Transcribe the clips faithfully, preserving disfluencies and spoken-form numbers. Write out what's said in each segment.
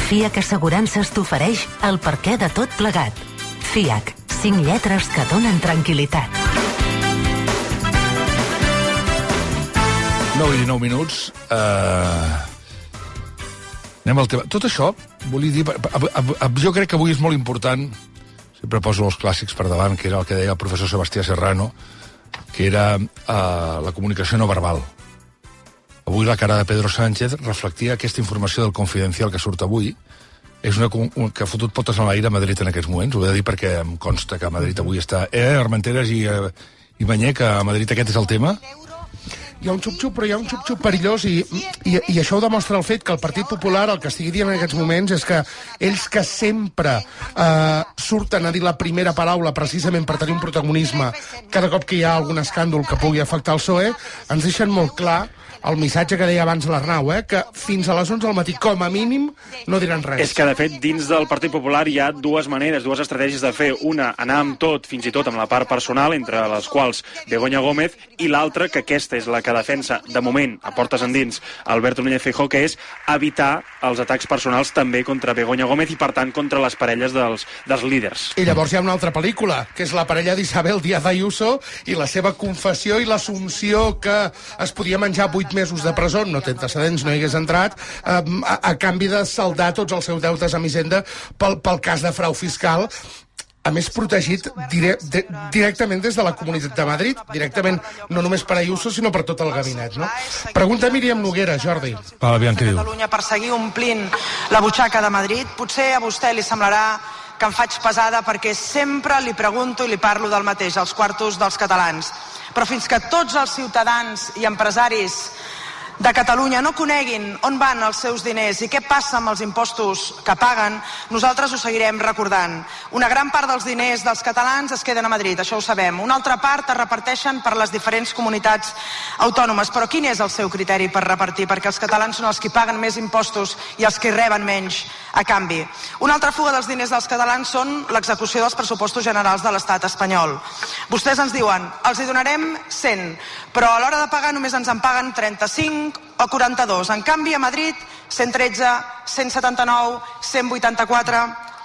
F I A C Assegurances t'ofereix el perquè de tot plegat. F I A C, cinc lletres que donen tranquil·litat. nou i dinou minuts. Uh... Anem al tema. Tot això, volia dir... Jo crec que avui és molt important, sempre poso els clàssics per davant, que era el que deia el professor Sebastià Serrano, que era uh, la comunicació no verbal. Avui la cara de Pedro Sánchez reflectia aquesta informació del Confidencial que surt avui. És una que ha fotut potes en l'aire a Madrid en aquests moments. Ho he de dir perquè em consta que a Madrid avui està... Eh, Armenteres i, eh, i Banyer, que a Madrid aquest és el tema. Hi ha un xup-xup, però hi ha un xup-xup perillós i, i, i això ho demostra el fet que el Partit Popular el que estigui dient en aquests moments és que ells que sempre eh, surten a dir la primera paraula precisament per tenir un protagonisme cada cop que hi ha algun escàndol que pugui afectar el P S O E, ens deixen molt clar el missatge que deia abans l'Arnau, eh, que fins a les onze del matí, com a mínim, no diran res. És que, de fet, dins del Partit Popular hi ha dues maneres, dues estratègies de fer. Una, anar amb tot, fins i tot amb la part personal, entre les quals Begoña Gómez, i l'altra, que aquesta és la que defensa, de moment, a portes endins, Alberto Núñez Feijóo, que és evitar els atacs personals també contra Begoña Gómez i, per tant, contra les parelles dels, dels líders. I llavors hi ha una altra pel·lícula, que és la parella d'Isabel Díaz Ayuso i la seva confessió i l'assumpció que es podia menjar vuit mesos de presó, no té antecedents, no hi hagués entrat, a, a, a canvi de saldar tots els seus deutes amb Hisenda pel, pel cas de frau fiscal, a més protegit dire, de, directament des de la Comunitat de Madrid, directament no només per Ayuso, sinó per tot el gabinet, no? Pregunta Míriam Noguera, Jordi. Va, aviam què diu. Catalunya per seguir omplint la butxaca de Madrid, potser a vostè li semblarà que em faig pesada perquè sempre li pregunto i li parlo del mateix, als quartos dels catalans. Però fins que tots els ciutadans i empresaris de Catalunya no coneguin on van els seus diners i què passa amb els impostos que paguen, nosaltres ho seguirem recordant. Una gran part dels diners dels catalans es queden a Madrid, això ho sabem. Una altra part es reparteixen per les diferents comunitats autònomes. Però quin és el seu criteri per repartir? Perquè els catalans són els que paguen més impostos i els que reben menys a canvi. Una altra fuga dels diners dels catalans són l'execució dels pressupostos generals de l'estat espanyol. Vostès ens diuen, els hi donarem cent, però a l'hora de pagar només ens en paguen trenta-cinc o quaranta-dos. En canvi, a Madrid, cent tretze, cent setanta-nou, cent vuitanta-quatre...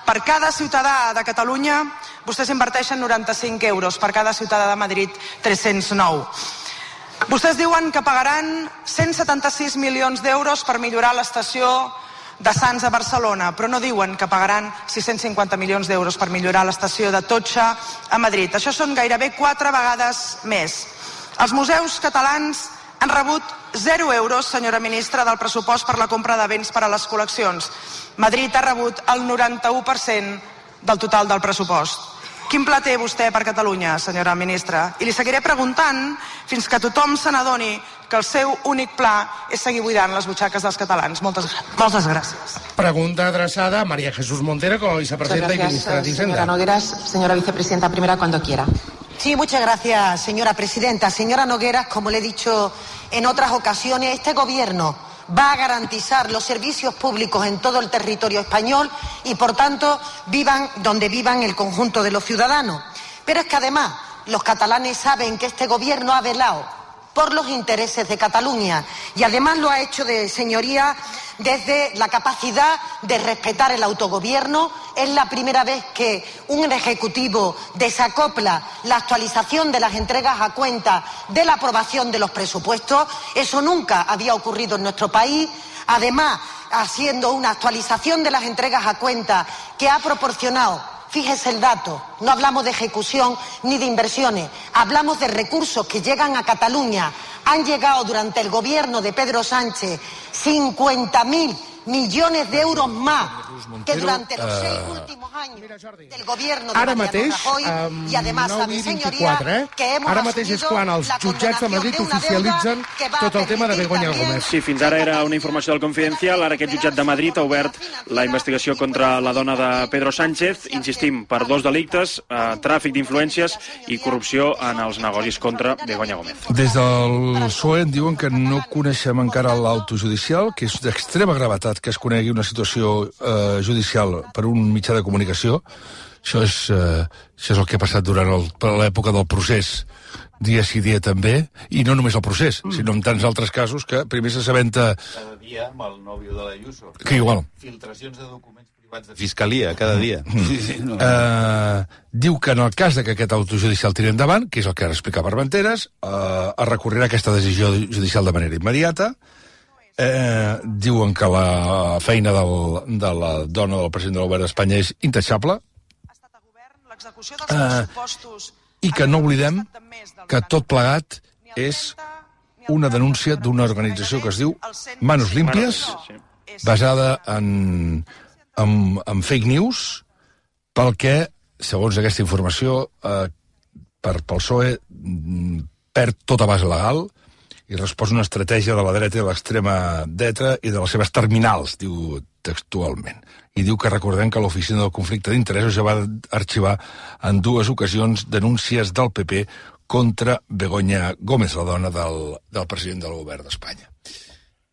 Per cada ciutadà de Catalunya, vostès inverteixen noranta-cinc euros. Per cada ciutadà de Madrid, tres-cents nou. Vostès diuen que pagaran cent setanta-sis milions d'euros per millorar l'estació de Sants a Barcelona, però no diuen que pagaran sis-cents cinquanta milions d'euros per millorar l'estació de Totxa a Madrid. Això són gairebé quatre vegades més. Els museus catalans han rebut zero euros, senyora ministra, del pressupost per la compra de béns per a les col·leccions. Madrid ha rebut el noranta-u per cent del total del pressupost. Quin pla té vostè per Catalunya, senyora ministra? I li seguiré preguntant fins que tothom se n'adoni que el seu únic pla és seguir buidant les butxaques dels catalans. Moltes, moltes gràcies. Pregunta adreçada a María Jesús Montero, como vicepresidenta y ministra de Hacienda. Señora Nogueras, señora vicepresidenta primera, cuando quiera. Sí, muchas gracias, señora presidenta. Señora Nogueras, como le he dicho en otras ocasiones, este gobierno va a garantizar los servicios públicos en todo el territorio español y, por tanto, vivan donde vivan el conjunto de los ciudadanos. Pero es que, además, los catalanes saben que este gobierno ha velado por los intereses de Cataluña y, además, lo ha hecho, de señoría, desde la capacidad de respetar el autogobierno. Es la primera vez que un ejecutivo desacopla la actualización de las entregas a cuenta de la aprobación de los presupuestos. Eso nunca había ocurrido en nuestro país. Además, haciendo una actualización de las entregas a cuenta que ha proporcionado, fíjese el dato, no hablamos de ejecución ni de inversiones, hablamos de recursos que llegan a Cataluña. Han llegado durante el gobierno de Pedro Sánchez cincuenta mil millones de euros más que durante los seis últimos años del gobierno de Ara Mariano mateix, Rajoy. I, además, nou i sabe, vint-i-quatre, señoría, eh? que hemos Ara mateix és quan els jutjats de Madrid oficialitzen tot el tema de Begoña Gómez. Sí, fins ara era una informació del Confidencial, ara aquest jutjat de Madrid ha obert la investigació contra la dona de Pedro Sánchez, insistim, per dos delictes, eh, tràfic d'influències i corrupció en els negocis contra Begoña Gómez. Des del P S O E en diuen que no coneixem encara l'auto judicial, que és d'extrema gravetat que es conegui una situació eh, judicial per un mitjà de comunicació. Això és, eh, això és el que ha passat durant l'època del procés, dia sí dia també, i no només el procés, mm. sinó en tants altres casos que primer s'assabenta... Cada dia amb el nòvio de l'Ayuso. Que igual. Filtracions de documents privats de fiscalia, cada dia. Mm. Sí, sí, no. uh, diu que en el cas de que aquest auto judicial tiri endavant, que és el que ara explica Armenteres, uh, es recorrerà aquesta decisió judicial de manera immediata. Eh, diuen que la feina del, de la dona del president del govern d'Espanya és intachable. Eh, I que no oblidem que tot plegat és una denúncia d'una organització que es diu Manos Limpias, basada en, en, en fake news, pel que, segons aquesta informació, eh, per, pel P S O E perd tota base legal i respon una estratègia de la dreta i de l'extrema dreta i de les seves terminals, diu textualment. I diu que recordem que l'Oficina del Conflicte d'Interessos ja va arxivar en dues ocasions denúncies del P P contra Begoña Gómez, la dona del, del president del govern d'Espanya.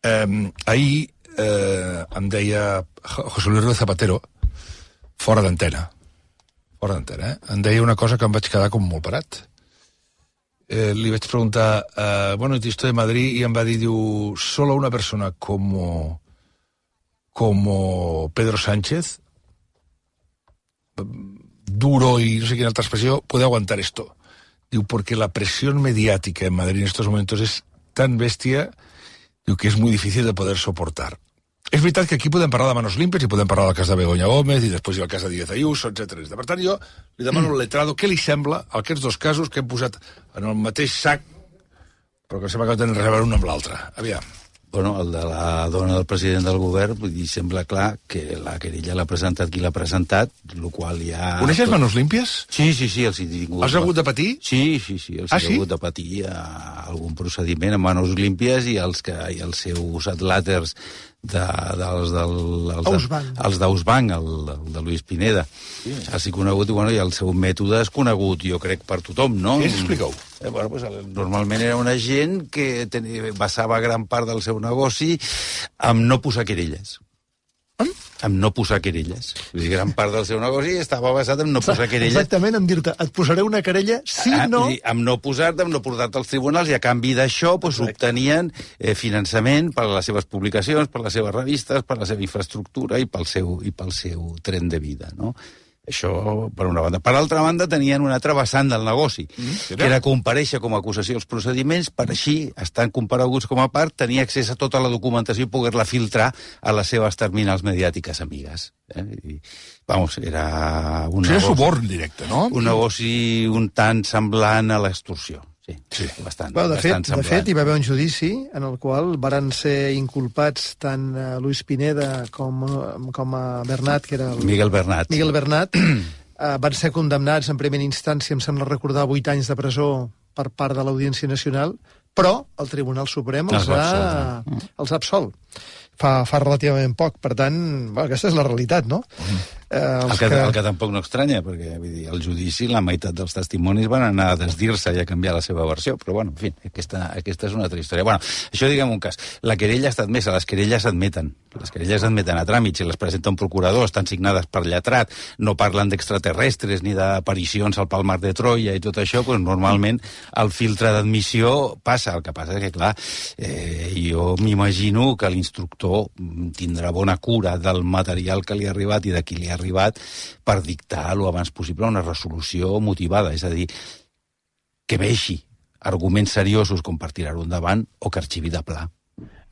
Eh, ahir eh, em deia José Luis Rodríguez Zapatero, fora d'antena, fora d'antena, eh? em deia una cosa que em vaig quedar com molt parat. Eh, li vaig preguntar, eh, bueno, estoy de Madrid, i em va dir, diu, solo una persona como, como Pedro Sánchez, duro y no sé qué altra expresión, puede aguantar esto. Diu, porque la presión mediática en Madrid en estos momentos es tan bestia, diu, que es muy difícil de poder soportar. És veritat que aquí podem parlar de Manos Limpias i podem parlar del cas de Begoña Gómez i després hi ha el cas de Díaz Ayuso, etcètera. Per tant, jo li demano al letrado què li sembla aquests dos casos que hem posat en el mateix sac, però que sembla que no tenen res a veure un amb l'altre. Aviam. Bueno, el de la dona del president del govern, vull dir, sembla clar que la querella l'ha presentat qui l'ha presentat, el qual ja... Coneixes tot... Manos Limpias? Sí, sí, sí, els he tingut... Has hagut de patir? Sí, sí, sí, els ah, he sí? hagut de patir a algun procediment amb Manos Limpias i els, que, i els seus adlàters de, dels, del, els, de, els d'Ausbank, el, el de Luis Pineda. Sí. Ha sigut conegut, i, bueno, i el seu mètode és conegut, jo crec, per tothom, no? Sí, explica-ho. Eh, bueno, pues, normalment era una gent que tenia, basava gran part del seu negoci amb no posar querelles. Eh? Amb no posar querelles. Vull dir, gran part del seu negoci estava basat en no posar querelles. Exactament, en dir-te, et posaré una querella si ah, no... Dir, amb no posar-te, amb no portar-te als tribunals, i a canvi d'això pues, obtenien eh, finançament per a les seves publicacions, per a les seves revistes, per a la seva infraestructura i pel seu, i pel seu tren de vida, no? Això, per una banda. Per altra banda, tenien un altre vessant del negoci, mm, que era comparèixer com a acusació als procediments, per així, estant compareguts com a part, tenir accés a tota la documentació i poder-la filtrar a les seves terminals mediàtiques amigues. Eh? I, vamos, era un sí, negoci... suborn directe, no? Un negoci un tant semblant a l'extorsió. Sí, sí, bastant, bueno, de, bastant fet, de fet, hi va haver un judici en el qual varen ser inculpats tant uh, Luis Pineda com, com a Bernat, que era el... Miguel Bernat. Miguel Bernat. uh, van ser condemnats en primera instància, em sembla recordar, vuit anys de presó per part de l'Audiència Nacional, però el Tribunal Suprem els, els ha, els ha absolt. Fa, fa relativament poc, per tant, bueno, aquesta és la realitat, no? Mm. Eh, el, que, que... el que tampoc no estranya, perquè vull dir, el judici, la meitat dels testimonis van anar a desdir-se i a canviar la seva versió, però bueno, en fi, aquesta, aquesta és una altra història. Bueno, això diguem un cas. La querella ha estat admesa, les querelles s'admeten. Les querelles s'admeten a tràmits, si les presenta un procurador, estan signades per lletrat, no parlen d'extraterrestres ni d'aparicions al Palmar de Troia i tot això, doncs normalment el filtre d'admissió passa. El que passa és que, clar, eh, jo m'imagino que l'instructor tindrà bona cura del material que li ha arribat i de qui li ha arribat per dictar lo abans possible una resolució motivada, és a dir, que veixi arguments seriosos com per tirar-ho endavant o que arxivi de pla.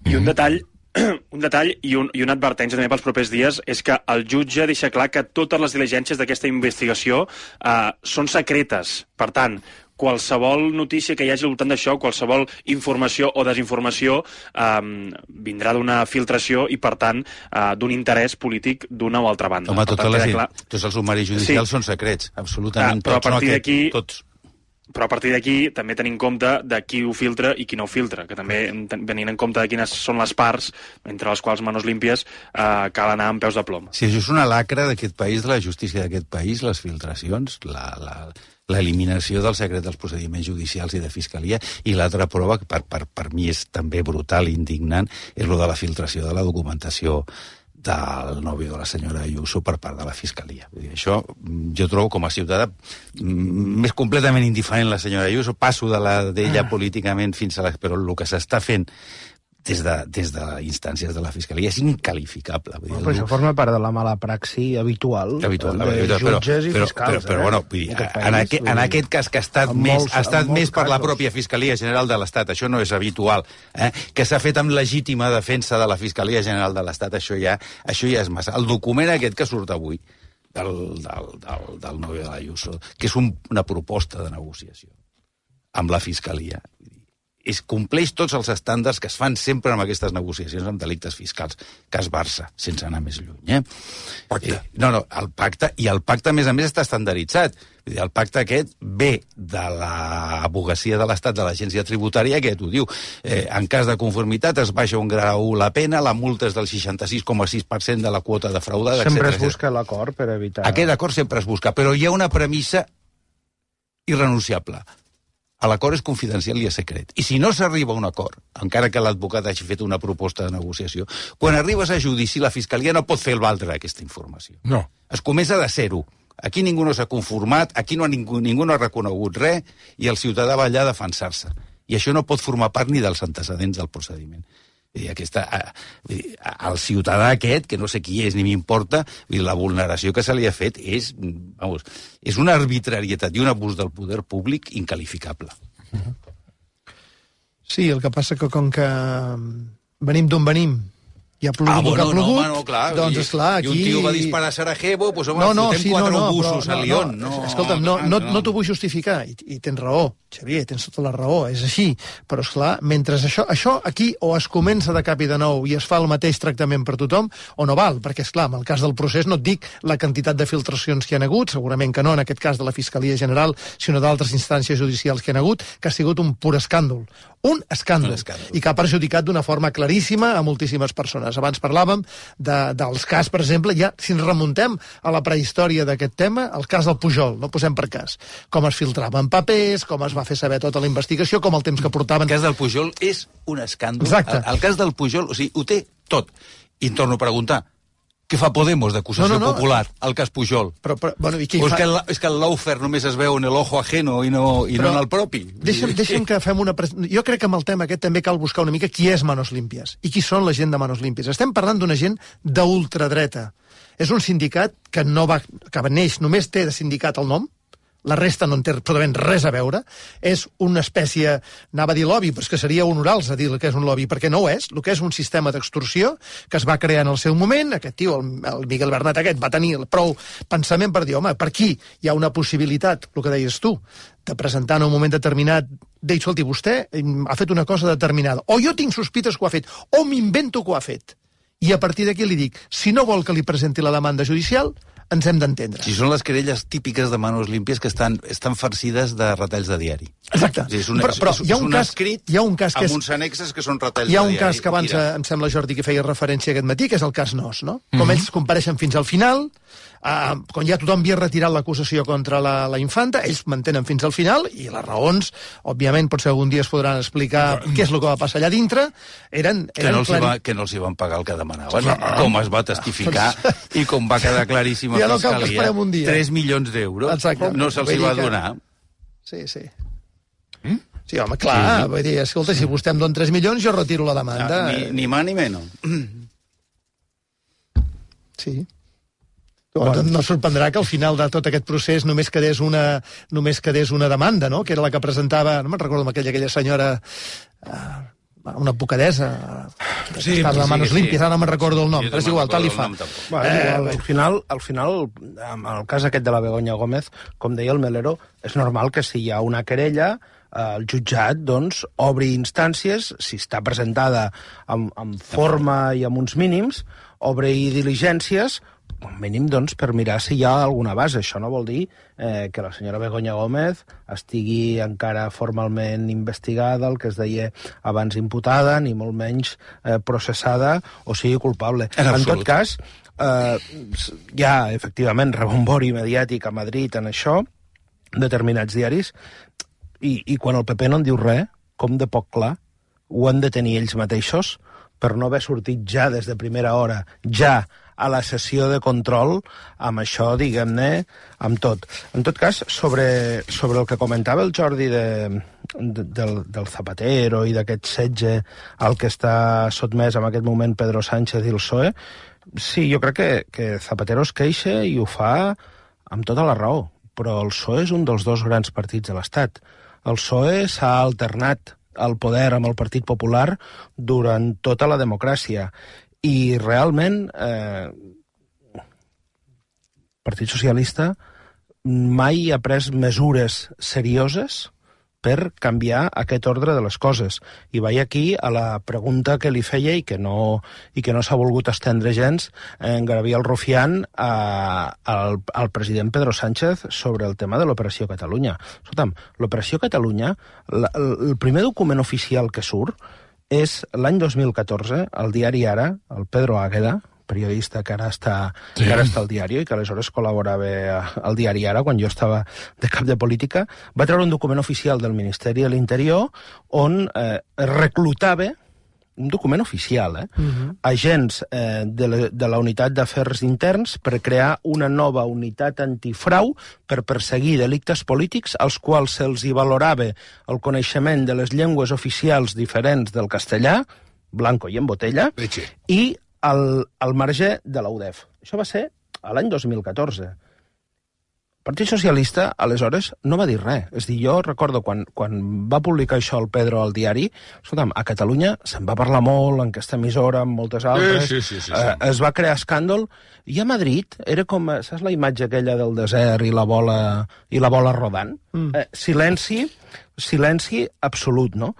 I un detall un detall i, un, i una advertència també pels propers dies és que el jutge deixa clar que totes les diligències d'aquesta investigació eh, són secretes. Per tant, qualsevol notícia que hi hagi al voltant d'això, qualsevol informació o desinformació eh, vindrà d'una filtració i, per tant, eh, d'un interès polític d'una o altra banda. Home, totes tant, les, clar... tots els sumaris judicials sí. són secrets, absolutament. Ah, però a partir d'aquí... No tots. Però a partir d'aquí també tenim en compte de qui ho filtra i qui no ho filtra, que també venint en compte de quines són les parts, entre les quals Manos Limpias, eh, cal anar amb peus de plom. Si això és una lacra d'aquest país, de la justícia d'aquest país, les filtracions, la, la, l'eliminació del secret dels procediments judicials i de fiscalia, i l'altra prova, que per, per, per mi és també brutal i indignant, és lo de la filtració de la documentació del nòvio de la senyora Ayuso per part de la Fiscalia. Vull dir, això jo trobo com a ciutadà més completament indiferent la senyora Ayuso, passo de la d'ella políticament fins a la... Però el que s'està fent des de, des de instàncies de la Fiscalia és incalificable. Vull dir, però això forma part de la mala praxi habitual, habitual de habitual, jutges però, i però, fiscals. Però, però, eh? bueno, vull dir, en, en, aquest, en aquest cas que ha estat En més, molts- ha estat en molts més per la casos. pròpia Fiscalia General de l'Estat, això no és habitual, eh? Que s'ha fet amb legítima defensa de la Fiscalia General de l'Estat, això ja, això ja és massa. El document aquest que surt avui del, del, del, del nòvio de l'Ayuso, que és un, una proposta de negociació amb la Fiscalia, es compleix tots els estàndards que es fan sempre amb aquestes negociacions amb delictes fiscals. Cas Barça, sense anar més lluny. Eh? Pacte. Eh, no, no, el pacte, i el pacte, a més a més, està estandarditzat. Vull dir, el pacte aquest ve de l'advocacia de l'Estat, de l'agència tributària, que t'ho diu. Eh, en cas de conformitat es baixa un grau la pena, la multa és del seixanta-sis coma sis per cent de la quota defraudada, Sempre etcètera, es busca l'acord per evitar... Aquest acord sempre es busca, però hi ha una premissa irrenunciable. L'acord és confidencial i és secret. I si no s'arriba a un acord, encara que l'advocat hagi fet una proposta de negociació, quan arribes a judici, la Fiscalia no pot fer el valdre aquesta informació. No. Es comença de zero. Aquí ningú no s'ha conformat, aquí no ha ningú, ningú no ha reconegut res, i el ciutadà va allà a defensar-se. I això no pot formar part ni dels antecedents del procediment. Vull dir, aquesta, vull dir, el ciutadà aquest, que no sé qui és ni m'importa, la vulneració que se li ha fet és, vamos, és una arbitrarietat i un abús del poder públic incalificable. Sí, el que passa que com que venim d'on venim, hi ha plogut Ah, el que bueno, ha plogut, no, home, no, clar. doncs, I- esclar, aquí... I un tio va disparar a Sarajevo, doncs, home, no, no, fotem sí, quatre no, no, obusos però, a Lyon. No, escolta'm, no, no, no. no t'ho vull justificar, i, i tens raó, Xavier, tens tota la raó, és així, però, esclar, mentre això, això aquí o es comença de cap i de nou i es fa el mateix tractament per tothom, o no val, perquè, esclar, en el cas del procés no et dic la quantitat de filtracions que hi ha hagut, segurament que no en aquest cas de la Fiscalia General, sinó d'altres instàncies judicials que hi ha hagut, que ha sigut un pur escàndol. Un escàndol, Un escàndol. i que ha perjudicat d'una forma claríssima a moltíssimes persones. Abans parlàvem de, dels cas, per exemple, ja si ens remuntem a la prehistòria d'aquest tema, el cas del Pujol, no posem per cas, com es filtraven papers, com es va fer saber tota la investigació, com el temps que portaven... El cas del Pujol és un escàndol. Exacte. El, el cas del Pujol, o sigui, ho té tot. I em torno a preguntar, què fa Podemos d'acusació No, no, no. popular al cas Pujol? Però, però, bueno, i què hi O és fa? que, el, és que el lawfare només es veu en el ojo ajeno i no, i Però no en el propi? Deixa'm, deixa'm que fem una... pres- Jo crec que amb el tema aquest també cal buscar una mica qui és Manos Limpias i qui són la gent de Manos Limpias. Estem parlant d'una gent d'ultradreta. És un sindicat que no va, que neix, només té de sindicat el nom, la resta no en té absolutament res a veure, és una espècie, anava a dir lobby, però és que seria honorar-los a dir el que és un lobby, perquè no ho és, el que és un sistema d'extorsió que es va crear en el seu moment, aquest tio, el, el Miguel Bernat aquest, va tenir prou pensament per dir, home, per aquí hi ha una possibilitat, el que deies tu, de presentar en un moment determinat, dir, escolti, vostè ha fet una cosa determinada, o jo tinc sospites que ho ha fet, o m'invento que ho ha fet. I a partir d'aquí li dic, si no vol que li presenti la demanda judicial, ens hem d'entendre. Si són les querelles típiques de Manos Limpias que estan, estan farcides de retalls de diari. Exacte. O sigui, és un, però, però és, hi ha un és un cas, escrit hi ha un cas que amb és, uns annexes que són retalls hi ha de un diari. cas que abans, Mira. eh, em sembla, Jordi, que feia referència aquest matí, que és el cas Nos, no? Com Mhm. ells compareixen fins al final, eh, quan ja tothom havia retirat l'acusació contra la, la infanta, ells mantenen fins al final, i les raons, òbviament, potser algun dia es podran explicar què és el que va passar allà dintre, eren... Que eren no, els hi clari- va, que no els hi van pagar el que demanaven, com es va testificar i com va quedar claríssim a Ja no cal que Fiscalia. esperem un dia. tres milions d'euros Exacte. no se'ls hi Vull va dir que- donar. Sí, sí. Mm? Sí, home, clar, Sí, sí. vull dir, escolta, si vostè em dona tres milions, jo retiro la demanda. Ah, ni, ni más ni menos. Sí. Bueno. No sorprendrà que al final de tot aquest procés només quedés una, només quedés una demanda, no? Que era la que presentava, no me'n recordo, aquella, aquella senyora, uh, una advocadessa, Sí, que estava sí, a Manos sí. Limpias, ara no me'n recordo el nom, Jo però és no igual, me'n tal li recordo fa. el nom, tampoc. Bueno, Eh, igual, al final, al final, amb el cas aquest de la Begoña Gómez, com deia el Melero, és normal que si hi ha una querella, eh, el jutjat doncs, obri instàncies, si està presentada amb, amb forma i amb uns mínims, obri diligències, com mínim doncs, per mirar si hi ha alguna base. Això no vol dir eh, que la senyora Begoña Gómez estigui encara formalment investigada, el que es deia abans imputada, ni molt menys eh, processada o sigui culpable. En En absolut. tot cas, eh, hi ha, efectivament, rebombori mediàtic a Madrid en això, determinats diaris, i, i quan el P P no en diu res, com de poc clar, ho han de tenir ells mateixos, per no haver sortit ja des de primera hora, ja a la sessió de control, amb això, diguem-ne, amb tot. En tot cas, sobre, sobre el que comentava el Jordi de, de, del, del Zapatero i d'aquest setge al que està sotmès en aquest moment Pedro Sánchez i el P S O E, sí, jo crec que, que Zapatero es queixa i ho fa amb tota la raó, però el P S O E és un dels dos grans partits de l'Estat. El P S O E s'ha alternat al poder amb el Partit Popular durant tota la democràcia i realment eh, el Partit Socialista mai ha pres mesures serioses per canviar aquest ordre de les coses. I vaig aquí a la pregunta que li feia i que no, i que no s'ha volgut estendre gens en Gabriel Rufián a, al, al president Pedro Sánchez sobre el tema de l'Operació Catalunya. Escolta'm, l'Operació Catalunya, la, el primer document oficial que surt és l'any dos mil catorze, al diari Ara, el Pedro Águeda, periodista que ara està, sí. que ara està al diari i que aleshores col·laborava al diari Ara quan jo estava de cap de política, va treure un document oficial del Ministeri de l'Interior on eh, reclutava, un document oficial, eh, uh-huh. agents eh, de, la, de la Unitat d'Afers Interns per crear una nova unitat antifrau per perseguir delictes polítics als quals se'ls hi valorava el coneixement de les llengües oficials diferents del castellà, blanco i en botella, Leche. i al, al marge de la U D E F. Això va ser a l'any dos mil catorze. El Partit Socialista, aleshores, no va dir res. És dir, jo recordo quan, quan va publicar això el Pedro al diari, escolta'm, a Catalunya se'n va parlar molt, en aquesta emissora, en moltes altres, sí, sí, sí, sí, sí. Eh, es va crear escàndol, i a Madrid era com, saps la imatge aquella del desert i la bola, i la bola rodant? Mm. Eh, silenci, silenci absolut, no?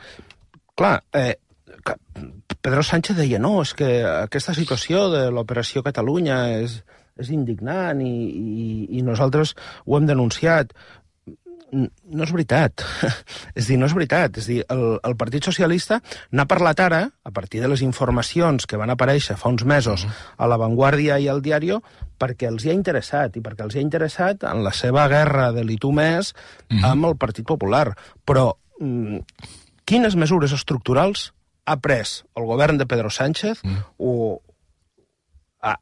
Clar, eh, Pedro Sánchez deia, no, és que aquesta situació de l'Operació Catalunya és, és indignant i, i, i nosaltres ho hem denunciat. No és veritat. És dir, no és veritat. És dir, el, el Partit Socialista n'ha parlat ara, a partir de les informacions que van aparèixer fa uns mesos a La Vanguardia i al Diario, perquè els hi ha interessat, i perquè els hi ha interessat en la seva guerra de l'i tu més amb el Partit Popular. Però mm, quines mesures estructurals ha pres el govern de Pedro Sánchez mm. o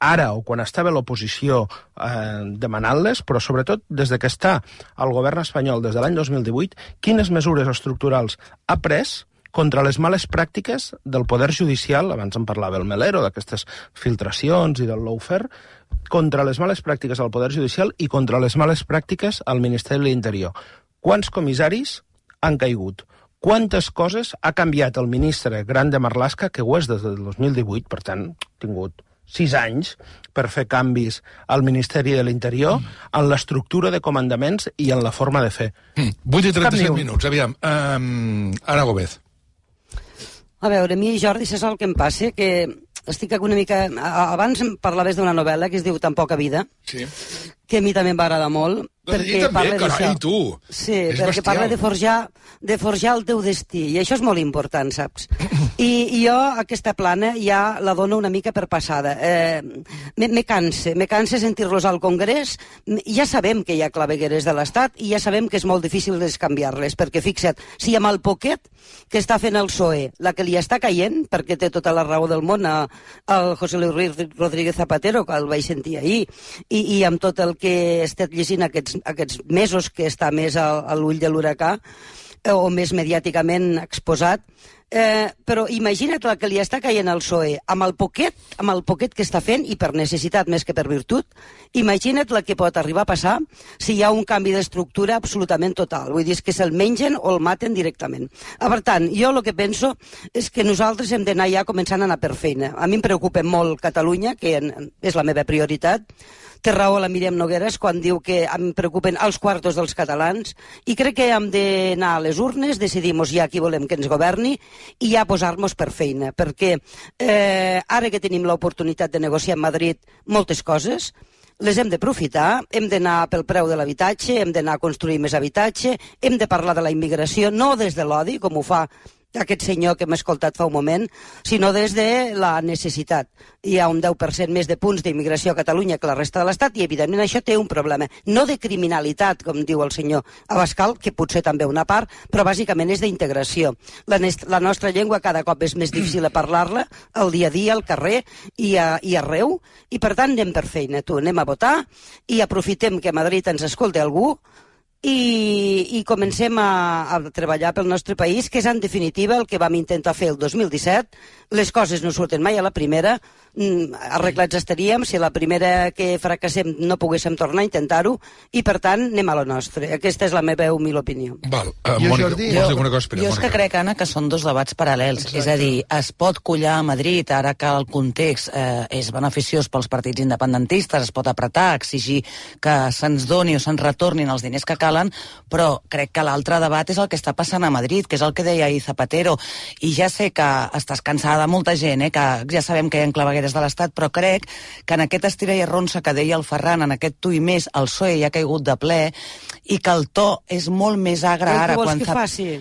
ara o quan estava a l'oposició eh, demanant-les, però sobretot des de que està al govern espanyol des de l'any dos mil divuit, quines mesures estructurals ha pres contra les males pràctiques del poder judicial, abans en parlava el Melero, d'aquestes filtracions i del lawfare, contra les males pràctiques al poder judicial i contra les males pràctiques al Ministeri de l'Interior. Quants comissaris han caigut? Quantes coses ha canviat el ministre Grande Marlaska, que ho és des del dos mil divuit, per tant, ha tingut sis anys per fer canvis al Ministeri de l'Interior mm. en l'estructura de comandaments i en la forma de fer. Mm. vuit i trenta-set minuts, aviam. Um, Ana Gómez. A veure, a mi, Jordi, saps el que em passa? Que estic una mica... Abans parlaves d'una novel·la que es diu Tan poca vida, sí. que a mi també em va agradar molt, perquè també, parla carai, d'això. tu! Sí, és perquè bestial. Parla de forjar, de forjar el teu destí, i això és molt important, saps? I, i jo, aquesta plana, ja la dono una mica per passada. Eh, me, me canse, me canse sentir-los al Congrés. Ja sabem que hi ha clavegueres de l'Estat i ja sabem que és molt difícil descanviar-les, perquè fixa't, si amb el poquet que està fent el P S O E, la que li està caient, perquè té tota la raó del món al José Luis Rodríguez Zapatero, que el vaig sentir ahir, i, i amb tot el que he estat llegint aquests, aquests mesos que està més a, a l'ull de l'huracà, o més mediàticament exposat, eh, però imagina't la que li està caient al P S O E, amb el poquet, amb el poquet que està fent, i per necessitat més que per virtut, imagina't la que pot arribar a passar si hi ha un canvi d'estructura absolutament total. Vull dir, és que se'l mengen o el maten directament. Ah, per tant, jo el que penso és que nosaltres hem d'anar ja començant a anar per feina. A mi em preocupa molt Catalunya, que és la meva prioritat. Té raó la Míriam Nogueras quan diu que em preocupen els quartos dels catalans, i crec que hem d'anar a les urnes, decidir-nos ja qui volem que ens governi i ja posar-nos per feina, perquè eh, ara que tenim l'oportunitat de negociar amb Madrid moltes coses, les hem d'aprofitar, hem d'anar pel preu de l'habitatge, hem d'anar a construir més habitatge, hem de parlar de la immigració, no des de l'odi, com ho fa aquest senyor que m'ha escoltat fa un moment, sinó des de la necessitat. Hi ha un deu per cent més de punts d'immigració a Catalunya que la resta de l'Estat i, evidentment, això té un problema. No de criminalitat, com diu el senyor Abascal, que potser també una part, però bàsicament és d'integració. La, la nostra llengua cada cop és més difícil a parlar-la, al dia a dia, al carrer i, a, i arreu, i per tant anem per feina. Tu, anem a votar i aprofitem que a Madrid ens escolti algú i, i comencem a, a treballar pel nostre país, que és en definitiva el que vam intentar fer el dos mil disset. Les coses no surten mai a la primera, arreglats estaríem si la primera que fracassem no poguéssim tornar a intentar-ho, i per tant anem a la nostra. Aquesta és la meva humil opinió. Val, uh, Mònica, Jordi, jo, jo, cosa, espera, jo és Mònica. que crec, Anna, que són dos debats paral·lels. Exacte. És a dir, es pot collar a Madrid ara que el context eh, és beneficiós pels partits independentistes, es pot apretar, exigir que se'ns doni o se'ns retornin els diners que calen, però crec que l'altre debat és el que està passant a Madrid, que és el que deia ahir Zapatero, i ja sé que estàs cansada de molta gent, eh, que ja sabem que hi ha clavegueres de l'Estat, però crec que en aquest estira i arronsa que deia el Ferran, en aquest tu i més, el P S O E ja ha caigut de ple, i que el to és molt més agre ara. Què vols quan que faci?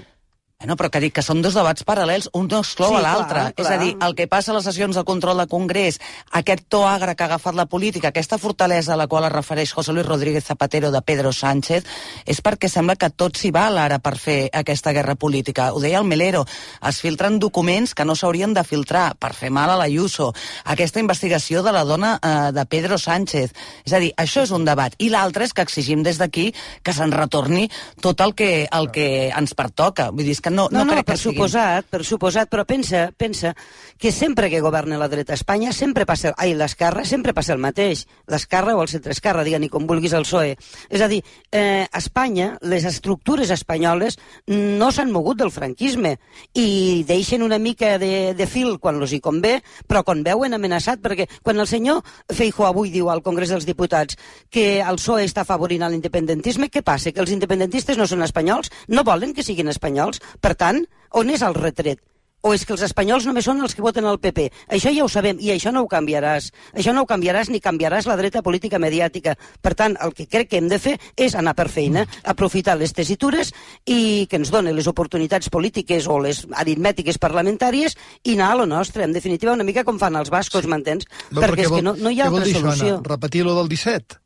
Bueno, però que dic que són dos debats paral·lels, un no exclou Sí, a l'altre. clar, És clar. a dir, el que passa a les sessions de control de Congrés, aquest to agre que ha agafat la política, aquesta fortalesa a la qual es refereix José Luis Rodríguez Zapatero de Pedro Sánchez, és perquè sembla que tot s'hi val ara per fer aquesta guerra política. Ho deia el Melero, es filtren documents que no s'haurien de filtrar per fer mal a l'Ayuso. Aquesta investigació de la dona eh, de Pedro Sánchez. És a dir, això és un debat. I l'altre és que exigim des d'aquí que se'n retorni tot el que, el que ens pertoca. Vull dir, és que no, no, No, no, crec per que siguin... suposat, per suposat, però pensa, pensa que sempre que governa la dreta a Espanya, sempre passa, ai, l'esquerra, sempre passa el mateix. L'esquerra o el centreesquerra, digue-n'hi com vulguis el P S O E. És a dir, eh, a Espanya, les estructures espanyoles no s'han mogut del franquisme i deixen una mica de, de fil quan els hi convé, però quan veuen amenaçat, perquè quan el senyor Feijóo avui diu al Congrés dels Diputats que el P S O E està afavorint l'independentisme, què passa? Que els independentistes no són espanyols? No volen que siguin espanyols? Per tant, on és el retret? O és que els espanyols només són els que voten al P P? Això ja ho sabem, i això no ho canviaràs. Això no ho canviaràs ni canviaràs la dreta política mediàtica. Per tant, el que crec que hem de fer és anar per feina, aprofitar les tessitures i que ens donen les oportunitats polítiques o les aritmètiques parlamentàries i anar a lo nostre. En definitiva, una mica com fan els bascos, m'entens? Perquè és que no, no hi ha altra solució. Repetir lo del disset?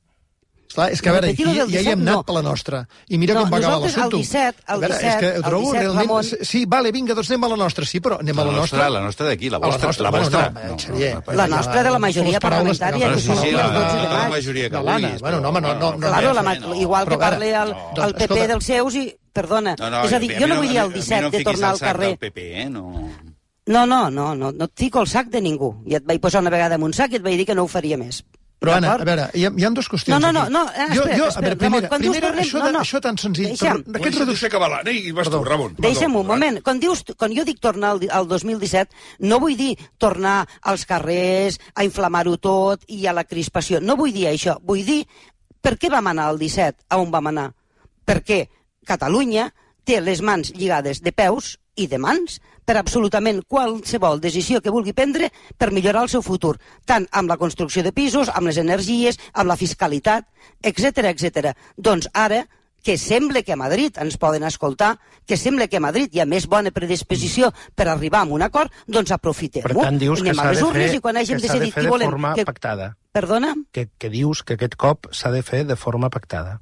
Clar, és que, a veure, aquí ja hi hem anat per la nostra. I mira com va acabar l'assumpte. El disset, el disset, és que ho trobo realment... Ramon... Sí, vale, vinga, doncs anem a la nostra. Sí, però anem a la nostra. La nostra d'aquí, la vostra. La vostra. La nostra de la majoria parlamentària. Sí, sí, la majoria que vulguis. Bueno, no, home, no... Claro, igual que parli el P P dels seus i... Perdona, és a dir, jo no vull dir el disset de tornar al carrer. No, no, no, no et fico el sac de ningú. Ja et vaig posar una vegada en un sac i et vaig dir que no ho faria més. Però, Anna, a veure, hi ha, hi ha dues qüestions no, no, aquí. No, no, espera, jo, jo, espera, veure, primera, Ramon, quan primera, dius parlem, això, de, no, no. això tan senzill... Deixa'm. Però, aquest reducció que va la... I vas tu, Ramon. Deixa'm un moment. Quan, dius, quan jo dic tornar al, al dos mil disset, no vull dir tornar als carrers, a inflamar-ho tot i a la crispació. No vull dir això. Vull dir per què vam anar al disset, a on vam anar. Perquè Catalunya té les mans lligades de peus i de mans per absolutament qualsevol decisió que vulgui prendre per millorar el seu futur, tant amb la construcció de pisos, amb les energies, amb la fiscalitat, etcètera, etcètera. Doncs ara, que sembla que a Madrid ens poden escoltar, que sembla que a Madrid hi ha més bona predisposició per arribar a un acord, doncs aprofitem-ho. Per tant, dius que s'ha de fer, i quan hàgim que s'ha de fer de volem, forma que... pactada. Perdona? Que, que dius que aquest cop s'ha de fer de forma pactada.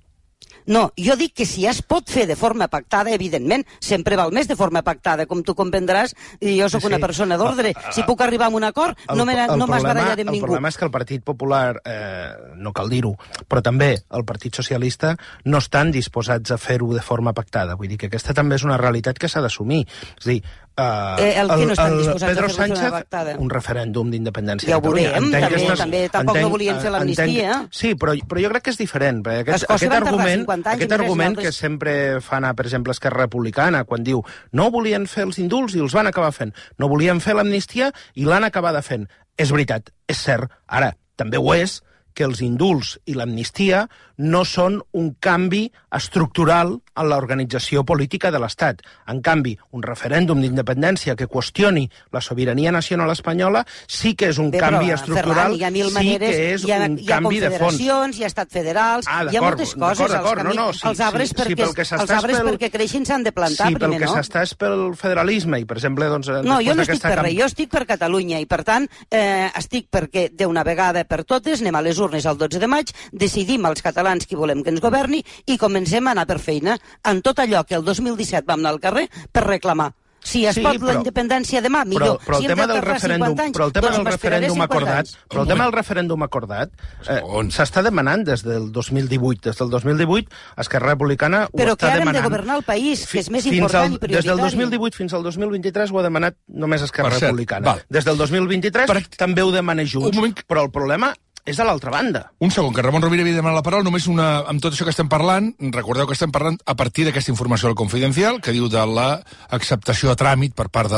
No, jo dic que si ja es pot fer de forma pactada, evidentment, sempre val més de forma pactada, com tu comprendràs, i jo sóc sí, sí. una persona d'ordre. Si puc arribar a un acord, el, no m'esbarallaré amb el ningú. El problema és que el Partit Popular, eh, no cal dir-ho, però també el Partit Socialista no estan disposats a fer-ho de forma pactada. Vull dir que aquesta també és una realitat que s'ha d'assumir. És a dir, Uh, eh, el, el, no el Pedro Sánchez, un referèndum d'independència ja ho veurem, també, estàs, també tampoc entenc, no volien fer l'amnistia. Sí, però, però jo crec que és diferent. Aquest, aquest argument, aquest argument que sempre fa anar, per exemple, Esquerra Republicana, quan diu no volien fer els indults i els van acabar fent, no volien fer l'amnistia i l'han acabada fent. És veritat, és cert. Ara, també ho és que els indults i l'amnistia no són un canvi estructural en l'organització política de l'Estat. En canvi, un referèndum d'independència que qüestioni la sobirania nacional espanyola sí que és un Bé, canvi però, estructural, Ferran, hi ha mil sí maneres, que és hi ha, un hi ha canvi de fons. confederacions, hi ha estat federals, Ah, hi ha moltes coses. d'acord, Els, d'acord, camí, no, no, sí, els arbres, sí, perquè, sí, pel que els arbres pel... perquè creixen s'han de plantar sí, primer, no? Sí, pel que s'està és pel federalisme, i per exemple... Doncs, no, jo no estic per camp... res, jo estic per Catalunya, i per tant eh, estic perquè d'una vegada per totes anem a les urnes el dotze de maig, decidim els catalans qui volem que ens governi i comencem a anar per feina en tot allò que el dos mil disset vam anar al carrer per reclamar. Si es Sí, pot però- la independència demà, millor. Però, però, si el tema del tardar referèndum, cinquanta anys, però el tema doncs del m'esperaré referèndum cinquanta acordat, anys. però el tema del referèndum acordat eh, s'està demanant des del dos mil divuit. Des del dos mil divuit, Esquerra Republicana ho Però que està ara hem de demanant. governar el país, que és més Fins important al, i prioritari. Des del dos mil divuit fins al dos mil vint-i-tres ho ha demanat només Esquerra Per cert, Republicana. val. Des del dos mil vint-i-tres Per- també ho demana Junts. Un moment. Però el problema és a l'altra banda. Un segon, que Ramon Rovira havia demanat la paraula, només una, amb tot això que estem parlant, recordeu que estem parlant a partir d'aquesta informació del Confidencial, que diu de l'acceptació a tràmit per part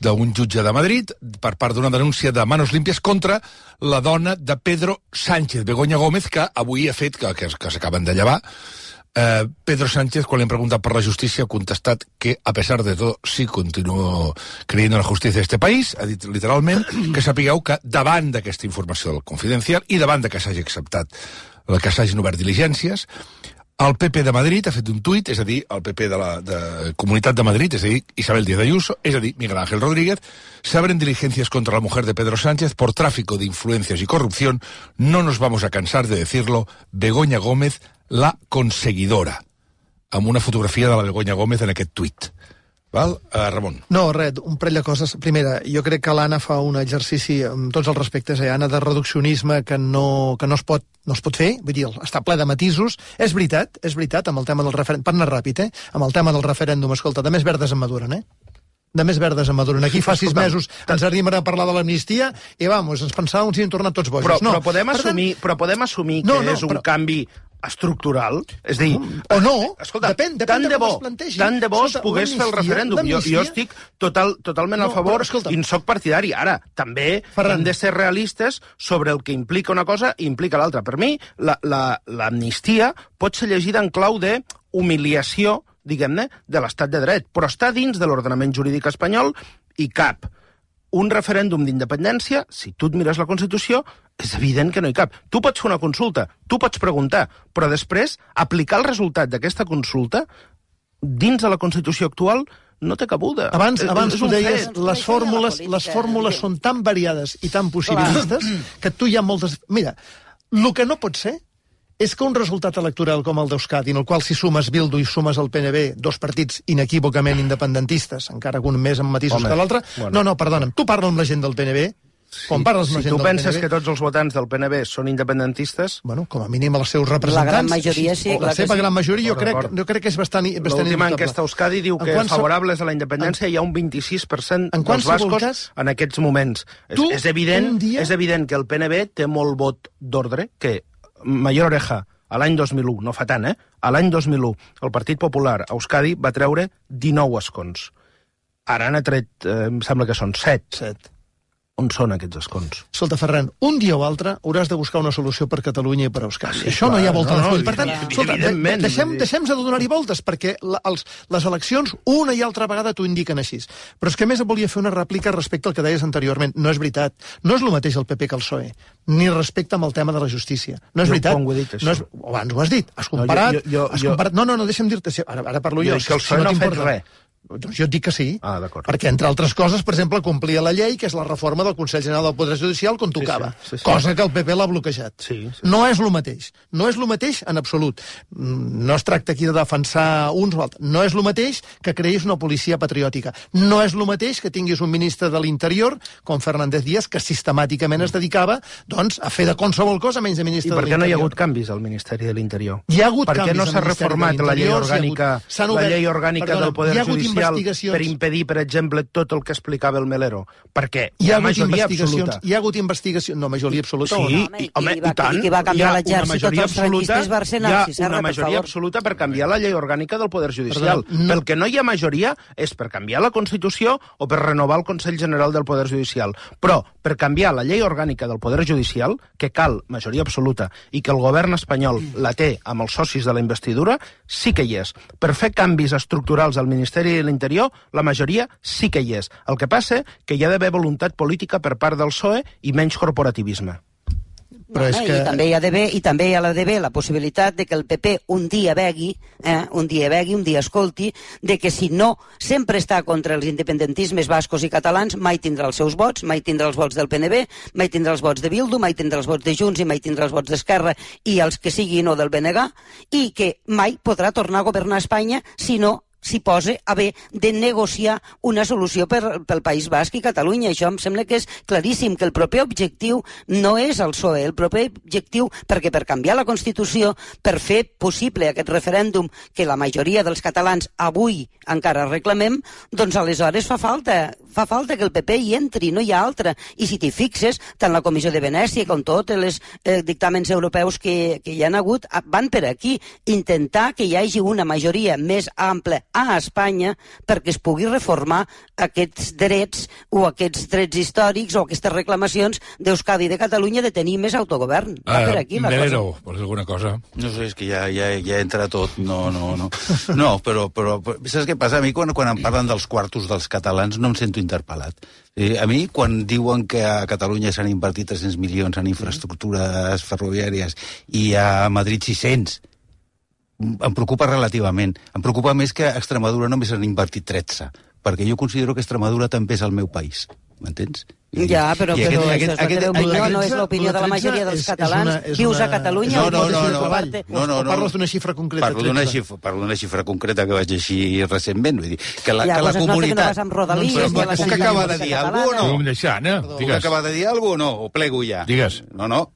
d'un jutge de Madrid, per part d'una denúncia de manos limpias contra la dona de Pedro Sánchez, Begoña Gómez, que avui ha fet, que, que, que s'acaben de llevar. Eh, Pedro Sánchez, quan li han preguntat per la justícia, ha contestat que, a pesar de tot, sí continuo creyendo en la justícia d'este país. Ha dit literalment que sapigueu que davant d'aquesta informació del Confidencial i davant de que s'hagi acceptat, que s'hagin obert diligències, el P P de Madrid ha fet un tuit, és a dir, el P P de la de Comunitat de Madrid, és a dir, Isabel Díaz Ayuso, és a dir, Miguel Ángel Rodríguez, se abren diligencias contra la mujer de Pedro Sánchez por tráfico de influencias y corrupción. No nos vamos a cansar de decirlo. Begoña Gómez, la conseguidora, amb una fotografia de la Begoña Gómez en aquest tuit. Val? Uh, Ramon. No, res, un parell de coses. Primera, jo crec que l'Anna fa un exercici, amb tots els respectes, eh, Anna, de reduccionisme que no, que no, es pot, no es pot fer, vull dir, està ple de matisos. És veritat, és veritat, amb el tema del referèndum, per anar ràpid, eh? Amb el tema del referèndum, escolta, de més verdes en maduren, eh? De més verdes en maduren. Aquí fa sis mesos ens arribem a parlar de l'amnistia i, vamos, ens pensàvem si hem tornat tots bojos. Però, no. però, podem, Per assumir, tant, però podem assumir que No, no, és un però- canvi estructural? És a dir... O no, escolta, depèn, depèn tant de de com bo, es plantegi. tant de bo es Escolta, pogués fer el l'amnistia- referèndum. Jo, jo l'amnistia- estic total, totalment a No, favor però, escolta- i en soc partidari. Ara, també Ferran. hem de ser realistes sobre el que implica una cosa i implica l'altra. Per mi, l'amnistia pot ser llegida en clau de humiliació, diguem-ne, de l'estat de dret, però està dins de l'ordenament jurídic espanyol i cap. Un referèndum d'independència, si tu et mires la Constitució, és evident que no hi cap. Tu pots fer una consulta, tu pots preguntar, però després aplicar el resultat d'aquesta consulta dins de la Constitució actual no té cabuda. Abans, És- abans és tu un deies, fet. les fórmules, les fórmules són tan variades i tan possibilistes que tu hi ha moltes... Mira, el que no pot ser és que un resultat electoral com el d'Euskadi, en el qual si sumes Bildu i sumes el P N B, dos partits inequívocament independentistes, encara que un més amb matisos Home, que l'altre... bueno. No, no, perdona'm, tu parles amb la gent del P N B, quan parles amb la Si gent tu del penses P N B... que tots els votants del P N B són independentistes... Bueno, com a mínim els seus representants... La gran majoria sí, La clar que seva sí. gran majoria jo D'acord, crec, d'acord. jo crec que és bastant, bastant L'última indubtable. enquesta a Euskadi diu En que qualsevol- favorables a la independència hi ha un vint-i-sis per cent En dels qualsevol bascos cas, en aquests moments. És, tu, és, evident, un dia- és evident que el P N B té molt vot d'ordre, que Mayor Oreja, a l'any dos mil u, no fa tant, eh? A l'any dos mil u, el Partit Popular a Euskadi va treure dinou escons. Ara n'ha tret, eh, em sembla que són set. Set. On són aquests escons? Escolta, Ferran, un dia o altre hauràs de buscar una solució per Catalunya i per Euskadi. Sí, Això no clar, hi ha volta no, de no, full. Per tant, evidentment, escolta, de, evidentment, deixem, vull dir- deixem de donar-hi voltes, perquè la, els, les eleccions una i altra vegada t'ho indiquen així. Però és que a més volia fer una rèplica respecte al que deies anteriorment. No és veritat. No és el mateix el P P que el P S O E, ni respecte amb el tema de la justícia. No és Jo veritat. quan ho he dit, això? No és, abans ho has dit. Has comparat... jo- jo- has jo- comparat no, no, no, deixa'm dir-te... Ara, ara parlo jo. Jo és que el P S O E no ha fet t'importa. res. Doncs jo et dic que sí. Ah, d'acord. Perquè, entre altres coses, per exemple, complia la llei, que és la reforma del Consell General del Poder Judicial, quan tocava. sí, sí, sí. Cosa que el P P l'ha bloquejat. Sí, sí. No és el mateix. No és el mateix en absolut. Mm, No es tracta aquí de defensar uns o altres. No és el mateix que creïs una policia patriòtica. No és el mateix que tinguis un ministre de l'Interior, com Fernández Díaz, que sistemàticament es dedicava doncs, a fer de qualsevol cosa menys de I ministre de per l'Interior. què no hi ha hagut canvis al Ministeri de l'Interior? Hi ha hagut Per què canvis no al s'ha Ministeri de reformat la llei l'Interior, s'hi ha orgànica, hagut- s'han la obert- llei orgànica perdona, del Poder hi ha hagut Judicial? judicial per impedir, per exemple, tot el que explicava el Melero? Perquè hi ha, ha majoria absoluta. Hi ha hagut investigacions... No, majoria absoluta sí, o no? I, home, i, i tant. I va canviar l'exèrcit, tots els franquistes hi ha una majoria per absoluta per canviar la llei orgànica del Poder Judicial. Perdó, no. Pel que no hi ha majoria és per canviar la Constitució o per renovar el Consell General del Poder Judicial. Però per canviar la llei orgànica del Poder Judicial, que cal majoria absoluta i que el govern espanyol la té amb els socis de la investidura, sí que hi és. Per fer canvis estructurals al Ministeri de l'Interior, la majoria sí que hi és. El que passa que hi ha d'haver voluntat política per part del P S O E i menys corporativisme. Però és que... I també hi ha d'haver, i també hi ha d'haver la possibilitat de que el P P un dia vegui, eh, un dia vegui, un dia escolti, de que si no sempre està contra els independentismes bascos i catalans, mai tindrà els seus vots, mai tindrà els vots del P N B, mai tindrà els vots de Bildu, mai tindrà els vots de Junts i mai tindrà els vots d'Esquerra i els que siguin o del B N G, i que mai podrà tornar a governar Espanya si no s'hi posa a haver de negociar una solució per, pel País Basc i Catalunya. Això em sembla que és claríssim, que el proper objectiu no és el P S O E, el proper objectiu, perquè per canviar la Constitució, per fer possible aquest referèndum que la majoria dels catalans avui encara reclamem, doncs aleshores fa falta, fa falta que el P P hi entri, no hi ha altra. I si t'hi fixes, tant la Comissió de Venècia com tots els eh, dictàmens europeus que, que hi han hagut, van per aquí, intentar que hi hagi una majoria més ampla a Espanya perquè es pugui reformar aquests drets o aquests drets històrics o aquestes reclamacions d'Euskadi i de Catalunya de tenir més autogovern. Va uh, per aquí la Melero, cosa. vols alguna cosa? No sé, és que ja, ja, ja entra tot. No, no, no. No, però, però, però saps què passa? A mi quan, quan em parlen dels quartos dels catalans no em sento interpel·lat. Eh, a mi, quan diuen que a Catalunya s'han invertit tres-cents milions en infraestructures ferroviàries i a Madrid sis-cents, em preocupa relativament. Em preocupa més que a Extremadura només han invertit tretze, perquè jo considero que Extremadura també és el meu país. M'entens? Ja, però, I però aquest, això és la teva opinió, no és l'opinió de la majoria dels catalans. És una, és Vius una... a Catalunya no, o no, no, no, no, no, no, no, parles d'una xifra concreta? Parlo d'una xifra, parlo d'una xifra concreta que vaig així recentment. Vull dir, que la, ja, que la comunitat... Que no vas amb Rodalies, no, però, puc acabar de dir alguna cosa o no? Puc deixar, Anna? Puc acabar de dir alguna cosa o no? O plego ja? Digues. No, no.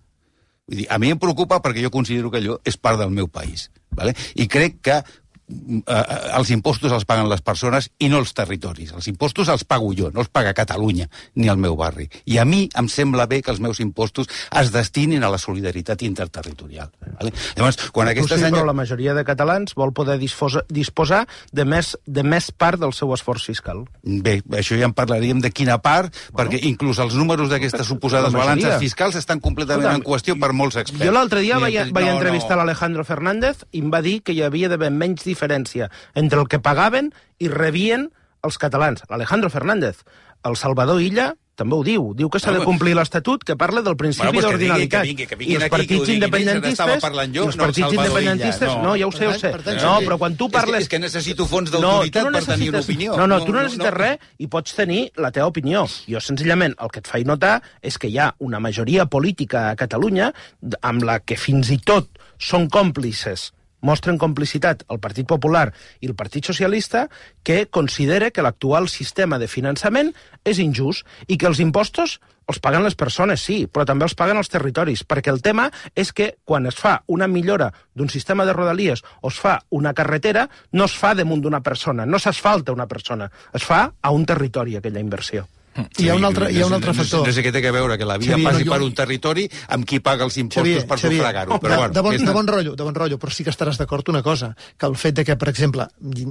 Vull dir, a mi em preocupa perquè jo considero que allò és part del meu país. Vale? I crec que eh, els impostos els paguen les persones i no els territoris. Els impostos els pago jo, no els paga Catalunya ni el meu barri. I a mi em sembla bé que els meus impostos es destinin a la solidaritat interterritorial. Vale? Llavors, quan aquesta sí, senya... però la majoria de catalans vol poder disposa, disposar de més, de més part del seu esforç fiscal. Bé, això ja en parlaríem de quina part, bueno, perquè inclús els números d'aquestes suposades balances fiscals estan completament Escolta, en qüestió per molts experts. Jo l'altre dia vaig, I, vaig no, entrevistar no. l'Alejandro Fernández i em va dir que hi havia d'haver menys diferència entre el que pagaven i rebien els catalans. L'Alejandro Fernández. El Salvador Illa també ho diu. Diu que s'ha de complir l'Estatut, que parla del principi bueno, pues d'ordinalitat. Que vingui, que vingui, I els partits independentistes... Jo, els partits no, independentistes... No, no, ja ho sé, ho sé. No, però quan tu parles... És que, és que necessito fons d'autoritat no, no per tenir una opinió. No, no, tu no necessites no, no. res i pots tenir la teva opinió. Jo, senzillament, el que et faig notar és que hi ha una majoria política a Catalunya amb la que fins i tot són còmplices, mostren complicitat el Partit Popular i el Partit Socialista, que considera que l'actual sistema de finançament és injust i que els impostos els paguen les persones, sí, però també els paguen els territoris, perquè el tema és que quan es fa una millora d'un sistema de rodalies o es fa una carretera, no es fa damunt d'una persona, no s'asfalta una persona, es fa a un territori aquella inversió. Sí, hi ha un altre, hi ha un altre factor. No sé què té a veure que la via Xavier, passi no, jo... per un territori amb qui paga els impostos Xavier, per sufragar-ho. Però de, bueno, de, bon, de bon rotllo, de bon rotllo, però sí que estaràs d'acord una cosa, que el fet de que, per exemple,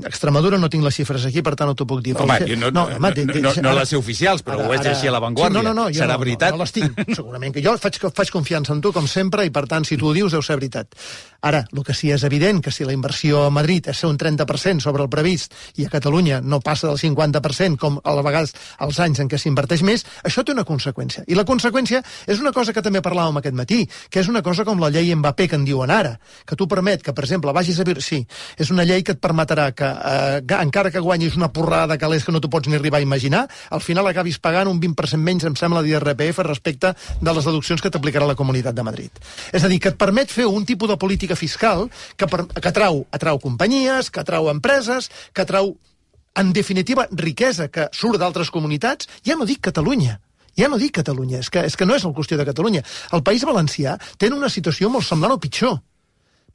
Extremadura no tinc les xifres aquí, per tant no t'ho puc dir. Home, fet... no, no, no, no, no, no les sé oficials, però ara, ho veig així a l'avantguàrdia. Sí, no, no, no, serà no, veritat? No, no les tinc, segurament que jo faig, faig confiança en tu, com sempre, i per tant, si tu ho dius, deu ser veritat. Ara, el que sí és evident, que si la inversió a Madrid és un trenta per cent sobre el previst i a Catalunya no passa del cinquanta per cent, com a vegades els anys en què s'inverteix més, això té una conseqüència. I la conseqüència és una cosa que també parlàvem aquest matí, que és una cosa com la llei Mbappé que en diuen ara, que tu permet que, per exemple, vagis a... Sí, és una llei que et permetrà que, eh, encara que guanyis una porrada de calés que no t'ho pots ni arribar a imaginar, al final acabis pagant un vint per cent menys, em sembla, d'I R P F respecte de les deduccions que t'aplicarà la Comunitat de Madrid. És a dir, que et permet fer un tipus de política fiscal que, per, que atrau, atrau companyies, que atrau empreses, que atrau, en definitiva, riquesa que surt d'altres comunitats. Ja no dic Catalunya, ja no dic Catalunya, és que, és que no és la qüestió de Catalunya. El País Valencià té una situació molt semblant o pitjor,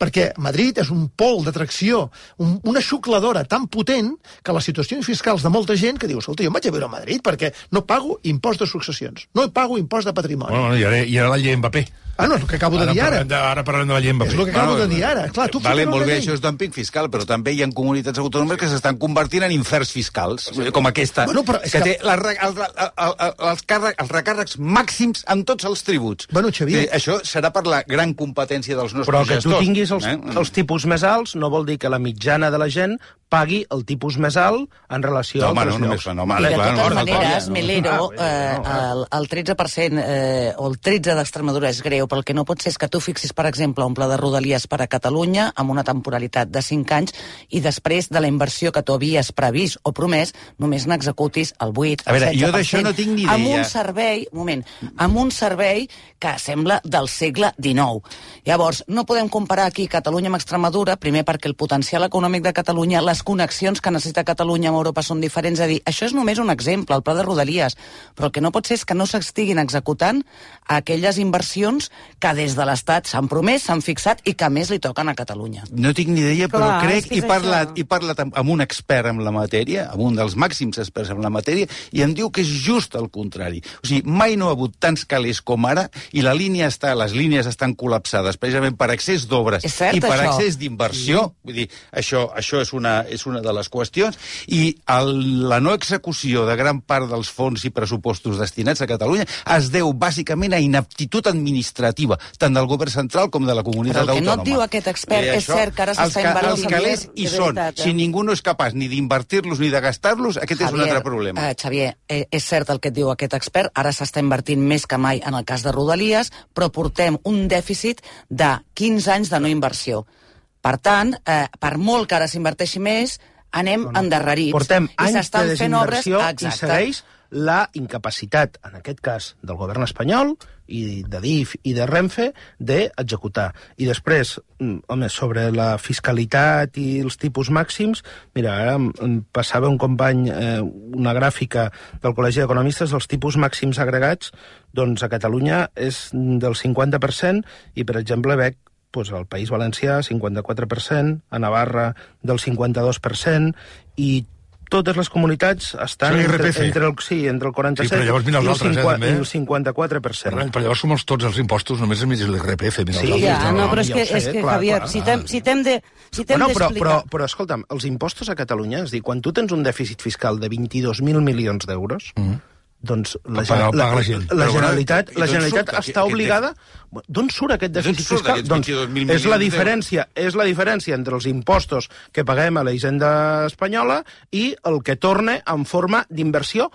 perquè Madrid és un pol d'atracció, un, una xucladora tan potent que les situacions fiscals de molta gent que diu, escolta, jo em vaig a viure a Madrid perquè no pago impost de successions, no pago impost de patrimoni. Bueno, i ara, i ara la llei Mbappé. Ah, no, és el que acabo de dir ara. De, ara parlem de la llei Mbappé. És el que acabo de dir ara. Clar, tu vale, molt bé, llei. això és dumping fiscal, però també hi ha comunitats autònomes que s'estan convertint en inferns fiscals, com aquesta, bueno, però és que, que té la, el, el, el, els, càrrec, els recàrrecs màxims en tots els tributs. Bueno, Xavier... Sí, això serà per la gran competència dels nostres però que gestors. tu tinguis els, eh? els tipus més alts no vol dir que la mitjana de la gent pagui el tipus més alt en relació no, a altres no, llocs. No, I de totes no, maneres, no, Melero, no, no, eh, el, el tretze per cent eh, o el tretze d'Extremadura és greu, però el que no pot ser és que tu fixis, per exemple, un pla de Rodalies per a Catalunya amb una temporalitat de cinc anys i després de la inversió que tu havies previst o promès, només n'executis el vuit, a el veure, setze per cent. jo d'això no tinc ni idea. Amb un servei, un moment, amb un servei que sembla del segle dinou. Llavors, no podem comparar aquí Catalunya amb Extremadura, primer perquè el potencial econòmic de Catalunya, les connexions que necessita Catalunya amb Europa són diferents, a dir, això és només un exemple, el pla de Rodalies, però el que no pot ser és que no s'estiguin executant aquelles inversions que des de l'Estat s'han promès, s'han fixat i que a més li toquen a Catalunya. No tinc ni idea, però Clar, crec, és i parlat, això. i parlat amb, amb un expert en la matèria, amb un dels màxims experts en la matèria, i em diu que és just el contrari. O sigui, mai no ha hagut tants calés com ara, i la línia està, les línies estan col·lapsades precisament per excés d'obres i per això? excés d'inversió. Sí. Vull dir, això, això és, una, és una de les qüestions, i el, la no execució de gran part dels fons i pressupostos destinats a Catalunya es deu bàsicament a inaptitud administrativa, tant del govern central com de la comunitat Però el que autònoma. no et diu aquest expert I és cert que ara s'està invertint. Els calés hi són. Veritat, eh? Si ningú no és capaç ni d'invertir-los ni de gastar-los, aquest Javier, és un altre problema. Eh, Xavier, eh, és cert el que et diu aquest expert, ara s'està invertint més que mai en el cas de Rodalies, però portem un dèficit de quinze anys de no inversió. Per tant, eh, per molt que ara s'inverteixi més, anem no, no. endarrerits. Portem I anys s'estan de fent obres, desinversió i exacte. segueix la incapacitat, en aquest cas, del govern espanyol i de D I F i de Renfe, d'executar. I després, home, sobre la fiscalitat i els tipus màxims, mira, ara em passava un company eh, una gràfica del Col·legi d'Economistes dels tipus màxims agregats, doncs a Catalunya és del cinquanta per cent i, per exemple, veig pues, al País Valencià, cinquanta-quatre per cent, a Navarra del cinquanta-dos per cent, i totes les comunitats estan entre, entre, el, sí, entre el quaranta-set sí, però llavors mira els i, el altres, cinquanta, eh, i el cinquanta-quatre per cent. Però, però llavors som els, tots els impostos, només enmig l'I R P F. Mira, sí, els ja, altres, no, però és que, ja és sé, que clar, Javier, clar. si t'hem si de, si bueno, però, d'explicar... però, però, escolta'm, els impostos a Catalunya, és dir, quan tu tens un dèficit fiscal de vint-i-dos mil milions d'euros, mm. doncs la, pagar, la, la, la, la Generalitat, bueno, la Generalitat surt, està obligada... D'on surt aquest dèficit fiscal? Doncs és la diferència, és la diferència entre els impostos que paguem a la Hisenda espanyola i el que torna en forma d'inversió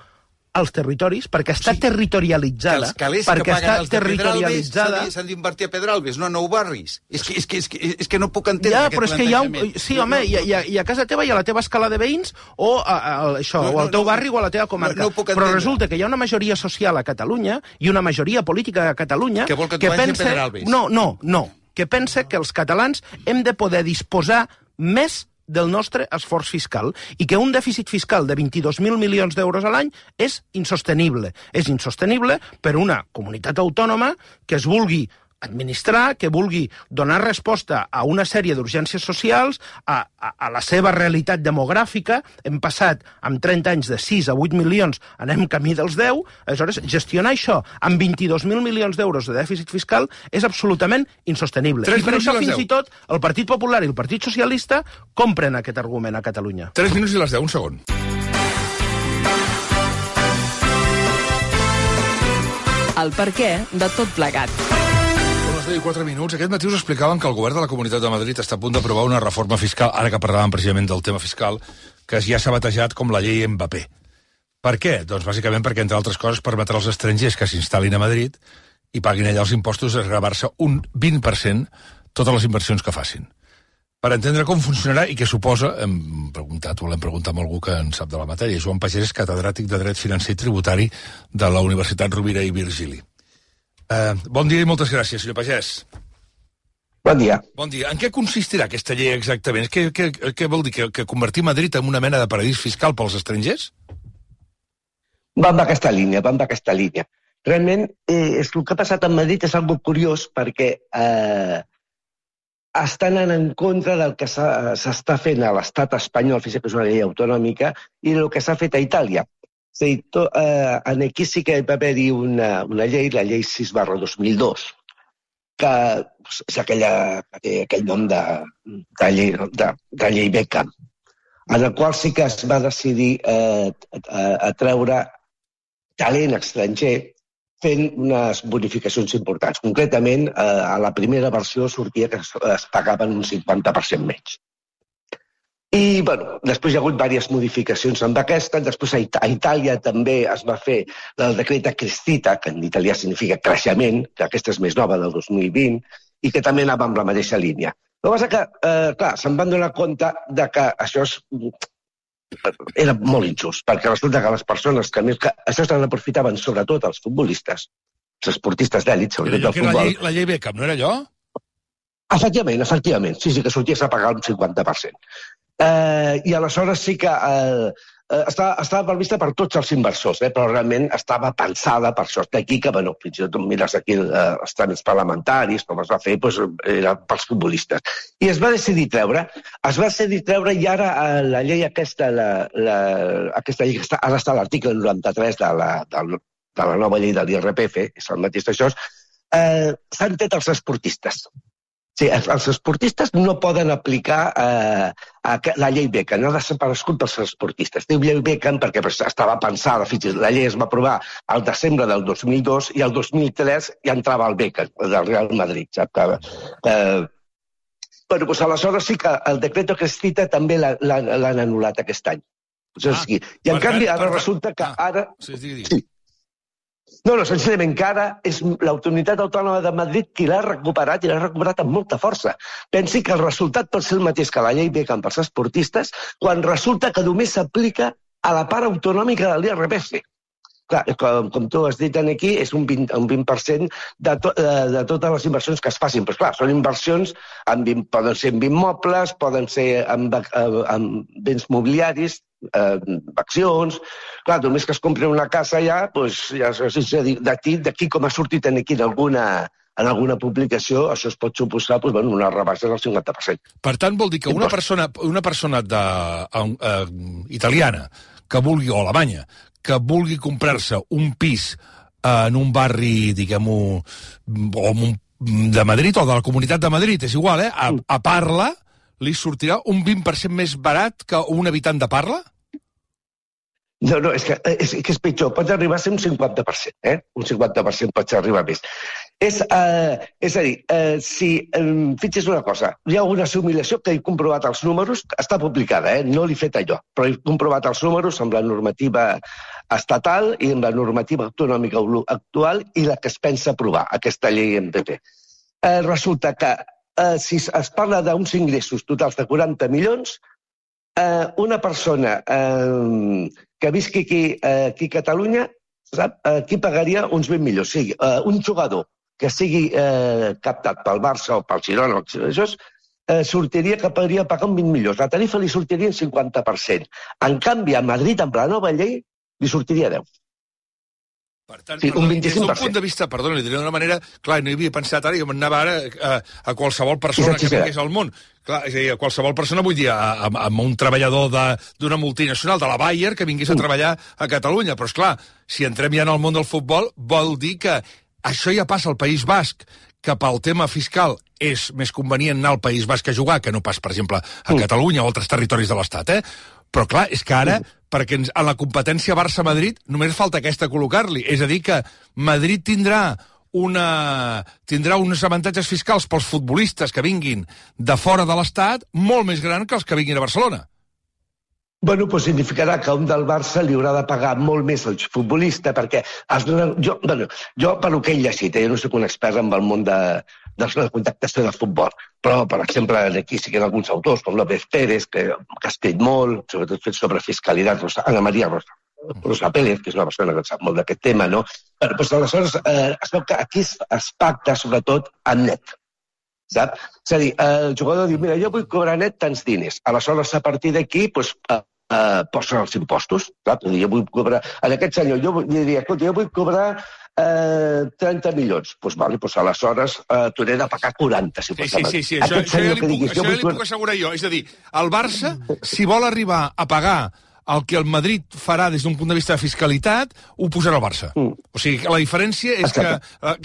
als territoris, perquè està sí, territorialitzada. Que els calés perquè que paguen està els de territorialitzada... Pedralbes s'han d'invertir a Pedralbes, no a Nou Barris. És que, és que, és que, és que no puc entendre ja, aquest però és que hi ha un... plantejament. Sí, home, i a, i a casa teva i a la teva escala de veïns o a, a, a això, no, no, o al teu barri o a la teva comarca. No, no però resulta que hi ha una majoria social a Catalunya i una majoria política a Catalunya que vol que, que tu vagis pensa... a Pedralbes. No, no, no. Que pensa que els catalans hem de poder disposar més del nostre esforç fiscal i que un dèficit fiscal de vint-i-dos mil milions d'euros a l'any és insostenible. És insostenible per una comunitat autònoma que es vulgui administrar, que vulgui donar resposta a una sèrie d'urgències socials, a, a, a la seva realitat demogràfica. Hem passat amb trenta anys de sis a vuit milions, anem camí dels deu, aleshores gestionar això amb vint-i-dos mil milions d'euros de dèficit fiscal és absolutament insostenible. I per això fins i tot el Partit Popular i el Partit Socialista compren aquest argument a Catalunya. tres minuts i les deu, un segon. El perquè de tot plegat. I quatre minuts. Aquest matí us explicaven que el govern de la Comunitat de Madrid està a punt d'aprovar una reforma fiscal, ara que parlàvem precisament del tema fiscal, que ja s'ha batejat com la llei Mbappé. Per què? Doncs bàsicament perquè, entre altres coses, permetrà als estrangers que s'instal·lin a Madrid i paguin allà els impostos de gravar-se un vint per cent totes les inversions que facin. Per entendre com funcionarà i què suposa, hem preguntat, o l'hem preguntat a algú que en sap de la matèria. Joan Pagès és catedràtic de Dret Financer i Tributari de la Universitat Rovira i Virgili. Uh, bon dia i moltes gràcies, senyor Pagès. Bon dia. Bon dia. En què consistirà aquesta llei exactament? Què, què, què vol dir? Que, que convertir Madrid en una mena de paradís fiscal pels estrangers? Van d'aquesta línia, van d'aquesta línia. Realment, eh, el que ha passat a Madrid és algo curiós perquè eh, estan en contra del que s'està fent a l'estat espanyol, fins que és una llei autonòmica, i el que s'ha fet a Itàlia. És a dir, to, eh, aquí sí que va haver-hi una, una llei, la llei sis barra dos mil dos, que és aquella, aquell nom de, de, llei, de, de llei Beckham, en el qual sí que es va decidir eh, a, a treure talent estranger fent unes bonificacions importants. Concretament, eh, a la primera versió sortia que es, es pagaven un cinquanta per cent menys. I, bueno, després hi ha hagut diverses modificacions amb aquesta. Després a, It a Itàlia també es va fer el decret Crescita, que en italià significa creixement, que aquesta és més nova, del dos mil vint, i que també anava amb la mateixa línia. El que passa que, eh, clar, se'n van donar compte de que això és, era molt injust, perquè resulta que les persones que més... Que això se n'aprofitaven sobretot els futbolistes, els esportistes d'èlit, sobretot del futbol. La llei, la llei Beckham, no era allò? Efectivament, efectivament. Sí, sí, que sorties a pagar un cinquanta per cent. Eh, I aleshores sí que eh, estava, estava prevista per tots els inversors, eh, però realment estava pensada per això. D'aquí que, bueno, fins i tot mires aquí eh, els tràmits parlamentaris, com es va fer, doncs, era pels futbolistes. I es va decidir treure, es va decidir treure i ara eh, la llei aquesta, la, la, aquesta llei que està, ara està a l'article noranta-tres de la, de, de la nova llei de l'I R P F, és el mateix d'això, eh, s'han tret els esportistes. Sí, els esportistes no poden aplicar eh, la llei Beckham, no ha desaparegut dels esportistes. Diu llei Beckham perquè estava pensada, fins i tot la llei es va aprovar al desembre del dos mil dos i al dos mil tres ja entrava el Beckham, del Real Madrid. Sap? Eh, bueno, doncs aleshores sí que el decret Crescita també l'han anul·lat aquest any. Ah, I en canvi ara resulta que ara... Sí, digui, digui. Sí. No, no, senzillament que ara és l'Autoritat Autònoma de Madrid qui l'ha recuperat i l'ha recuperat amb molta força. Pensi que el resultat pot ser el mateix que la llei Beckham pels esportistes quan resulta que només s'aplica a la part autonòmica de l'I R P F. Clar, com, com tu has dit aquí, és un vint, un vint per cent de, to, de, de totes les inversions que es facin. Però clar, són inversions, en, poden ser en immobles, poden ser en, en béns mobiliaris, eh, accions... Clar, només que es compri una casa ja, doncs, ja d'aquí com ha sortit aquí en alguna, en alguna publicació, això es pot suposar doncs, bueno, una rebaixa del cinquanta per cent. Per tant, vol dir que una persona, una persona de, uh, italiana que vulgui, o alemanya, que vulgui comprar-se un pis uh, en un barri, diguem-ho, o un, de Madrid, o de la Comunitat de Madrid, és igual, eh? A, a Parla li sortirà un vint per cent més barat que un habitant de Parla? No, no, és que és, que és pitjor. Pot arribar a ser un cinquanta per cent, eh? Un cinquanta per cent pot arribar més. És, eh, és a dir, eh, si... Eh, fixis una cosa, hi ha una assimilació que he comprovat els números, està publicada, eh? No l'he fet allò, però he comprovat els números amb la normativa estatal i amb la normativa autonòmica actual i la que es pensa aprovar, aquesta llei M P P. Eh, resulta que eh, si es parla d'uns ingressos totals de quaranta milions, eh, una persona eh, que visqui aquí, eh, aquí a Catalunya, sap, aquí pagaria uns vint milions. O sigui, eh, un jugador que sigui eh, captat pel Barça o pel Girona, això eh, sortiria que podria pagar un vint milions. La tarifa li sortiria en cinquanta per cent. En canvi, a Madrid, amb la nova llei, li sortiria deu. Per tant, sí, un vint-i-cinc per cent. Des d'un punt de vista, perdona, li diré d'una manera, clar, no hi havia pensat ara, jo m'anava ara a, a qualsevol persona que vingués al món. Clar, és a dir, a qualsevol persona, vull dir, a, a, a un treballador d'una multinacional, de la Bayer, que vingués a treballar a Catalunya. Però, esclar, si entrem ja en el món del futbol, vol dir que això ja passa al País Basc, que pel tema fiscal és més convenient anar al País Basc a jugar que no pas, per exemple, a Catalunya o altres territoris de l'Estat, eh? Però, clar, és que ara, perquè a la competència Barça-Madrid només falta aquesta col·locar-li. És a dir, que Madrid tindrà una tindrà uns avantatges fiscals pels futbolistes que vinguin de fora de l'Estat molt més gran que els que vinguin a Barcelona. Bueno, doncs significarà que un del Barça li haurà de pagar molt més al futbolista, perquè els, jo, bueno, jo, per el que he llegit, jo no soc un expert en el món de, de la contractació de futbol, però, per exemple, aquí sí que hi ha alguns autors, com López Pérez, que, que ha escrit molt, sobretot fet sobre fiscalitat, Rosa, Ana Maria Rosa, Rosa Pérez, que és una persona que sap molt d'aquest tema, no? Però, doncs, aleshores, eh, es veu que aquí es, es pacta, sobretot, en net. Sap? És a dir, el jugador diu, mira, jo vull cobrar net tants diners. Aleshores, a partir d'aquí, doncs, eh, Uh, posen els impostos. Clar, jo vull cobrar... En aquest senyor, jo diria, escolta, jo vull cobrar eh, trenta milions. Doncs pues, vale, pues aleshores eh, t'hauré de pagar quaranta, si Sí, sí, sí, sí. Això, això, ja li puc, això ja li puc assegurar jo. És a dir, el Barça, si vol arribar a pagar el que el Madrid farà des d'un punt de vista de fiscalitat, ho posarà el Barça. Mm. O sigui, la diferència és que,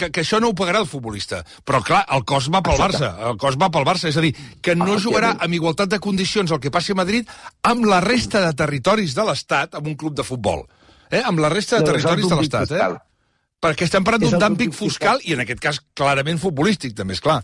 que, que això no ho pagarà el futbolista. Però, clar, el cost va pel Exacte. Barça. El cost va pel Barça. És a dir, que no jugarà amb igualtat de condicions el que passi a Madrid amb la resta de territoris de l'Estat, amb un club de futbol. Eh? Amb la resta de no, territoris de l'Estat. Eh? Perquè estem parlant d'un dúmping fiscal i, en aquest cas, clarament futbolístic, també, és clar.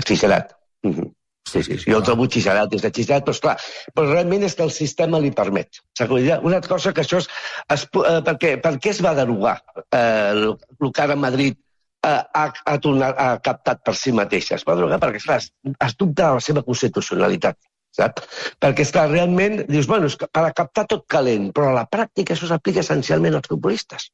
Exagerat. Mm-hmm. Sí, sí, sí, jo el trobo xixerat, des de xixerat, però esclar, però realment és que el sistema li permet. Una cosa que això és... es, eh, per, què, per què es va derogar eh, el, el que ara Madrid eh, ha, ha, tornat, ha captat per si mateixa? Es va derogar perquè, esclar, es, es dubta de la seva constitucionalitat, sap? Perquè, esclar, realment, dius, bueno, és que per a captar tot calent, però a la pràctica això s'aplica essencialment als futbolistes.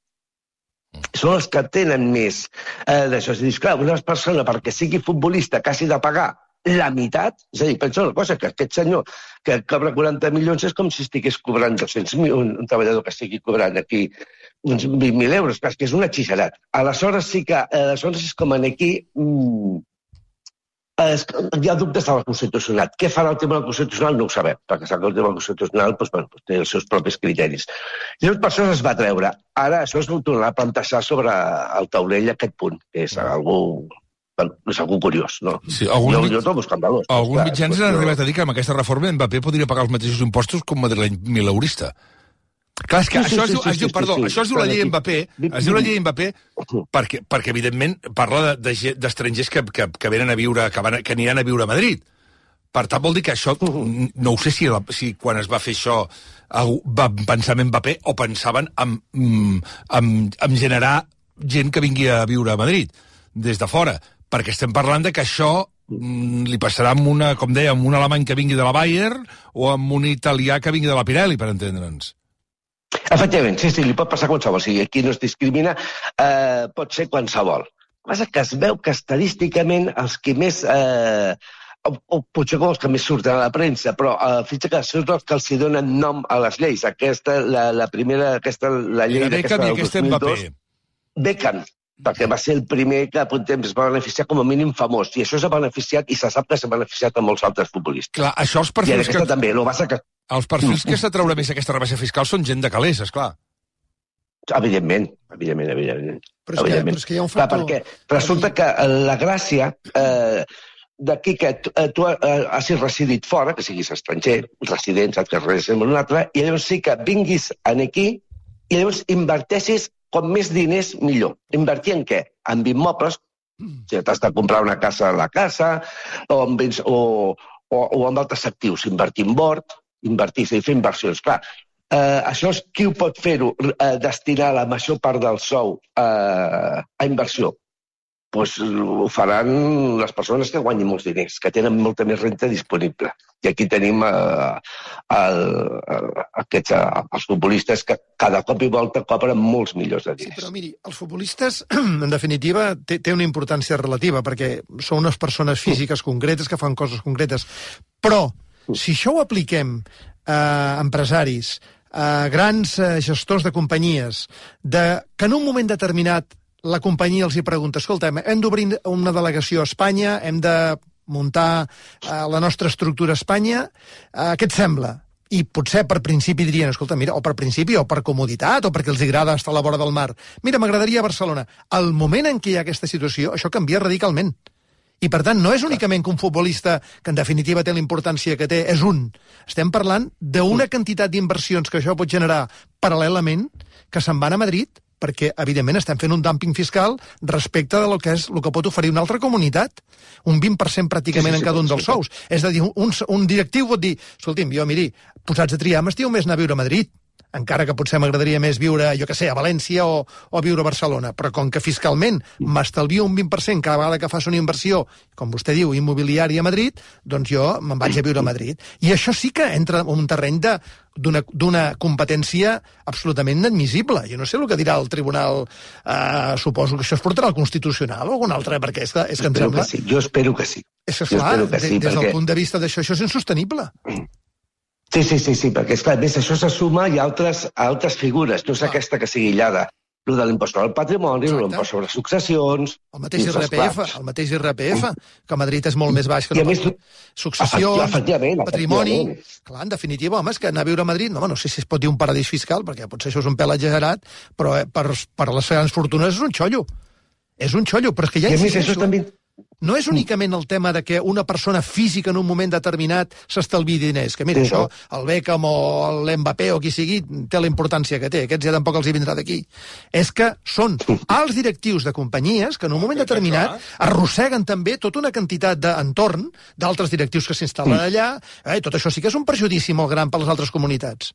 Són els que tenen més eh, d'això. És a dir, clar, una persona perquè sigui futbolista que hagi de pagar la meitat, és a dir, pensa una cosa, que aquest senyor que cobra quaranta milions és com si estigués cobrant dos-cents mil, un, un treballador que estigui cobrant aquí uns vint mil euros, que és una xixerat. Aleshores sí que, aleshores és com aquí, mmm, es, hi ha dubtes de la Constitucionalitat. Què farà el Tribunal Constitucional? No ho sabem, perquè sap que el Tribunal Constitucional doncs, bueno, doncs, té els seus propis criteris. I llavors per això es va treure. Ara això es tornarà a plantejar sobre el taulell aquest punt, que és algú... Bueno, és algú curiós, no? Sí, algun, jo, jo trobo escandalós. Alguns mitjans han arribat a dir que amb aquesta reforma Mbappé podria pagar els mateixos impostos com madrileny mileurista. Clar, és que sí, això, sí, es, sí, es diu, sí, perdó, sí, sí, això es diu la llei Mbappé, es diu la llei Mbappé perquè, perquè evidentment, parla d'estrangers que, que, que venen a viure, que, van, que aniran a viure a Madrid. Per tant, vol dir que això, no ho sé si, si quan es va fer això va pensar en Mbappé o pensaven en, en, en generar gent que vingui a viure a Madrid, des de fora. Perquè estem parlant de que això mm, li passarà amb una, com deia, amb un alemany que vingui de la Bayer o amb un italià que vingui de la Pirelli, per entendre'ns. Efectivament, sí, sí, li pot passar qualsevol. O sigui, aquí no es discrimina, eh, pot ser qualsevol. El que passa que es veu que estadísticament els que més... Eh, o, o potser com els que més surten a la premsa, però eh, fins que són els que els hi donen nom a les lleis. Aquesta, la, la primera, aquesta, la llei d'aquesta del dos mil dos... Beckham, perquè va ser el primer que per un temps es va beneficiar com a mínim famós, i això s'ha beneficiat, i se sap que s'ha beneficiat amb molts altres futbolistes. Clar, això els perfils I aquesta que... també, el que passa que... Els perfils que s'ha treure més aquesta rebaixa fiscal són gent de calés, esclar. Evidentment, evidentment, evidentment. Però és, que, evidentment. però és que hi ha un factor... Clar, perquè resulta que la gràcia eh, d'aquí que tu, eh, tu eh, hagis residit fora, que siguis estranger, resident, saps que resideix en un altre, i llavors sí que vinguis aquí i llavors inverteixis com més diners, millor. Invertir en què? En immobles. Si t'has de comprar una casa a la casa, o en, béns, o, o, o en altres actius. Invertir en bord, invertir, és a dir, fer inversions. Clar, eh, això és qui ho pot fer-ho, eh, destinar la major part del sou eh, a inversió. Pues ho faran les persones que guanyin molts diners, que tenen molta més renta disponible. I aquí tenim eh, el, el, aquests, eh, els futbolistes que cada cop i volta cobren molts milions de diners. Sí, però miri, els futbolistes, en definitiva, té, té una importància relativa, perquè són unes persones físiques concretes que fan coses concretes. Però, si això ho apliquem a empresaris, a grans gestors de companyies, de, que en un moment determinat la companyia els hi pregunta, escolta, hem d'obrir una delegació a Espanya, hem de muntar eh, la nostra estructura a Espanya, eh, què et sembla? I potser per principi dirien, escolta, mira, o per principi, o per comoditat, o perquè els agrada estar a la vora del mar. Mira, m'agradaria a Barcelona. Al moment en què hi ha aquesta situació, això canvia radicalment. I, per tant, no és únicament que un futbolista, que en definitiva té la importància que té, és un. Estem parlant d'una quantitat d'inversions que això pot generar paral·lelament, que se'n van a Madrid, perquè, evidentment, estem fent un dúmping fiscal respecte de lo que és el que pot oferir una altra comunitat. Un vint per cent pràcticament sí, sí, sí, en cada un dels sous. És a dir, un, un directiu pot dir, escolti'm, jo, miri, posats a triar, m'estiu més anar a viure a Madrid, encara que potser m'agradaria més viure, jo que sé, a València o, o viure a Barcelona, però com que fiscalment m'estalvio un vint per cent cada vegada que fas una inversió, com vostè diu, immobiliària a Madrid, doncs jo me'n vaig a viure a Madrid. I això sí que entra en un terreny de d'una competència absolutament inadmissible. Jo no sé el que dirà el tribunal, eh, suposo que això es portarà al Constitucional o algun altre, perquè és que, és que em sembla... Que sí. Jo espero que sí. És que, clar, que sí, des, des perquè... del punt de vista d'això, això és insostenible. Sí, sí, sí, sí, perquè, esclar, més això se suma i altres, altres figures, no és aquesta que sigui aïllada. el de l'impost sobre el patrimoni, l'impost sobre successions... El mateix I R P F, el mateix I R P F, que a Madrid és molt més baix que no més, successions, efectivament, patrimoni... efectivament. Clar, en definitiva, home, és que anar a viure a Madrid, no, no sé si es pot dir un paradís fiscal, perquè potser això és un pèl exagerat, però eh, per, per les grans fortunes és un xollo. És un xollo, però és que ja insisteixo... També... No és únicament el tema de que una persona física en un moment determinat s'estalvi diners, que mira, sí, això, el Beckham o l'Mbappé o qui sigui, té la importància que té, aquests ja tampoc els hi vindrà d'aquí. És que són alts directius de companyies que en un moment determinat arrosseguen també tota una quantitat d'entorn d'altres directius que s'instal·len allà, eh, tot això sí que és un perjudici molt gran per les altres comunitats.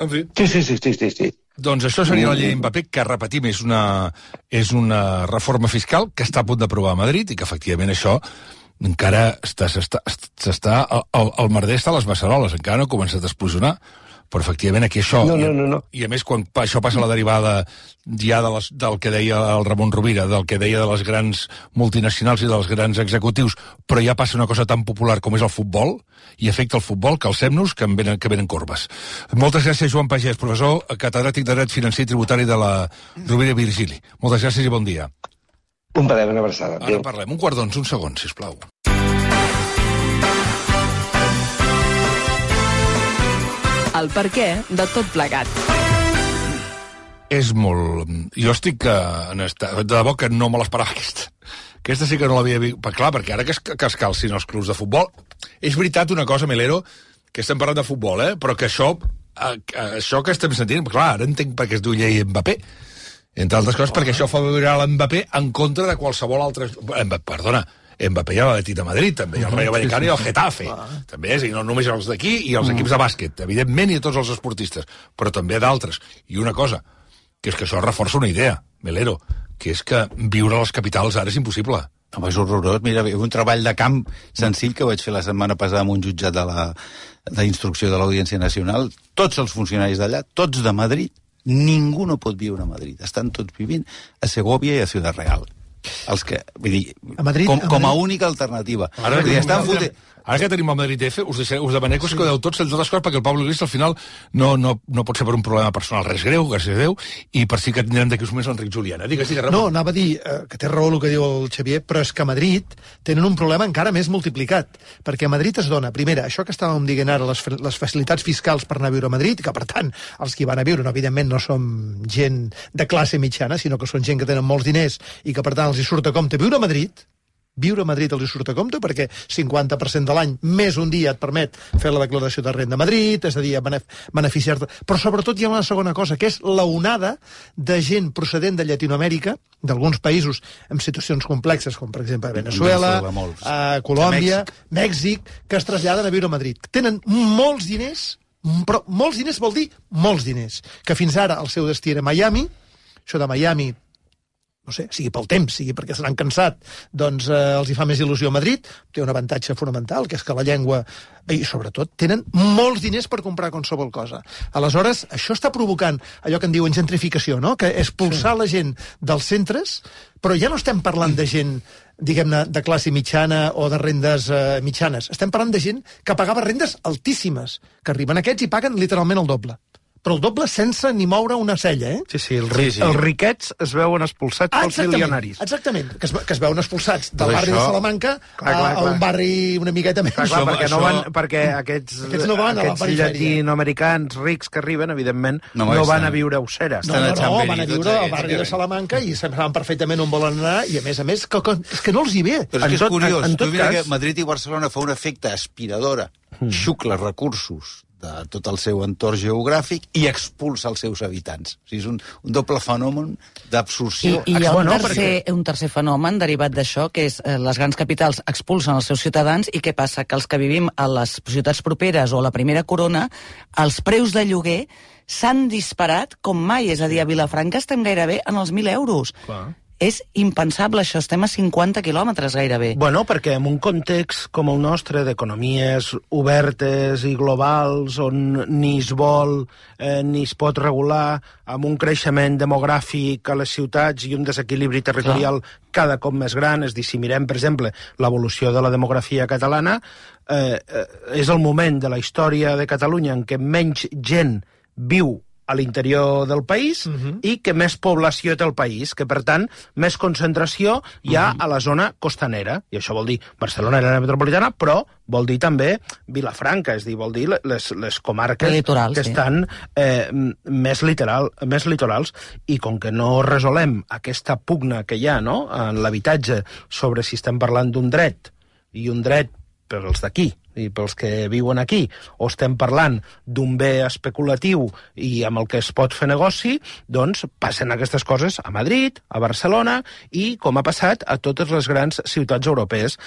En fi. Sí, sí, sí, sí, sí, sí. Doncs això seria la llei Mbappé, que, repetim, és una, és una reforma fiscal que està a punt d'aprovar a Madrid i que, efectivament, això encara està... està, està el, el merder està a les beceroles, encara no ha començat a explosionar. Però, efectivament, aquí això... No, no, no, no. I, a més, quan això passa a la derivada ja de les, del que deia el Ramon Rovira, del que deia de les grans multinacionals i dels grans executius, però ja passa una cosa tan popular com és el futbol, i afecta el futbol, calcem-nos, que en venen, que venen corbes. Moltes gràcies, Joan Pagès, professor catedràtic de Dret Financer i Tributari de la Rovira i Virgili. Moltes gràcies i bon dia. Un plaer, una abraçada. Ara parlem. Un quart d'onze, un segon, sisplau. El perquè de tot plegat. És molt... Jo estic en esta... De debò que no me l'esperava aquesta. Aquesta sí que no l'havia vist. Clar, perquè ara que es, que es calcin els clubs de futbol... És veritat una cosa, Melero, que estem parlant de futbol, eh? Però que això, això que estem sentint... Clar, ara entenc per què es diu llei Mbappé. Entre altres coses, perquè això fa veure l'Mbappé en contra de qualsevol altre... Perdona, Mbappé i l'Atlètic de Madrid, també, i el Rayo Vallecano i el Getafe. També és, i no només els d'aquí, i els equips de bàsquet, evidentment, i tots els esportistes, però també d'altres. I una cosa, que és que això reforça una idea, Melero, que és que viure a les capitals ara és impossible. Home, és horrorós. Mira, un treball de camp senzill que vaig fer la setmana passada amb un jutjat de la d'instrucció de l'Audiència Nacional. Tots els funcionaris d'allà, tots de Madrid, ningú no pot viure a Madrid. Estan tots vivint a Segovia i a Ciudad Real. Els que, vull dir, a Madrid, com, a Madrid. com a única alternativa. Ara, dir, estan fotent... ara que tenim el Madrid F, us, deixaré, us demanem que us quedeu tots, entre altres coses, perquè el Pablo Iglesias al final no, no, no pot ser per un problema personal res greu, gràcies a Déu, i per si que tindrem d'aquí uns moments l'Enric Juliana. Digues, digues, Ramon. No, anava a dir eh, que té raó el que diu el Xavier, però és que a Madrid tenen un problema encara més multiplicat, perquè a Madrid es dona, primera, això que estàvem dient ara, les, les facilitats fiscals per anar a viure a Madrid, que per tant, els que van a viure, no, evidentment no som gent de classe mitjana, sinó que són gent que tenen molts diners i que per tant els hi surt a compte viure a Madrid. Viure a Madrid els hi surt a compte perquè cinquanta per cent de l'any més un dia et permet fer la declaració de renda a Madrid, és a dir, beneficiar-te. Però sobretot hi ha una segona cosa, que és l'onada de gent procedent de Llatinoamèrica, d'alguns països amb situacions complexes, com per exemple Venezuela, eh, Colòmbia, Mèxic. Mèxic, que es traslladen a viure a Madrid. Tenen molts diners, però molts diners vol dir molts diners, que fins ara el seu destí era Miami, això de Miami, no sé, sigui pel temps, sigui perquè se n'han cansat, doncs eh, els hi fa més il·lusió a Madrid, té un avantatge fonamental, que és que la llengua, i sobretot, tenen molts diners per comprar qualsevol cosa. Aleshores, això està provocant allò que en diuen gentrificació, no? Que és expulsar sí. la gent dels centres, però ja no estem parlant de gent, diguem-ne, de classe mitjana o de rendes eh, mitjanes. Estem parlant de gent que pagava rendes altíssimes, que arriben aquests i paguen literalment el doble. Però el doble sense ni moure una cella, eh? Sí, sí, el ri sí, sí. els riquets es veuen expulsats ah, pels milionaris. Exactament, que es, que es veuen expulsats del barri això... de Salamanca clar, clar, a, a un barri una miqueta més. Clar, clar, perquè, això... no van, perquè aquests, aquests, no van aquests llatinoamericans rics que arriben, evidentment, no, no van a viure a Usera. No, no, no, van a viure al barri de Salamanca i saben perfectament on volen anar i, a més a més, que, que, és que no els hi ve. Però és que és curiós, en, en tot cas... que Madrid i Barcelona fa un efecte aspiradora, hmm. xucla recursos de tot el seu entorn geogràfic i expulsa els seus habitants. O sigui, és un, un doble fenomen d'absorció. I, i hi ha un, tercer, perquè... un tercer fenomen derivat d'això, que és eh, les grans capitals expulsen els seus ciutadans i què passa? Que els que vivim a les ciutats properes o a la primera corona, els preus de lloguer s'han disparat com mai. És a dir, a Vilafranca estem gairebé en els mil euros. Clar. És impensable, això. Estem a cinquanta quilòmetres gairebé. Bueno, perquè en un context com el nostre, d'economies obertes i globals, on ni es vol eh, ni es pot regular, amb un creixement demogràfic a les ciutats i un desequilibri territorial Clar. cada cop més gran, és dir, si mirem, per exemple, l'evolució de la demografia catalana, eh, eh, és el moment de la història de Catalunya en què menys gent viu a l'interior del país uh-huh. i que més població té el país, que per tant més concentració hi ha uh-huh. a la zona costanera, i això vol dir Barcelona i l'àrea metropolitana, però vol dir també Vilafranca, és a dir, vol dir les, les comarques litoral, que sí. estan eh, més, literal, més litorals, i com que no resolem aquesta pugna que hi ha, no?, en l'habitatge sobre si estem parlant d'un dret i un dret per als d'aquí i pels que viuen aquí, o estem parlant d'un bé especulatiu i amb el que es pot fer negoci, doncs passen aquestes coses a Madrid, a Barcelona, i com ha passat a totes les grans ciutats europees.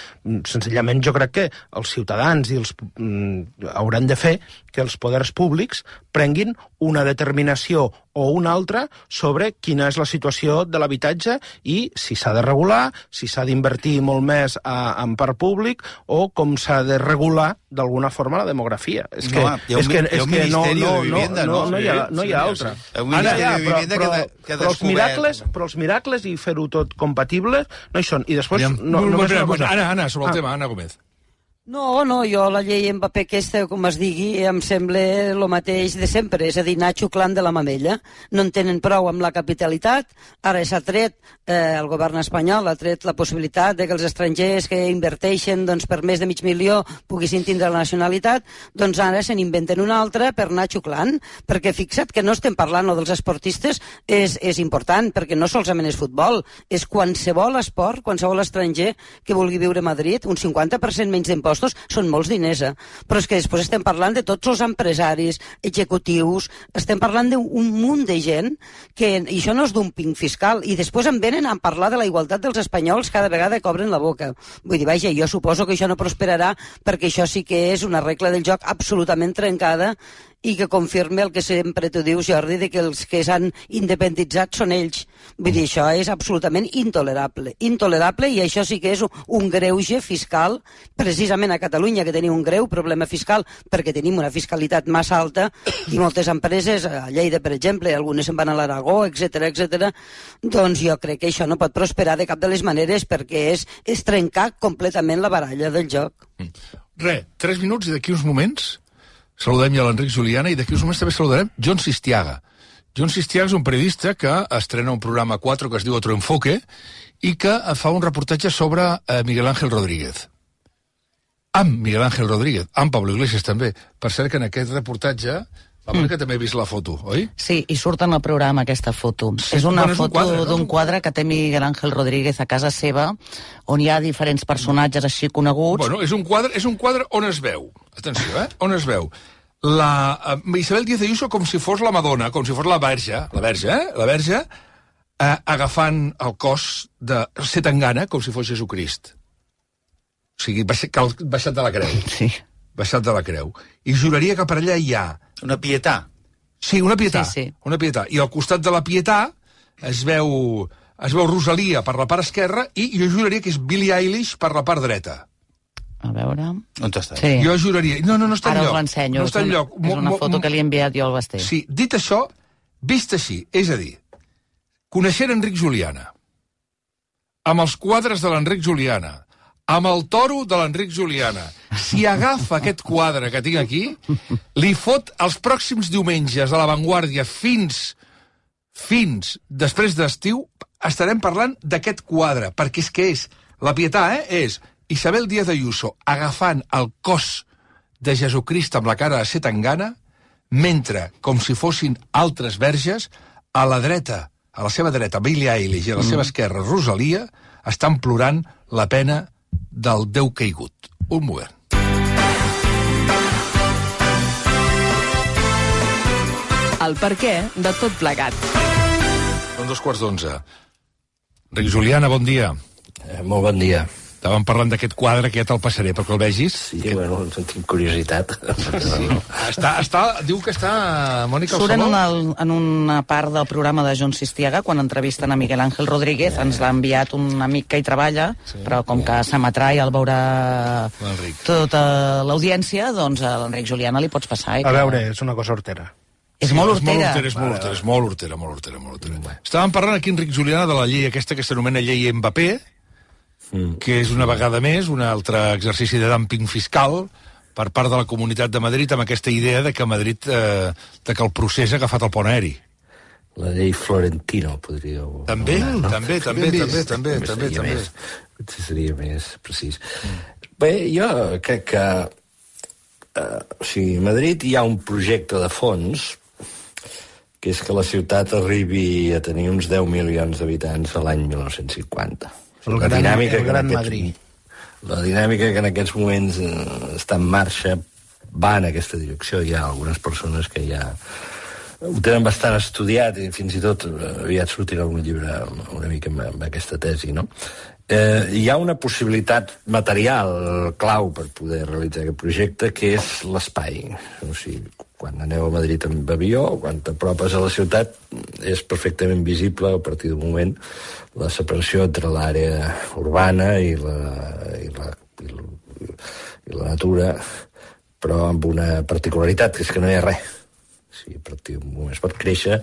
Senzillament jo crec que els ciutadans i els, mm, hauran de fer que els poders públics prenguin una determinació o una altra sobre quina és la situació de l'habitatge i si s'ha de regular, si s'ha d'invertir molt més a, en part públic, o com s'ha de regular d'alguna forma la demografia. És que, no, hi ha un, és que, hi ha un és que no, Ministeri no, de Vivienda, no, no? no, hi ha, no Sí, hi ha sí, altra. sí. Un Ministeri Ara, de Vivienda però, que de- que però, però, els descobert. miracles, però els miracles i fer-ho tot compatible no hi són. I després... Aviam, No, no, només no, una cosa. Anna, Anna, sobre el Ah. tema, Anna Gómez. No, no, jo la llei Mbappé aquesta, com es digui, em sembla el mateix de sempre, és a dir, anar xuclant de la mamella. No en tenen prou amb la capitalitat, ara s'ha tret, eh, el govern espanyol ha tret la possibilitat de que els estrangers que inverteixen doncs, per més de mig milió poguessin tindre la nacionalitat, doncs ara se n'inventen una altra per anar xuclant, perquè fixa't que no estem parlant no, dels esportistes, és, és important, perquè no solament és futbol, és qualsevol esport, qualsevol estranger que vulgui viure a Madrid, un cinquanta per cent menys d'impostos, són molts diners, eh? Però és que després estem parlant de tots els empresaris, executius, estem parlant d'un munt de gent que, i això no és dumping fiscal, i després em venen a parlar de la igualtat dels espanyols cada vegada que obren la boca. Vull dir, vaja, jo suposo que això no prosperarà perquè això sí que és una regla del joc absolutament trencada i que confirme el que sempre tu dius, Jordi, de que els que s'han independitzat són ells. Vull dir, això és absolutament intolerable. Intolerable, i això sí que és un greuge fiscal, precisament a Catalunya, que tenim un greu problema fiscal, perquè tenim una fiscalitat massa alta, i moltes empreses, a Lleida, per exemple, algunes se'n van a l'Aragó, etcètera, etcètera, doncs jo crec que això no pot prosperar de cap de les maneres, perquè és, és trencar completament la baralla del joc. Re, tres minuts i d'aquí uns moments saludem ja l'Enric Juliana i d'aquí uns moments també saludarem John Sistiaga. John Sistiaga és un periodista que estrena un programa quatre que es diu Otro Enfoque i que fa un reportatge sobre eh, Miguel Ángel Rodríguez. Amb Miguel Ángel Rodríguez, amb Pablo Iglesias també. Per cert que en aquest reportatge, la mm. que també he vist la foto, oi? Sí, i surt en el programa aquesta foto. Sí, és una bueno, és un foto quadre, no? d'un quadre que té Miguel Ángel Rodríguez a casa seva, on hi ha diferents personatges així coneguts. Bueno, és un quadre, és un quadre on es veu, atenció, eh? On es veu la uh, Isabel Díaz Ayuso com si fos la Madonna, com si fos la Verge, la Verge, eh? La Verge, uh, agafant el cos de Zetangana com si fos Jesucrist. O sigui, baixat, baixat de la creu. Sí. Baixat de la creu. I juraria que per allà hi ha... Una pietà. Sí, una pietà. Sí, sí. Una pietà. I al costat de la pietà es veu, es veu Rosalia per la part esquerra i jo juraria que és Billie Eilish per la part dreta. A veure... On està? Sí. Jo juraria... No, no, no està Ara enlloc. us l'ensenyo. No està és, una, enlloc. és una foto que li he enviat jo al Basté. Sí, dit això, vist així, és a dir, coneixent Enric Juliana, amb els quadres de l'Enric Juliana, amb el toro de l'Enric Juliana, si agafa aquest quadre que tinc aquí, li fot els pròxims diumenges a La Vanguardia fins, fins després d'estiu, estarem parlant d'aquest quadre, perquè és que és, la pietà, eh, és Isabel Díaz Ayuso agafant el cos de Jesucrist amb la cara de Zetangana, mentre, com si fossin altres verges, a la dreta, a la seva dreta, Billie Eilish, i a la seva esquerra, Rosalia, estan plorant la pena del Déu caigut. Un moment. El perquè de tot plegat. Són dos quarts d'onze. Enric Juliana, bon dia. Eh, molt bon dia. Estàvem parlant d'aquest quadre, que ja te'l passaré perquè el vegis. Sí, que... bueno, tinc curiositat. Sí. Està, està, diu que està Mònica al Surt en, saló. una, en una part del programa de John Sistiaga, quan entrevisten a Miguel Ángel Rodríguez, ens l'ha enviat un amic que hi treballa, sí. però com que s'emetrà i el veurà tota l'audiència, doncs a l'Enric Juliana li pots passar. Eh, A que... veure, és una cosa hortera. És molt hortera. És molt hortera, és molt hortera, molt hortera, molt hortera. Estàvem parlant aquí, Enric Juliana, de la llei aquesta que s'anomena llei Mbappé, que és una vegada més un altre exercici de dumping fiscal per part de la Comunitat de Madrid amb aquesta idea de que Madrid, eh, de que el procés ha agafat el pont aeri. La llei Florentino, podríeu... També, no? també, també, també, també, també, també. Més, potser seria més precís. Mm. Bé, jo crec que eh, o sigui, a Madrid hi ha un projecte de fons que és que la ciutat arribi a tenir uns deu milions d'habitants a l'any mil nou-cents cinquanta. El gran, dinàmica el gran Madrid. La dinàmica que en aquests moments eh, està en marxa va en aquesta direcció. Hi ha algunes persones que ja ho tenen bastant estudiat i fins i tot aviat sortirà algun llibre una mica amb, amb aquesta tesi, no? Eh, hi ha una possibilitat material clau per poder realitzar aquest projecte, que és l'espai. O sigui, quan aneu a Madrid amb avió, quan t'apropes a la ciutat, és perfectament visible a partir d'un moment la separació entre l'àrea urbana i la, i la, i la, i la natura, però amb una particularitat, que és que no hi ha res. Sí, a partir d'un moment es pot créixer.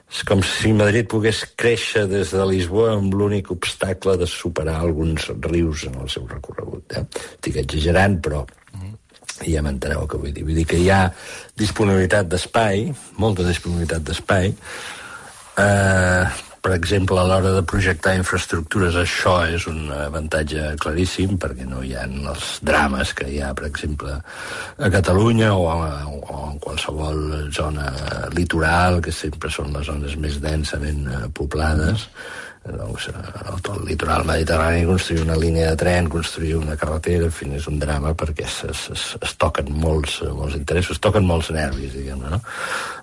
És com si Madrid pogués créixer des de Lisboa amb l'únic obstacle de superar alguns rius en el seu recorregut. Eh? Estic exagerant, però ja m'enteneu el que vull dir. Vull dir que hi ha disponibilitat d'espai, molta disponibilitat d'espai. Eh, per exemple, a l'hora de projectar infraestructures, això és un avantatge claríssim, perquè no hi ha els drames que hi ha, per exemple, a Catalunya o, a, o en qualsevol zona litoral, que sempre són les zones més densament poblades. Doncs, el litoral mediterrani, construir una línia de tren, construir una carretera, en fi, és un drama perquè es, es, es toquen molts, molts interessos, es toquen molts nervis, diguem-ne, no?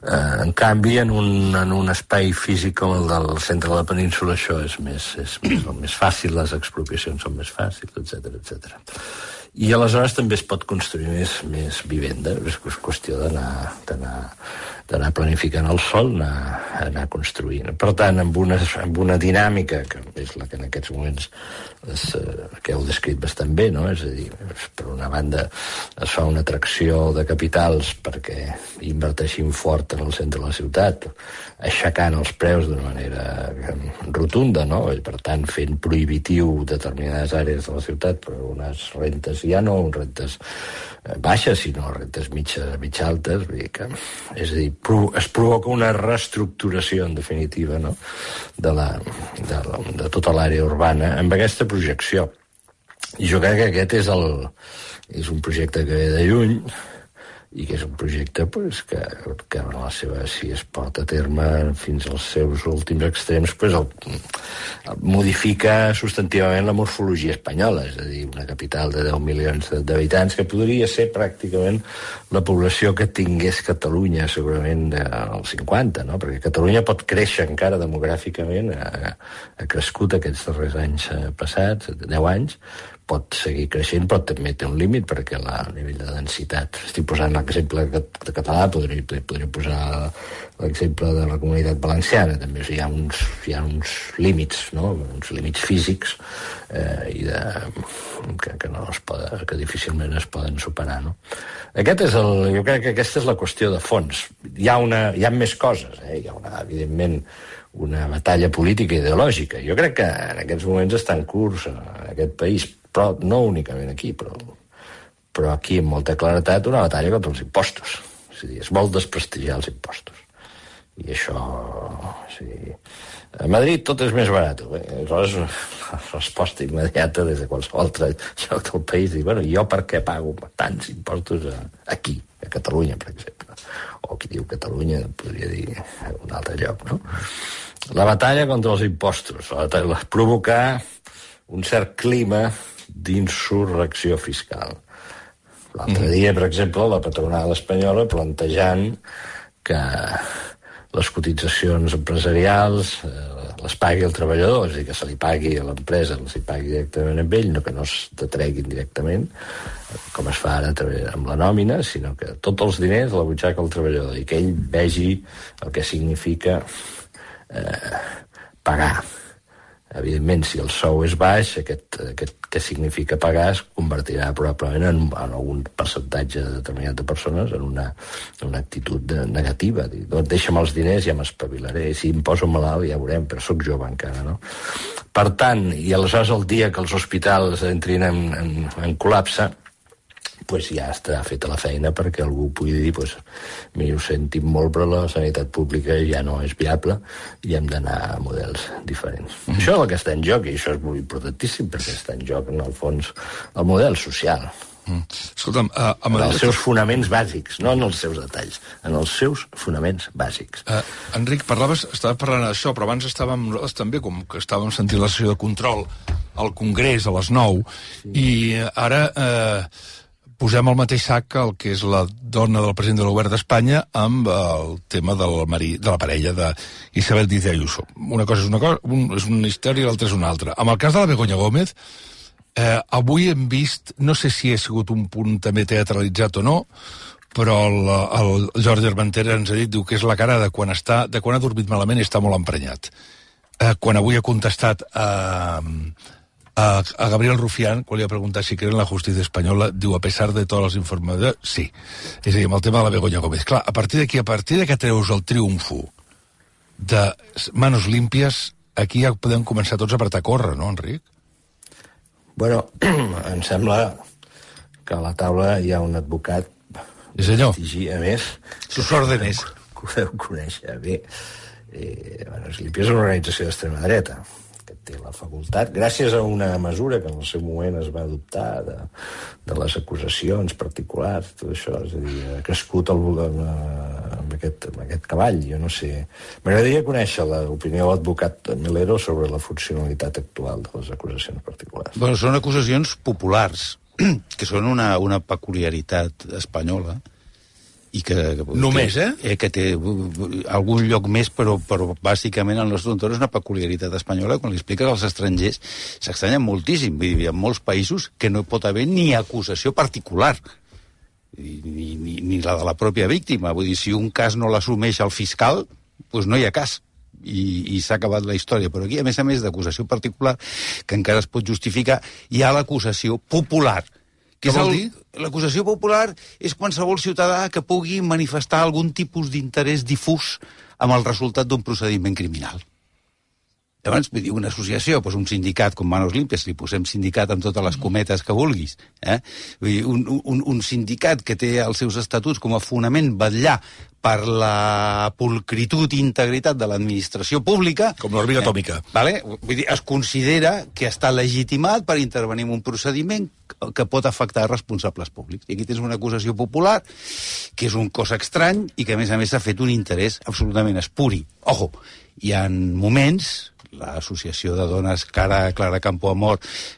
Eh, en canvi, en un, en un espai físic com el del centre de la península, això és més, és més, més fàcil, les expropiacions són més fàcils, etcètera, etcètera. I aleshores també es pot construir més, més vivenda, és qüestió d'anar d'anar d'anar planificant el sol, anar, anar construint. Per tant, amb una, amb una dinàmica, que és la que en aquests moments és, que heu descrit bastant bé, no? És a dir, per una banda es fa una atracció de capitals perquè inverteixin fort en el centre de la ciutat, aixecant els preus d'una manera rotunda, no? I per tant fent prohibitiu determinades àrees de la ciutat, però unes rentes ja no rentes baixes, sinó rentes mitja, mitja altes, vull dir que, és a dir, es provoca una reestructuració, en definitiva, no? de, la, de, la, de tota l'àrea urbana amb aquesta projecció. I jo crec que aquest és, el, és un projecte que ve de lluny i que és un projecte pues, que, que en la seva, si es porta a terme fins als seus últims extrems, pues, el, el modifica substantivament la morfologia espanyola, és a dir, una capital de deu milions d'habitants que podria ser pràcticament la població que tingués Catalunya segurament als cinquanta, no? Perquè Catalunya pot créixer encara demogràficament, ha, ha crescut aquests darrers anys passats, deu anys, pot seguir creixent, però també té un límit perquè la, a nivell de densitat. Estic posant l'exemple de català, podria, podria posar l'exemple de la Comunitat Valenciana, també. O sigui, hi ha uns, hi ha uns límits, no? Uns límits físics eh, i de, que, que, no es poden, que difícilment es poden superar, no? Aquest és el, jo crec que aquesta és la qüestió de fons. Hi ha, una, hi ha més coses, eh? Hi ha una, evidentment, una batalla política i ideològica. Jo crec que en aquests moments està en curs en aquest país, però no únicament aquí, però, però aquí amb molta claretat una batalla contra els impostos. És a dir, és molt desprestigiar els impostos. I això... O sigui, a Madrid tot és més barat. Aleshores, la resposta immediata des de qualsevol altre lloc del país, dir, bueno, jo per què pago tants impostos aquí, a Catalunya, per exemple? O qui diu Catalunya podria dir a un altre lloc, no? La batalla contra els impostos, la batalla, provocar un cert clima d'insurrecció fiscal. L'altre dia, per exemple, la patronal espanyola plantejant que les cotitzacions empresarials eh, les pagui el treballador, és a dir, que se li pagui a l'empresa, se li pagui directament amb ell, no que no es detreguin directament, com es fa ara amb la nòmina, sinó que tots els diners a la butxaca del treballador i que ell vegi el que significa eh, pagar. Evidentment, si el sou és baix, aquest, aquest que significa pagar es convertirà probablement en, en algun percentatge determinat de persones en una, una actitud de, negativa. Dir, doncs deixa'm els diners, ja m'espavilaré. Si em poso malalt, ja veurem, però sóc jove encara, no? Per tant, i aleshores el dia que els hospitals entrin en, en, en col·lapse, pues ja està feta la feina perquè algú pugui dir pues, mira, ho sentim molt, però la sanitat pública ja no és viable i hem d'anar a models diferents. Mm. Això és el que està en joc, i això és molt importantíssim, perquè està en joc, en el fons, el model social. Mm. Escolta'm, uh, a en els seus fonaments bàsics, no en els seus detalls, en els seus fonaments bàsics. Uh, Enric, parlaves, estaves parlant d'això, però abans estàvem nosaltres també, com que estàvem sentint la sessió de control al Congrés a les nou, sí. I ara eh, posem al mateix sac el que és la dona del president del govern d'Espanya amb el tema del marí, de la parella d'Isabel Díaz Ayuso. Una cosa és una cosa, un, és una història i l'altra és una altra. Amb el cas de la Begoña Gómez, eh, avui hem vist, no sé si ha sigut un punt també teatralitzat o no, però el, el Jordi Armentera ens ha dit, diu que és la cara de quan, està, de quan ha dormit malament i està molt emprenyat. Eh, quan avui ha contestat a... Eh, A, a Gabriel Rufián, quan li ha preguntat si creen en la justícia espanyola, diu, a pesar de tots els informes, sí. És a dir, amb el tema de la Begoña Gómez. Clar, a partir d'aquí, a partir de que treus el triomfo de manos límpies, aquí ja podem començar tots a apretar a córrer, no, Enric? Bueno, em sembla que a la taula hi ha un advocat... Sí, senyor. A més... Sus órdenes. Que ho deu conèixer bé. Eh, Manos Límpies és una organització d'extrema dreta, que té la facultat, gràcies a una mesura que en el seu moment es va adoptar de, de les acusacions particulars, tot això, és a dir, ha crescut el, amb, aquest, amb aquest cavall, jo no sé. M'agradaria conèixer l'opinió de l'advocat Melero sobre la funcionalitat actual de les acusacions particulars. Bueno, són acusacions populars, que són una, una peculiaritat espanyola, i que, que, només, eh? Que, que té algun lloc més, però, però bàsicament el nostre entorn és una peculiaritat espanyola. Quan li expliques als estrangers s'extranyen moltíssim. Vull dir, hi ha molts països que no hi pot haver ni acusació particular, ni, ni, ni la de la pròpia víctima. Vull dir, si un cas no l'assumeix el fiscal, doncs no hi ha cas. I, i s'ha acabat la història. Però aquí, a més a més d'acusació particular, que encara es pot justificar, hi ha l'acusació popular. Què vol dir? L'acusació popular és qualsevol ciutadà que pugui manifestar algun tipus d'interès difús amb el resultat d'un procediment criminal. Llavors, vull dir, una associació, doncs un sindicat com Manos Límpies, li posem sindicat amb totes les cometes que vulguis, eh? Vull dir, un, un, un sindicat que té els seus estatuts com a fonament vetllar per la pulcritud i integritat de l'administració pública... Com l'òrbita atòmica. Eh, vale? Vull dir, es considera que està legitimat per intervenir en un procediment que pot afectar responsables públics. I aquí tens una acusació popular, que és un cos estrany i que, a més a més, s'ha fet un interès absolutament espuri. Ojo, hi ha moments... l'associació de dones Clara, Clara Campoamor,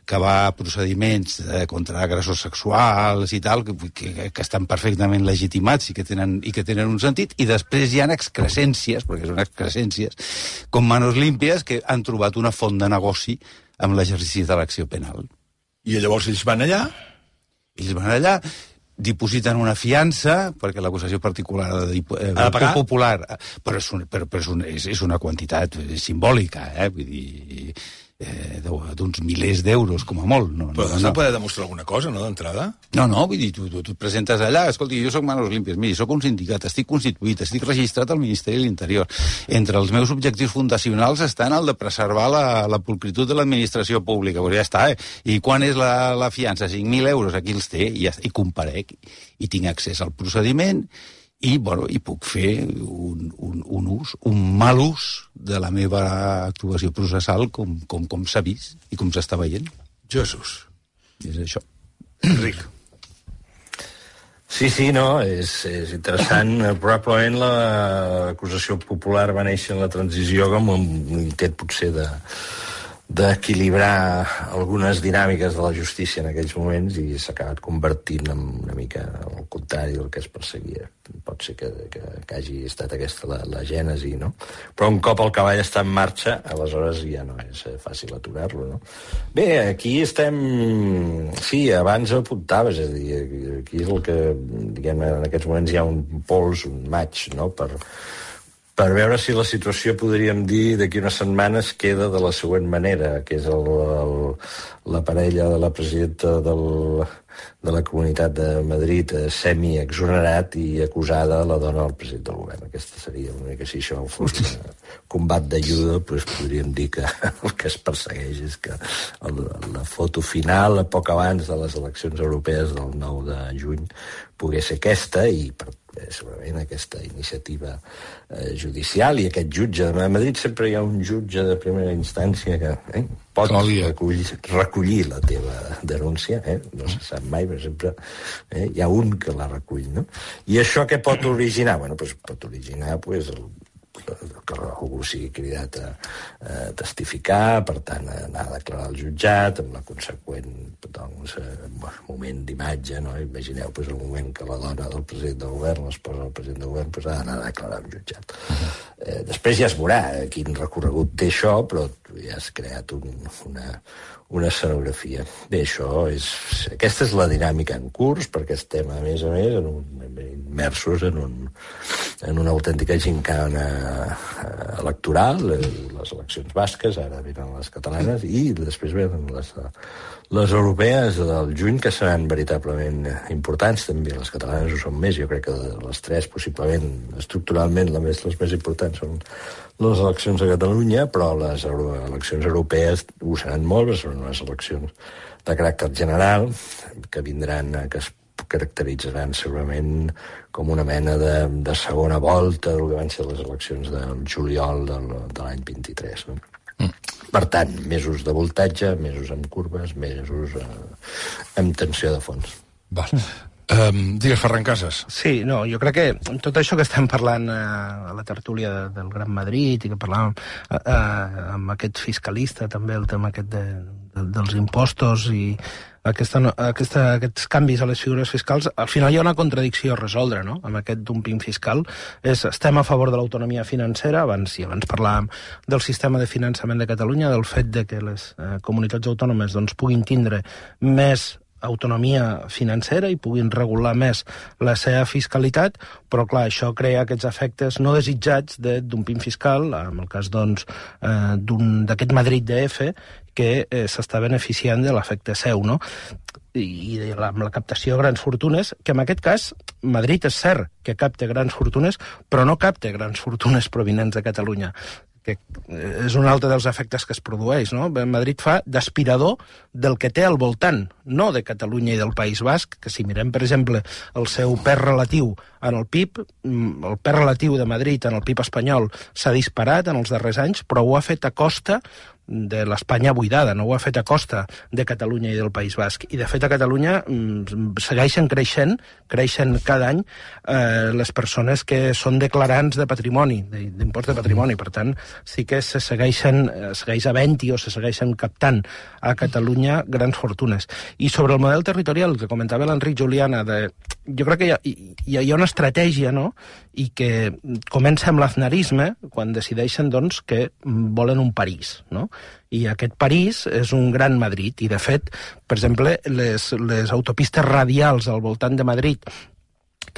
que va a procediments eh, contra agressors sexuals i tal, que, que, que estan perfectament legitimats i que, tenen, i que tenen un sentit, i després hi ha excrescències, perquè són excrescències, com Manos Límpies, que han trobat una font de negoci amb l'exercici de l'acció penal. I llavors ells van allà? Ells van allà, dipositen una fiança, perquè l'acusació particular de, eh, ha de pagar? Popular, però, és, un, però, però és, un, és, és una quantitat simbòlica, eh? Vull dir, eh, d'uns milers d'euros, com a molt. No, però no, has no. de poder demostrar alguna cosa, no, d'entrada? No, no, vull dir, tu, tu, tu et presentes allà, escolti, jo soc Manos Límpies, miri, soc un sindicat, estic constituït, estic registrat al Ministeri de l'Interior. Entre els meus objectius fundacionals estan el de preservar la, la pulcritud de l'administració pública, però ja està, eh? I quan és la, la fiança? cinc mil euros, aquí els té, i, ja, i comparec, i tinc accés al procediment, i, bueno, i puc fer un, un, un ús, un mal ús de la meva actuació processal com, com, com s'ha vist i com s'està veient. Jesús. I és això. Enric. Sí, sí, no, és, és interessant. Probablement l'acusació popular va néixer en la transició com un intent potser de d'equilibrar algunes dinàmiques de la justícia en aquells moments i s'ha acabat convertint en una mica al contrari del que es perseguia. Pot ser que, que, que hagi estat aquesta la, la gènesi, no? Però un cop el cavall està en marxa, aleshores ja no és fàcil aturar-lo, no? Bé, aquí estem... Sí, abans ho apuntaves, és a dir, aquí és el que, diguem, en aquests moments hi ha un pols, un match, no?, per... per veure si la situació, podríem dir, d'aquí unes setmanes queda de la següent manera, que és el, el, la parella de la presidenta del, de la Comunitat de Madrid semi-exonerat i acusada la dona del president del govern. Aquesta seria una mica, si això fos un combat de judo, doncs podríem dir que el que es persegueix és que el, la foto final, a poc abans de les eleccions europees del nou de juny, pogués ser aquesta, i per segurament aquesta iniciativa eh, judicial i aquest jutge. A Madrid sempre hi ha un jutge de primera instància que eh, pot recollir, recollir la teva denúncia, eh? No se sap mai, però sempre eh, hi ha un que la recull, no? I això què pot originar? Bueno, doncs pot originar pues, el que algú sigui cridat a, a testificar, per tant, a anar a declarar al jutjat, amb la conseqüent doncs, moment d'imatge, no? Imagineu pues, el moment que la dona del president del govern, l'esposa del president del govern, pues, ha d'anar a declarar al jutjat. Uh-huh. eh, després ja es veurà quin recorregut té això, però tu ja has creat un, una, una escenografia. Bé, això és... Aquesta és la dinàmica en curs, perquè estem, a més a més, en un, immersos en, un, en una autèntica gincana electoral, les eleccions basques, ara venen les catalanes, i després venen les, les europees del juny, que seran veritablement importants, també les catalanes ho són més, jo crec que les tres, possiblement, estructuralment, les més, les més importants són les eleccions a Catalunya, però les eleccions europees ho seran molt, són unes eleccions de caràcter general, que vindran, que es caracteritzaran segurament com una mena de, de segona volta del que van ser les eleccions del juliol del, de l'any vint-i-tres. No? Mm. Per tant, mesos de voltatge, mesos amb curves, mesos eh, amb tensió de fons. Val. Um, digues, Ferran Casas. Sí, no, jo crec que tot això que estem parlant eh, a la tertúlia de, del Gran Madrid i que parlàvem eh, eh, amb aquest fiscalista també, el tema aquest de, de, dels impostos i aquesta, aquesta, aquests canvis a les figures fiscals, al final hi ha una contradicció a resoldre, no?, amb aquest dumping fiscal. És, estem a favor de l'autonomia financera, abans i abans parlàvem del sistema de finançament de Catalunya, del fet de que les eh, comunitats autònomes doncs, puguin tindre més autonomia financera i puguin regular més la seva fiscalitat, però clar, això crea aquests efectes no desitjats de dumping fiscal, en el cas doncs eh, d'aquest Madrid D F, que eh, s'està beneficiant de l'efecte seu, no? I de la, amb la captació de grans fortunes, que en aquest cas Madrid és cert que capta grans fortunes, però no capta grans fortunes provinents de Catalunya, que és un altre dels efectes que es produeix, no? Madrid fa d'aspirador del que té al voltant, no de Catalunya i del País Basc, que si mirem, per exemple, el seu pes relatiu en el P I B, el pes relatiu de Madrid en el P I B espanyol s'ha disparat en els darrers anys, però ho ha fet a costa de l'Espanya buidada, no ho ha fet a costa de Catalunya i del País Basc. I, de fet, a Catalunya segueixen creixent, creixen cada any eh, les persones que són declarants de patrimoni, d'impost de patrimoni. Per tant, sí que se segueixen, segueix havent-hi o se segueixen captant a Catalunya grans fortunes. I sobre el model territorial que comentava l'Enric Juliana, de, jo crec que hi ha, hi ha, hi ha una estratègia, no?, i que comença amb l'aznarisme, quan decideixen doncs, que volen un París, no? I aquest París és un gran Madrid, i de fet, per exemple, les, les autopistes radials al voltant de Madrid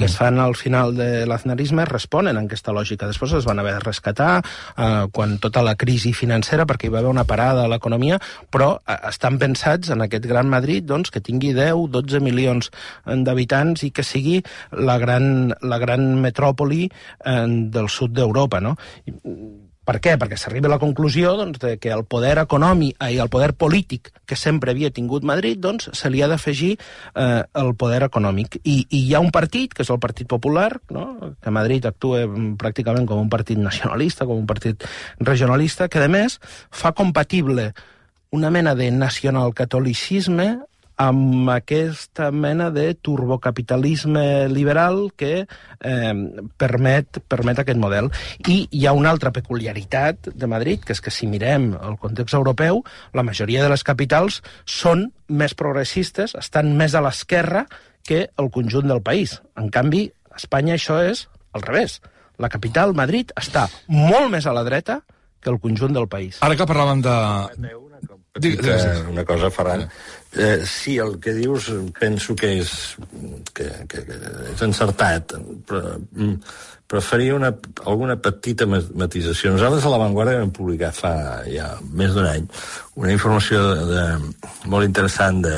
que es fan al final de l'aznarisme responen a aquesta lògica. Després es van haver de rescatar eh, quan tota la crisi financera, perquè hi va haver una parada a l'economia, però eh, estan pensats en aquest gran Madrid doncs, que tingui deu a dotze milions d'habitants i que sigui la gran, la gran metròpoli eh, del sud d'Europa, no? I, per què? Perquè s'arriba a la conclusió doncs, de que el poder econòmic i el poder polític que sempre havia tingut Madrid doncs, se li ha d'afegir eh, el poder econòmic. I, I hi ha un partit, que és el Partit Popular, no? Que a Madrid actua pràcticament com un partit nacionalista, com un partit regionalista, que a més fa compatible una mena de nacionalcatolicisme amb aquesta mena de turbocapitalisme liberal que eh, permet, permet aquest model. I hi ha una altra peculiaritat de Madrid, que és que si mirem el context europeu, la majoria de les capitals són més progressistes, estan més a l'esquerra que el conjunt del país. En canvi, a Espanya això és al revés. La capital, Madrid, està molt més a la dreta que el conjunt del país. Ara que parlàvem de... Petita, una cosa, Ferran. Eh, sí, el que dius penso que és, que, que, que és encertat, però, però faria una, alguna petita matisació. Nosaltres a l'Avantguarda vam publicar fa ja més d'un any una informació de, de, molt interessant de,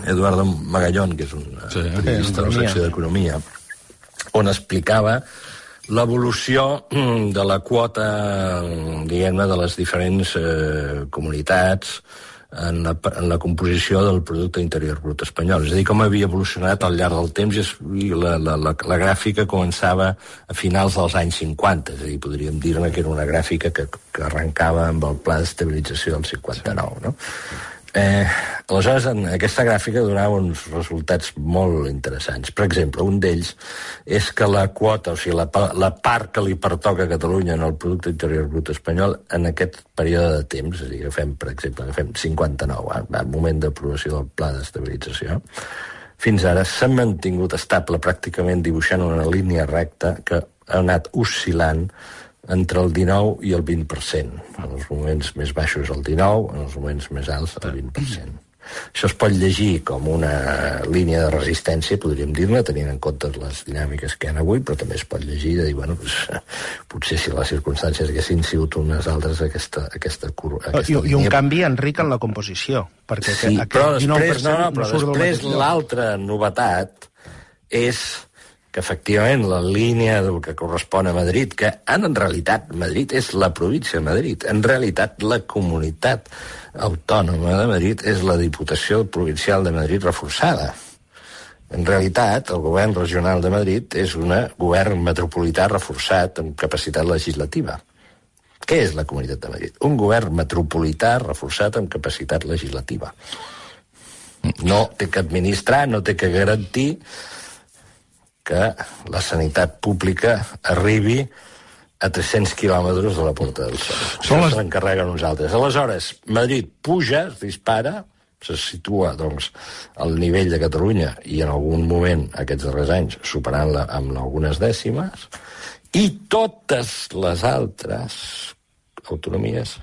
Eduardo Magallón, que és un sí, periodista de la secció d'Economia, on explicava l'evolució de la quota, diguem-ne, de les diferents eh, comunitats en la, en la composició del producte interior brut espanyol. És a dir, com havia evolucionat al llarg del temps, i la, la, la, la gràfica començava a finals dels anys cinquanta, és a dir, podríem dir-ne que era una gràfica que, que arrencava amb el pla d'estabilització del cinquanta-nou, no? Eh, aleshores, en aquesta gràfica donava uns resultats molt interessants. Per exemple, un d'ells és que la quota, o sigui, la, la part que li pertoca a Catalunya en el producte interior brut espanyol en aquest període de temps, és a dir, agafem, per exemple, agafem cinquanta-nou, eh, al moment d'aprovació del pla d'estabilització, fins ara s'ha mantingut estable, pràcticament dibuixant una línia recta que ha anat oscil·lant entre el dinou i el vint per cent. En els moments més baixos el dinou, en els moments més alts el vint per cent. Això es pot llegir com una línia de resistència, podríem dir-ne, tenint en compte les dinàmiques que hi ha avui, però també es pot llegir de dir, bueno, pues, potser si les circumstàncies haguessin sigut unes altres, aquesta, aquesta, aquesta I, línia... I un canvi, Enric, en la composició. Perquè sí, aquest però després, no, no, però no després l'altra novetat és que efectivament la línia que correspon a Madrid, que en realitat Madrid és la província de Madrid, en realitat la comunitat autònoma de Madrid és la Diputació Provincial de Madrid reforçada. En realitat, el govern regional de Madrid és un govern metropolità reforçat amb capacitat legislativa. Què és la Comunitat de Madrid? Un govern metropolità reforçat amb capacitat legislativa. No té que administrar, no té que garantir que la sanitat pública arribi a tres-cents quilòmetres de la Porta del Sol. Això les... se l'encarreguen uns altres. Aleshores, Madrid puja, es dispara, se situa, doncs, al nivell de Catalunya i en algun moment, aquests darrers anys, superant-la amb algunes dècimes, i totes les altres autonomies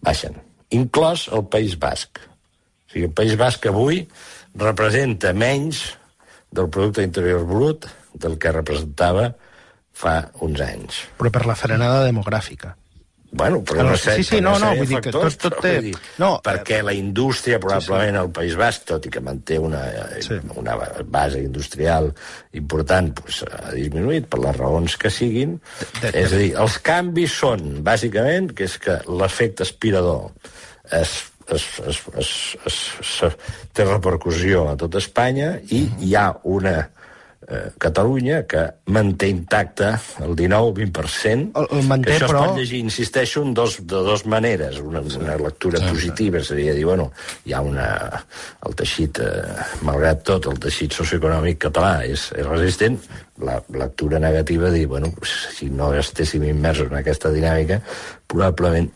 baixen, inclòs el País Basc. O sigui, el País Basc avui representa menys del producte interior brut del que representava fa uns anys. Però per la frenada demogràfica. Bueno, però no sé, sí, sí, no, no, vull dir que tot, tot té... Dir, no, perquè la indústria, probablement, sí, sí. al País Basc, tot i que manté una, sí. una base industrial important, pues, ha disminuït per les raons que siguin. De, de, és a dir, els canvis són, bàsicament, que és que l'efecte aspirador es Es, es, es, es, es, té repercussió a tot Espanya i hi ha una eh, Catalunya que manté intacte el dinou vint per cent, el, el manté, que això però... es pot llegir, insisteixo, en dos, de dues maneres. Una, una lectura sí, positiva sí. seria dir, bueno, hi ha una... el teixit, eh, malgrat tot, el teixit socioeconòmic català és, és resistent. La lectura negativa dir, bueno, si no estéssim immersos en aquesta dinàmica, probablement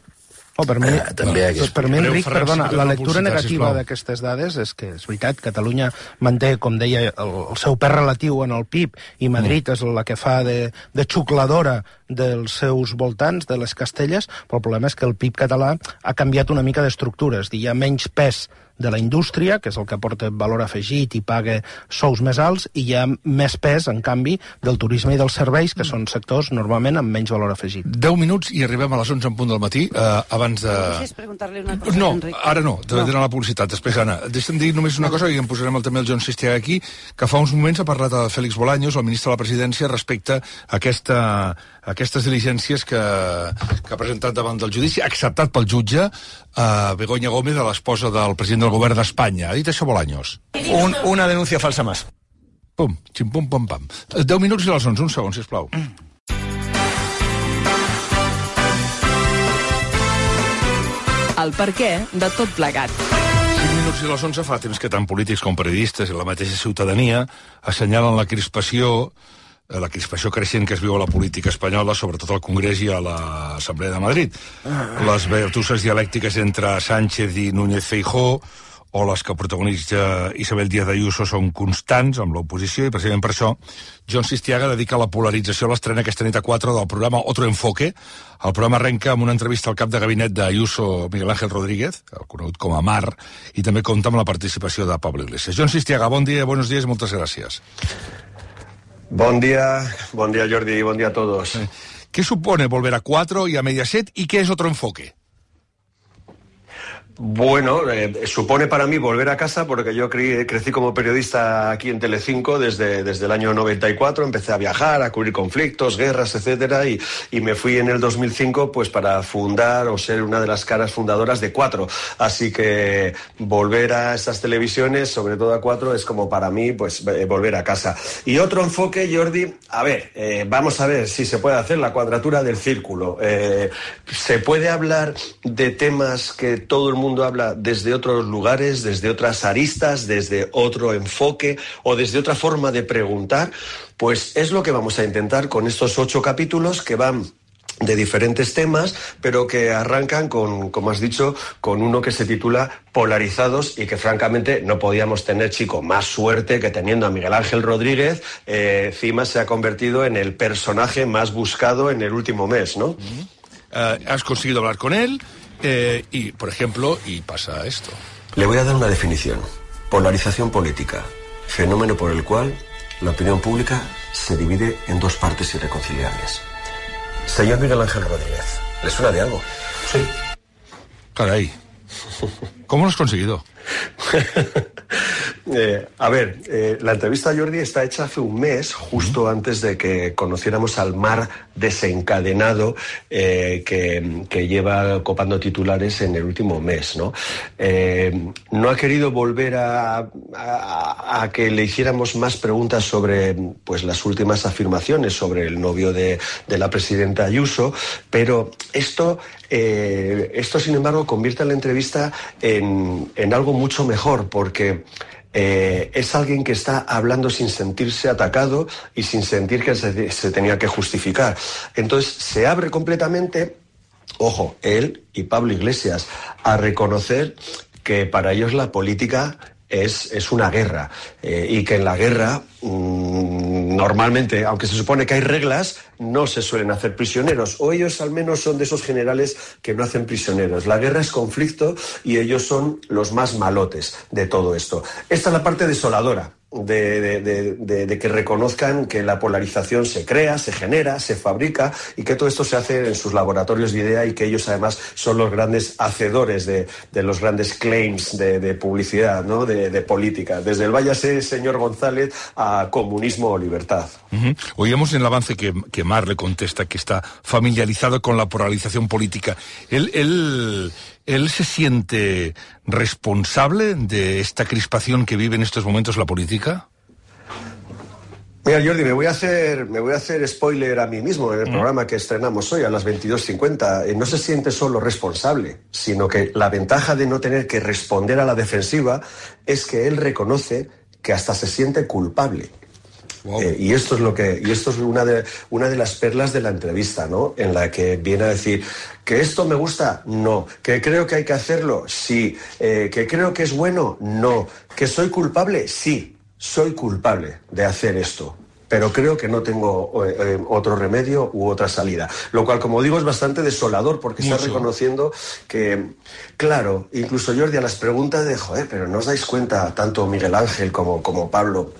Oh, per mi, eh, també doncs per mi, Enric, perdona, la lectura negativa d'aquestes dades és que, és veritat, Catalunya manté, com deia, el, el seu pes relatiu en el P I B, i Madrid mm. és la que fa de, de xucladora dels seus voltants, de les Castelles, però el problema és que el P I B català ha canviat una mica d'estructura, és a dir, hi ha menys pes de la indústria, que és el que aporta valor afegit i paga sous més alts, i hi ha més pes, en canvi, del turisme i dels serveis, que són sectors normalment amb menys valor afegit. deu minuts i arribem a les onze en punt del matí, eh, abans de... Deixes preguntar-li una cosa, no, Enric. ara no, t'he no. d'anar a la publicitat, després, Anna. Deixa'm dir només una cosa, i en posarem el, també el John Sistiaga aquí, que fa uns moments ha parlat de Félix Bolaños, el ministre de la Presidència, respecte a aquesta, a aquestes diligències que, que ha presentat davant del judici, acceptat pel jutge, eh, Begoña Gómez, l'esposa del president del govern d'Espanya. Ha dit això Bolaños? Un, una denuncia falsa más. Pum, xim-pum, pam, pam. deu minuts i les onze, un segon, sisplau. Mm. El perquè de tot plegat. cinc minuts i les onze fa temps que tant polítics com periodistes i la mateixa ciutadania assenyalen la crispació la crispació creixent que es viu a la política espanyola, sobretot al Congrés i a l'Assemblea de Madrid. Les vertusses dialèctiques entre Sánchez i Núñez Feijóo o les que protagonitza Isabel Díaz Ayuso són constants amb l'oposició i precisament per això John Sistiaga dedica la polarització a l'estrena aquesta nit a quatre del programa Otro Enfoque. El programa arrenca amb una entrevista al cap de gabinet d'Ayuso, Miguel Ángel Rodríguez, el conegut com a Mar, i també compta amb la participació de Pablo Iglesias. John Sistiaga, bon dia, buenos días i moltes gràcies. Bon día, bon día Jordi, bon día a todos. ¿Qué supone volver a cuatro y a Mediaset y qué es Otro Enfoque? Bueno, eh, supone para mí volver a casa porque yo cre crecí como periodista aquí en Telecinco desde, desde el año noventa y cuatro, empecé a viajar, a cubrir conflictos, guerras, etcétera, y, y me fui en el dos mil cinco pues para fundar o ser una de las caras fundadoras de Cuatro. Así que volver a estas televisiones, sobre todo a Cuatro, es como para mí pues eh, volver a casa. Y otro enfoque, Jordi, a ver, eh, vamos a ver si se puede hacer la cuadratura del círculo. Eh, se puede hablar de temas que todo el mundo mundo habla desde otros lugares, desde otras aristas, desde otro enfoque o desde otra forma de preguntar, pues es lo que vamos a intentar con estos ocho capítulos que van de diferentes temas, pero que arrancan con, como has dicho, con uno que se titula Polarizados y que francamente no podíamos tener, chico, más suerte que teniendo a Miguel Ángel Rodríguez. Eh, encima se ha convertido en el personaje más buscado en el último mes, ¿no? Uh-huh. Uh, has conseguido hablar con él. Eh, y, por ejemplo, y pasa esto. Le voy a dar una definición. Polarización política. Fenómeno por el cual la opinión pública se divide en dos partes irreconciliables. Señor Miguel Ángel Rodríguez, ¿le suena de algo? Sí. Caray. ¿Cómo lo has conseguido? eh, a ver, eh, la entrevista a Jordi está hecha hace un mes, justo uh-huh. antes de que conociéramos al mar desencadenado eh, que, que lleva copando titulares en el último mes, ¿no? Eh, no ha querido volver a, a, a que le hiciéramos más preguntas sobre pues, las últimas afirmaciones sobre el novio de, de la presidenta Ayuso, pero esto, eh, esto, sin embargo, convierte la entrevista en, en algo mucho mejor, porque eh, es alguien que está hablando sin sentirse atacado y sin sentir que se, se tenía que justificar. Entonces se abre completamente, ojo, él y Pablo Iglesias, a reconocer que para ellos la política es, es una guerra eh, y que en la guerra mmm, normalmente, aunque se supone que hay reglas, no se suelen hacer prisioneros, o ellos al menos son de esos generales que no hacen prisioneros. La guerra es conflicto y ellos son los más malotes de todo esto. Esta es la parte desoladora. De, de, de, de, de que reconozcan que la polarización se crea, se genera, se fabrica y que todo esto se hace en sus laboratorios de idea y que ellos además son los grandes hacedores de, de los grandes claims de, de publicidad, ¿no? de, de política, desde el váyase señor González a comunismo o libertad. Uh-huh. Oíamos en el avance que, que Mar le contesta que está familiarizado con la polarización política. Él, él, él se siente responsable de esta crispación que vive en estos momentos la política. Mira, Jordi, me voy a hacer, me voy a hacer spoiler a mí mismo en el mm. programa que estrenamos hoy a las veintidós cincuenta. Eh, no se siente solo responsable, sino que la ventaja de no tener que responder a la defensiva es que él reconoce que hasta se siente culpable. Wow. Eh, y esto es lo que, y esto es una de, una de las perlas de la entrevista, ¿no? En la que viene a decir que esto me gusta, no, que creo que hay que hacerlo, sí, eh, que creo que es bueno, no, que soy culpable, sí, soy culpable de hacer esto, pero creo que no tengo eh, otro remedio u otra salida. Lo cual, como digo, es bastante desolador porque Mucho. Está reconociendo que, claro, incluso Jordi, a las preguntas de, joder, pero ¿no os dais cuenta, tanto Miguel Ángel como, como Pablo,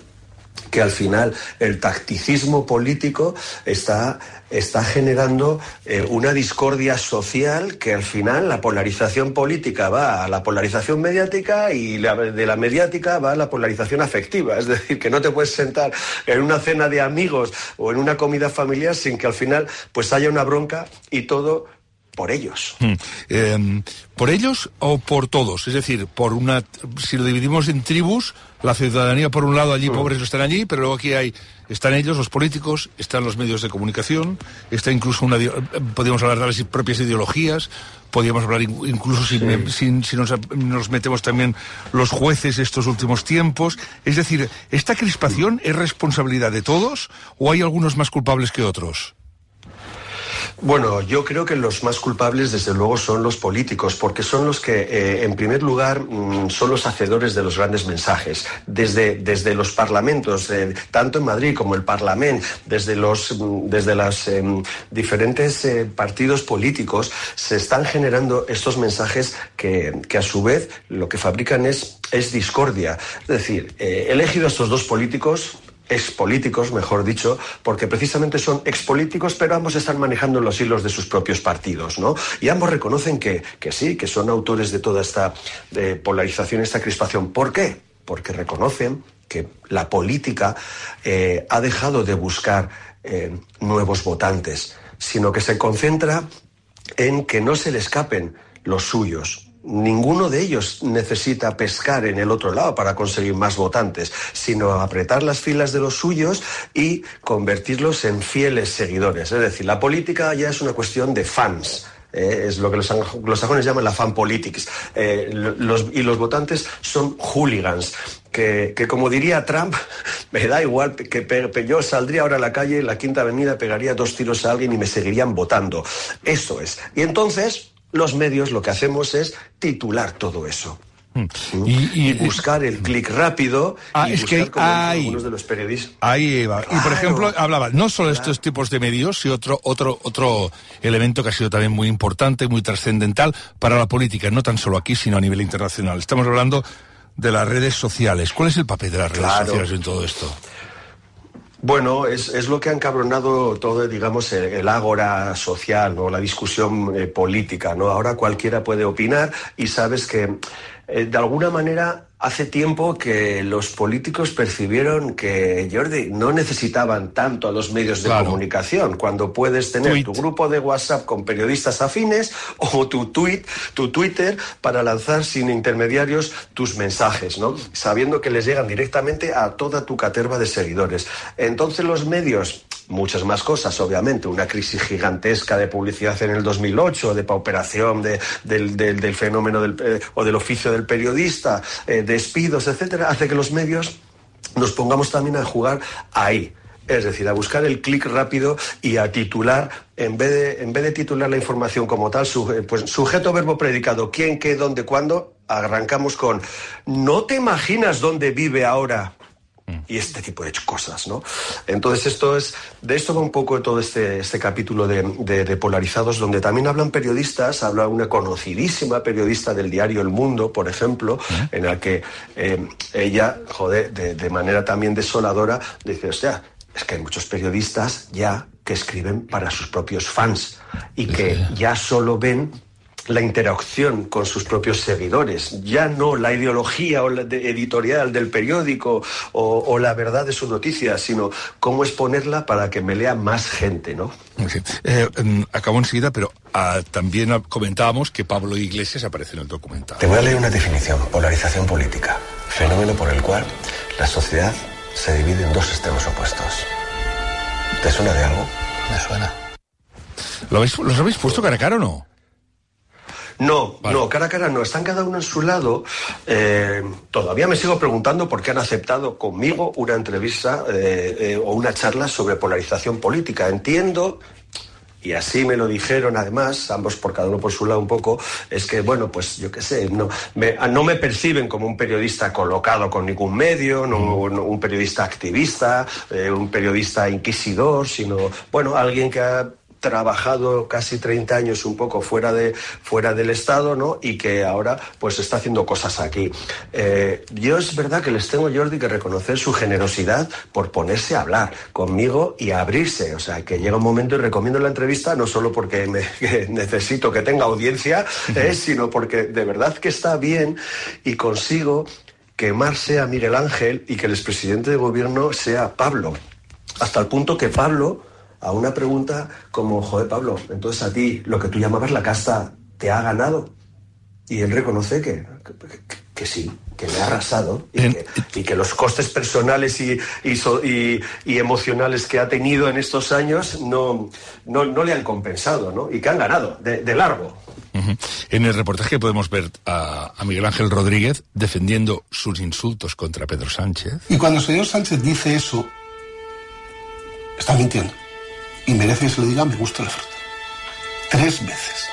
que al final el tacticismo político está, está generando eh, una discordia social, que al final la polarización política va a la polarización mediática y la, de la mediática va a la polarización afectiva? Es decir, que no te puedes sentar en una cena de amigos o en una comida familiar sin que al final pues haya una bronca y todo por ellos. Hmm. Eh, ¿Por ellos o por todos? Es decir, por una, si lo dividimos en tribus, la ciudadanía por un lado, allí hmm. pobres están allí, pero luego aquí hay, están ellos, los políticos, están los medios de comunicación, está incluso una, podríamos hablar de las propias ideologías, podríamos hablar incluso si, sí. si, si nos, nos metemos también los jueces estos últimos tiempos. Es decir, ¿esta crispación es responsabilidad de todos o hay algunos más culpables que otros? Bueno, yo creo que los más culpables, desde luego, son los políticos, porque son los que, eh, en primer lugar, mmm, son los hacedores de los grandes mensajes. Desde, desde los parlamentos, eh, tanto en Madrid como el Parlamento, desde los desde los eh, diferentes eh, partidos políticos, se están generando estos mensajes que, que a su vez, lo que fabrican es, es discordia. Es decir, eh, he elegido a estos dos políticos expolíticos, mejor dicho, porque precisamente son expolíticos, pero ambos están manejando los hilos de sus propios partidos, ¿no? Y ambos reconocen que, que sí, que son autores de toda esta de polarización, esta crispación. ¿Por qué? Porque reconocen que la política eh, ha dejado de buscar eh, nuevos votantes, sino que se concentra en que no se le escapen los suyos. Ninguno de ellos necesita pescar en el otro lado para conseguir más votantes, sino apretar las filas de los suyos y convertirlos en fieles seguidores. Es decir, la política ya es una cuestión de fans. Eh, es lo que los anglosajones llaman la fan politics. Eh, los, y los votantes son hooligans. Que, que como diría Trump, me da igual, que pe, yo saldría ahora a la calle, en la Quinta Avenida, pegaría dos tiros a alguien y me seguirían votando. Eso es. Y entonces los medios lo que hacemos es titular todo eso. Y, y, y buscar el clic rápido. Ah, y es buscar que como hay, algunos de los periodistas. Ahí va. Claro, y por ejemplo, hablaba no solo de claro. estos tipos de medios, sino otro, otro, otro elemento que ha sido también muy importante, muy trascendental para la política, no tan solo aquí, sino a nivel internacional. Estamos hablando de las redes sociales. ¿Cuál es el papel de las redes claro. sociales en todo esto? Bueno, es, es lo que ha encabronado todo, digamos, el, el ágora social, ¿no? La discusión eh, política, ¿no? Ahora cualquiera puede opinar y sabes que, eh, de alguna manera, hace tiempo que los políticos percibieron que, Jordi, no necesitaban tanto a los medios de claro. comunicación, cuando puedes tener tweet. tu grupo de WhatsApp con periodistas afines o tu tweet, tu Twitter para lanzar sin intermediarios tus mensajes, ¿no? Sabiendo que les llegan directamente a toda tu caterva de seguidores. Entonces los medios, muchas más cosas, obviamente, una crisis gigantesca de publicidad en el dos mil ocho, de pauperación de, del, del, del fenómeno del, eh, o del oficio del periodista, eh, despidos, etcétera, hace que los medios nos pongamos también a jugar ahí. Es decir, a buscar el clic rápido y a titular, en vez de, en vez de titular la información como tal, suje, pues sujeto, verbo, predicado, quién, qué, dónde, cuándo, arrancamos con ¿no te imaginas dónde vive ahora? Y este tipo de cosas, ¿no? Entonces esto es, de esto va un poco todo este, este capítulo de, de, de Polarizados, donde también hablan periodistas, habla una conocidísima periodista del diario El Mundo, por ejemplo, ¿Eh? en la que eh, ella, joder, de, de manera también desoladora, dice, hostia, es que hay muchos periodistas ya que escriben para sus propios fans y que ya solo ven la interacción con sus propios seguidores, ya no la ideología o la de editorial del periódico o, o la verdad de su noticia, sino cómo exponerla para que me lea más gente, ¿no? Sí. Eh, acabo enseguida, pero ah, también comentábamos que Pablo Iglesias aparece en el documental. Te voy a leer una definición: polarización política, fenómeno por el cual la sociedad se divide en dos extremos opuestos. ¿Te suena de algo? Me suena. ¿Lo habéis, ¿Los habéis puesto cara a cara o no? No, vale. no, cara a cara no, están cada uno en su lado. Eh, todavía me sigo preguntando por qué han aceptado conmigo una entrevista eh, eh, o una charla sobre polarización política. Entiendo, y así me lo dijeron además, ambos por cada uno por su lado un poco, es que, bueno, pues yo qué sé, no me, no me perciben como un periodista colocado con ningún medio, no, no un periodista activista, eh, un periodista inquisidor, sino, bueno, alguien que ha trabajado casi treinta años un poco fuera de fuera del Estado, ¿no? Y que ahora pues está haciendo cosas aquí. Eh, yo es verdad que les tengo, Jordi, que reconocer su generosidad por ponerse a hablar conmigo y a abrirse. O sea, que llega un momento y recomiendo la entrevista no solo porque me, que necesito que tenga audiencia, eh, sino porque de verdad que está bien y consigo que Mar sea Miguel Ángel y que el expresidente de gobierno sea Pablo. Hasta el punto que Pablo, a una pregunta como, joder, Pablo, entonces a ti lo que tú llamabas la casta te ha ganado. Y él reconoce que, que, que sí, que le ha arrasado y que, y que los costes personales y, y, so, y, y emocionales que ha tenido en estos años no, no, no le han compensado, ¿no? Y que han ganado, de, de largo. Uh-huh. En el reportaje podemos ver a, a Miguel Ángel Rodríguez defendiendo sus insultos contra Pedro Sánchez. Y cuando el señor Sánchez dice eso, está mintiendo. Y merece que se lo diga, me gusta la fruta. Tres veces.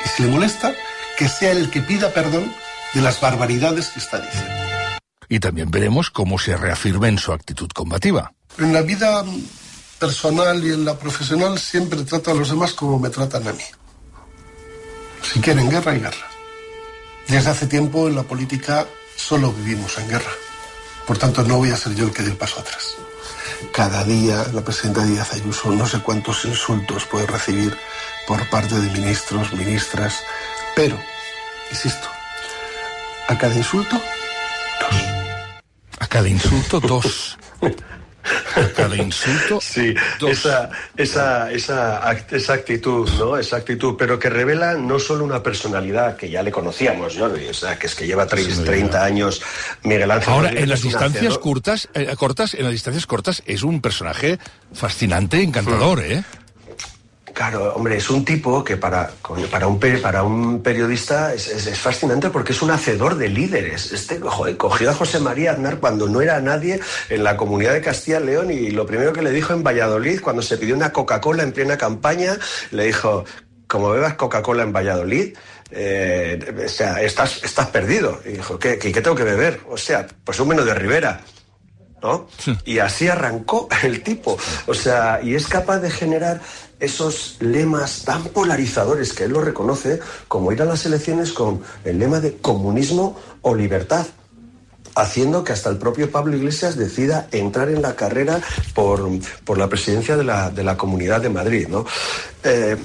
Y si le molesta, que sea el que pida perdón de las barbaridades que está diciendo. Y también veremos cómo se reafirma en su actitud combativa. En la vida personal y en la profesional siempre trato a los demás como me tratan a mí. Si quieren guerra, hay guerra. Desde hace tiempo en la política solo vivimos en guerra. Por tanto, no voy a ser yo el que dé el paso atrás. cada día la presidenta Díaz Ayuso no sé cuántos insultos puede recibir por parte de ministros, ministras, pero, insisto, a cada insulto, dos. A cada insulto, dos. A cada insulto, sí, dos. Esa, esa, esa, esa actitud, ¿no? Esa actitud, pero que revela no solo una personalidad que ya le conocíamos, ¿no? O sea, que es que lleva treinta años Miguel Ángel. Ahora, en las distancias cortas, eh, cortas, en las distancias cortas es un personaje fascinante, encantador, hmm. ¿eh? Claro, hombre, es un tipo que para, para, un, para un periodista es, es, es fascinante porque es un hacedor de líderes. Este, joder, cogió a José María Aznar cuando no era nadie en la comunidad de Castilla y León y lo primero que le dijo en Valladolid, cuando se pidió una Coca-Cola en plena campaña, le dijo, como bebas Coca-Cola en Valladolid, eh, o sea, estás, estás perdido. Y dijo, ¿qué, qué, qué tengo que beber? O sea, pues un menos de Ribera. ¿No? Sí. Y así arrancó el tipo. O sea, y es capaz de generar esos lemas tan polarizadores que él lo reconoce, como ir a las elecciones con el lema de comunismo o libertad, haciendo que hasta el propio Pablo Iglesias decida entrar en la carrera por, por la presidencia de la, de la Comunidad de Madrid, ¿no? Eh,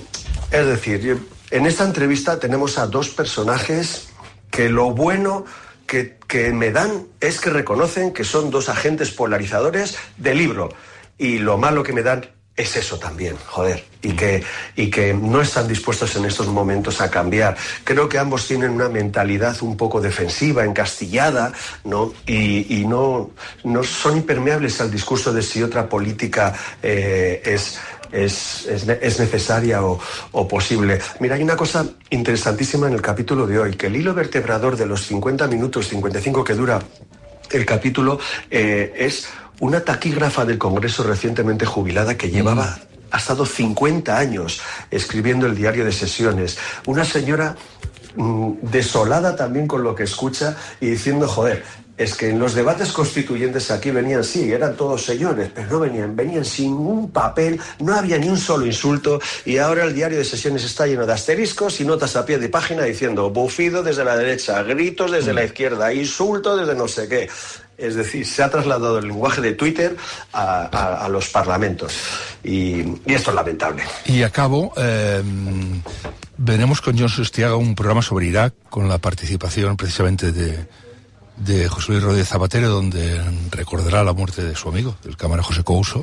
es decir, en esta entrevista tenemos a dos personajes que lo bueno que, que me dan es que reconocen que son dos agentes polarizadores del libro, y lo malo que me dan es eso también, joder, y que, y que no están dispuestos en estos momentos a cambiar. Creo que ambos tienen una mentalidad un poco defensiva, encastillada, ¿no? Y, y no, no son impermeables al discurso de si otra política eh, es... Es, es, es necesaria o, o posible. Mira, hay una cosa interesantísima en el capítulo de hoy, que el hilo vertebrador de los cincuenta minutos, cincuenta y cinco que dura el capítulo, eh, es una taquígrafa del Congreso recientemente jubilada que llevaba, ha estado cincuenta años escribiendo el diario de sesiones. Una señora mmm, desolada también con lo que escucha y diciendo, joder, es que en los debates constituyentes aquí venían, sí, eran todos señores, pero no venían, venían sin un papel, no había ni un solo insulto, y ahora el diario de sesiones está lleno de asteriscos y notas a pie de página diciendo bufido desde la derecha, gritos desde la izquierda, insulto desde no sé qué. Es decir, se ha trasladado el lenguaje de Twitter a, a, a los parlamentos, y, y esto es lamentable. Y acabo, eh, veremos con John Sustiaga un programa sobre Irak, con la participación precisamente de... de José Luis Rodríguez Zapatero, donde recordará la muerte de su amigo, el cámara José Couso,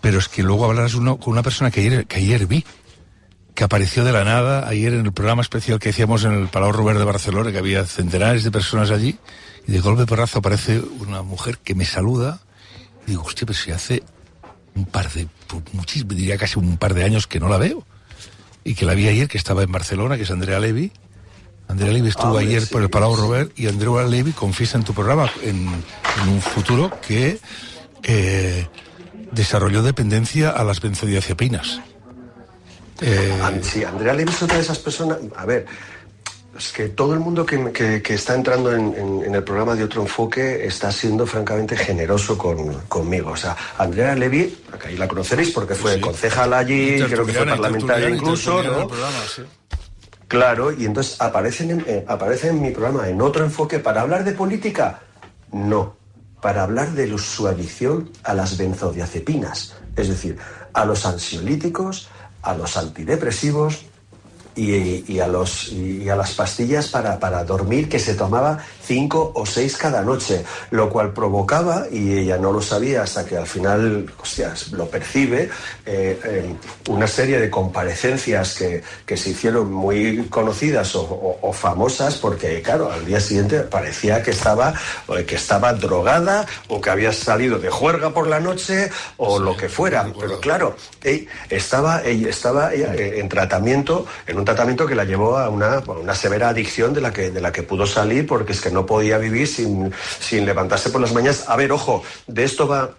pero es que luego hablarás uno, con una persona que ayer, que ayer vi, que apareció de la nada, ayer en el programa especial que hacíamos en el Palau Robert de Barcelona, que había centenares de personas allí, y de golpe porrazo aparece una mujer que me saluda, y digo, hostia, pero si hace un par de, muchísimo, diría casi un par de años que no la veo, y que la vi ayer, que estaba en Barcelona, que es Andrea Levy. Andrea Levy estuvo ah, ayer sí, por el Palau Robert, y Andrea Levy confiesa en tu programa, en, en un futuro, que eh, desarrolló dependencia a las benzodiazepinas. Eh... Sí, Andrea Levy es otra de esas personas. A ver, es que todo el mundo que, que, que está entrando en, en, en el programa de Otro Enfoque está siendo francamente generoso con, conmigo. O sea, Andrea Levy, acá ahí la conoceréis porque fue sí. concejal allí, creo que fue parlamentaria incluso, ¿no? Programa, sí. Claro, y entonces aparecen en, eh, aparece en mi programa en Otro Enfoque para hablar de política. No, para hablar de su adicción a las benzodiazepinas, es decir, a los ansiolíticos, a los antidepresivos y, y, a, los, y a las pastillas para, para dormir, que se tomaba cinco o seis cada noche, lo cual provocaba, y ella no lo sabía hasta que al final, hostias, lo percibe, eh, eh, una serie de comparecencias que, que se hicieron muy conocidas o, o, o famosas, porque claro, al día siguiente parecía que estaba, que estaba drogada o que había salido de juerga por la noche o sí, lo que fuera, pero claro, ella estaba, ella estaba ella, eh, en tratamiento, en un tratamiento que la llevó a una, a una severa adicción de la que, de la que pudo salir, porque es que no podía vivir sin, sin levantarse por las mañanas. A ver, ojo, de esto va...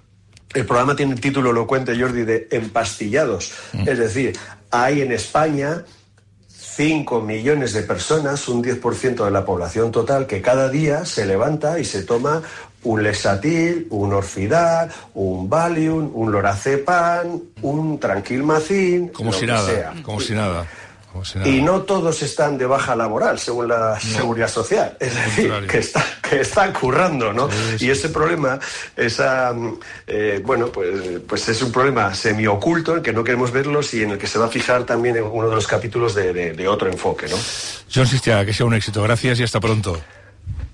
El programa tiene el título elocuente, Jordi, de Empastillados. Mm. Es decir, hay en España cinco millones de personas, un diez por ciento de la población total, que cada día se levanta y se toma un Lexatil, un Orfidal, un Valium, un Lorazepam, un Tranquilmacin... Como si nada, como si nada. Y no todos están de baja laboral, según la no. Seguridad Social. Es decir, que, está, que están currando, ¿no? Sí, sí. Y ese problema, esa, eh, bueno, pues, pues es un problema semioculto en el que no queremos verlos y en el que se va a fijar también en uno de los capítulos de, de, de otro enfoque, ¿no? John Sistiaga, que sea un éxito. Gracias y hasta pronto.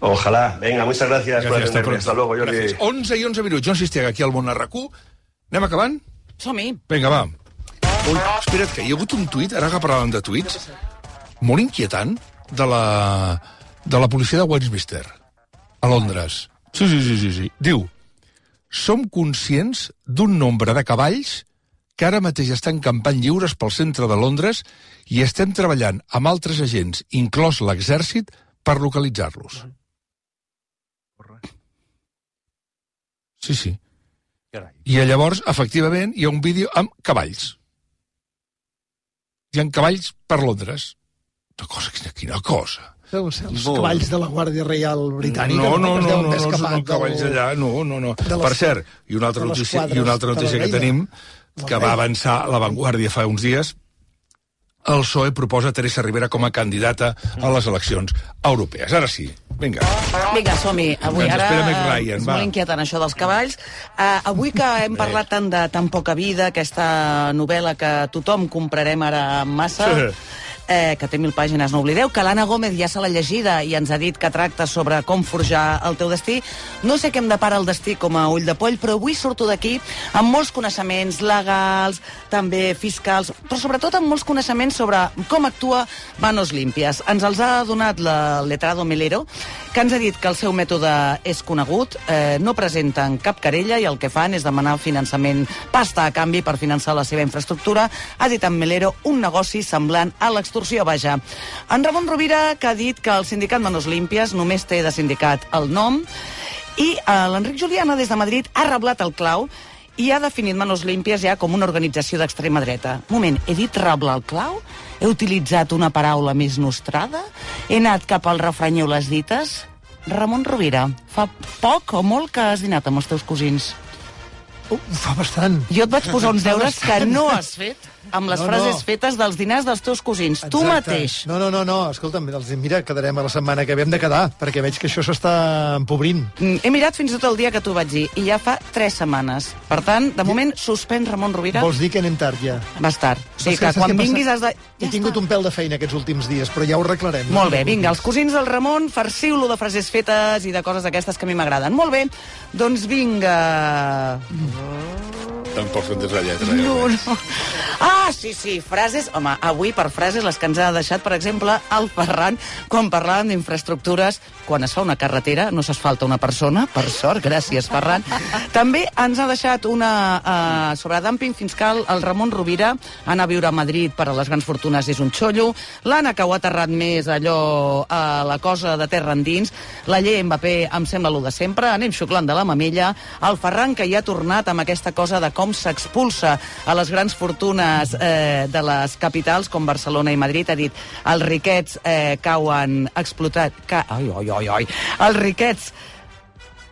Ojalá. Venga, muchas gracias, gracias por atenderme. Hasta luego, Jordi. Gràcies. onze i onze minuts. John Sistiaga, aquí al Món R Q. Anem acabant? Som-hi. Vinga, va. Ui, espera't, que hi ha hagut un tuit, ara que parlàvem de tuits, molt inquietant, de la, de la policia de Westminster, a Londres. Sí, sí, sí, sí, sí. Diu, som conscients d'un nombre de cavalls que ara mateix estan campant lliures pel centre de Londres i estem treballant amb altres agents, inclòs l'exèrcit, per localitzar-los. Sí, sí. I llavors, efectivament, hi ha un vídeo amb cavalls. Hi ha cavalls per Londres. Una cosa, quina, quina cosa. Deuen ser els cavalls de la Guàrdia Reial Britànica. No, no, no, no, no, no són cavalls allà. No, no, no. Per cert, i una altra notícia, i una altra notícia que tenim, que va avançar La Vanguardia fa uns dies, el P S O E proposa Teresa Rivera com a candidata a les eleccions europees. Ara sí, vinga. Vinga, som-hi. Avui Ens ara Ryan, és va. molt inquietant això dels cavalls. Uh, avui que hem parlat tant de tan poca vida, aquesta novel·la que tothom comprarem ara en massa, eh, que té mil pàgines, no oblideu, que l'Anna Gómez ja se l'ha llegida i ens ha dit que tracta sobre com forjar el teu destí. No sé què em depara el destí com a ull de poll, però avui surto d'aquí amb molts coneixements legals, també fiscals, però sobretot amb molts coneixements sobre com actua Manos Limpias. Ens els ha donat el letrado Melero, que ens ha dit que el seu mètode és conegut, eh, no presenten cap querella i el que fan és demanar finançament, pasta a canvi per finançar la seva infraestructura. Ha dit en Melero un negoci semblant a l'extorsió, vaja. En Ramon Rovira, que ha dit que el sindicat Manos Limpias només té de sindicat el nom, i eh, l'Enric Juliana, des de Madrid, ha reblat el clau i ha definit Manos Limpias ja com una organització d'extrema dreta. Moment, he dit reblar el clau? He utilitzat una paraula més nostrada? He anat cap al refranyeu les dites? Ramon Rovira, fa poc o molt que has dinat amb els teus cosins? Uh, fa bastant. Jo et vaig posar uns deures que no has fet amb les no, frases no. fetes dels dinars dels teus cosins. Exacte. Tu mateix. No, no, no, no. Escolta'm, mira, quedarem a la setmana que hem de quedar, perquè veig que això s'està empobrint. He mirat fins i tot el dia que t'ho vaig dir, i ja fa tres setmanes. Per tant, de moment, suspèn Ramon Rovira. Vols dir que anem tard, ja? Vas tard. O sigui que, que quan vinguis has de... Ja He tingut està. un pèl de feina aquests últims dies, però ja ho arreglarem. No? Molt bé, vinga, els cosins del Ramon, farciu-lo de frases fetes i de coses d'aquestes que a mi m'agraden. Molt bé, doncs vinga... Tampoc són des la lletra. No, no. Ah, sí, sí, frases... Home, avui per frases les que ens ha deixat, per exemple, el Ferran, quan parlàvem d'infraestructures, quan es fa una carretera no s'asfalta una persona, per sort, gràcies, Ferran. També ens ha deixat una uh, sobre dumping fiscal el Ramon Rovira, anar a viure a Madrid per a les grans fortunes és un xollo, l'Anna, que ho ha aterrat més allò a uh, la cosa de terra endins, la llei Mbappé em sembla lo de sempre, anem xuclant de la mamella, el Ferran, que ja ha tornat amb aquesta cosa de com s'expulsa a les grans fortunes eh, de les capitals com Barcelona i Madrid, ha dit els riquets eh, cauen explotat ca... ai, ai, ai, ai, els riquets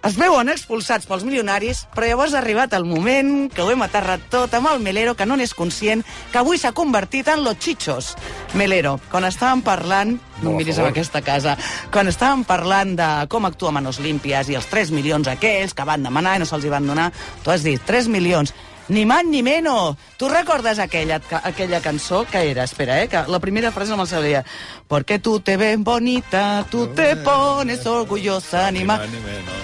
es veuen expulsats pels milionaris, però llavors ha arribat el moment que ho hem aterrat tot amb el Melero, que no n'és conscient, que avui s'ha convertit en los chichos. Melero, quan estàvem parlant, no em miris en aquesta casa, quan estàvem parlant de com actua Manos Limpias i els tres milions aquells que van demanar i no se'ls hi van donar, tu has dit tres milions, ni más ni menos. Tu recordes aquella, aquella cançó que era? Espera, eh, que la primera frase no me'l sabia. Porque tú te ves bonita, tú te pones orgullosa, ni más...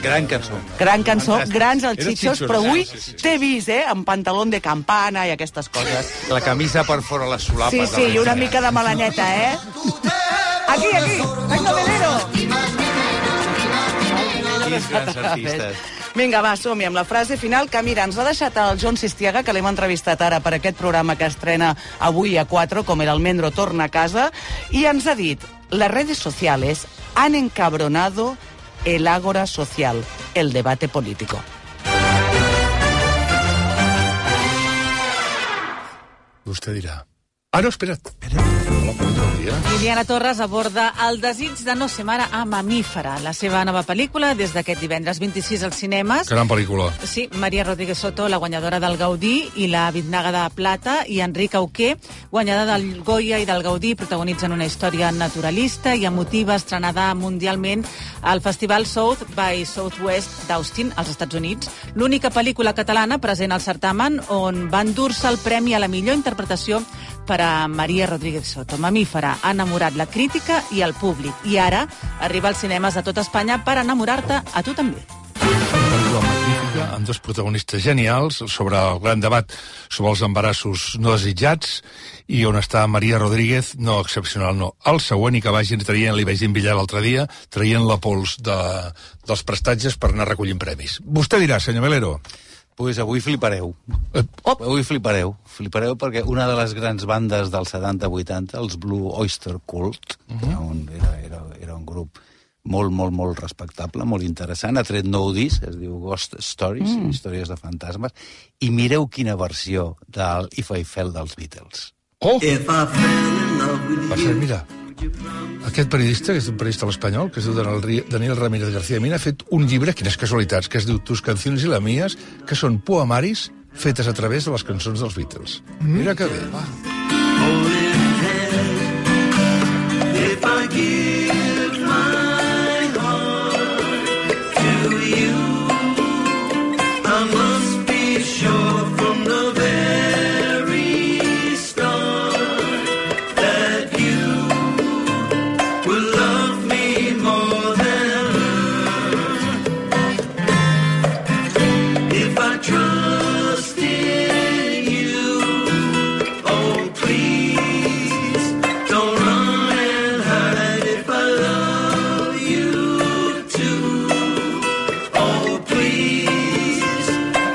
Gran cançó. Gran cançó, grans els xitxos, però avui t'he vist, eh, amb pantalón de campana i aquestes coses. La camisa per fora les solapes. Sí, sí, i una mica de melaneta, eh? Aquí, aquí, venga, Melero! Quins grans artistes. Vinga, va, som-hi amb la frase final que, mira, ens l'ha deixat el John Sistiaga, que l'hem entrevistat ara per aquest programa que estrena avui a quatre, com el Almendro torna a casa, i ens ha dit, les redes sociales han encabronado el ágora social, el debate político. Vostè dirà. Ah, no, espera't. Hola, bon dia. Liliana Torres aborda El desig de no ser mare a Mamífera, la seva nova pel·lícula des d'aquest divendres vint-i-sis als cinemes. Gran pel·lícula. Sí, Maria Rodríguez Soto, la guanyadora del Gaudí, i la Biznaga de Plata, i Enric Auqué, guanyada del Goya i del Gaudí, protagonitzen una història naturalista i emotiva estrenada mundialment al Festival South by Southwest d'Austin, als Estats Units. L'única pel·lícula catalana present al certamen on va endur-se el premi a la millor interpretació per a Maria Rodríguez Soto. Mamífera ha enamorat la crítica i el públic, i ara arriba als cinemes de tot Espanya per enamorar-te a tu també. Una pel·lícula magnífica, amb dos protagonistes genials, sobre el gran debat sobre els embarassos no desitjats, i on està Maria Rodríguez, no excepcional, no. El següent, i que vagin traient, li vaig enviar l'altre dia, traient la pols de, dels prestatges per anar recollint premis. Vostè dirà, senyor Melero. Pues avui flipareu. Oh. Avui flipareu. Flipareu perquè una de les grans bandes dels setanta vuitanta, els Blue Oyster Cult, uh -huh. era, un, era, era, era un grup molt, molt, molt respectable, molt interessant, ha tret nou disc, es diu Ghost Stories, mm. històries de fantasmes, i mireu quina versió del If I Fell dels Beatles. Oh! Va ser, mira, aquest periodista, que és un periodista espanyol, que es diu Daniel Ramírez García Mina, ha fet un llibre, quines casualitats, que es diu Tus canciones y las mías, que són poemaris fetes a través de les cançons dels Beatles. Mm. Mira que bé, va. If I give my heart to you, I must be sure from the very start that you will love me more than her. If I trust in you, oh please don't run and hide. If I love you too, oh please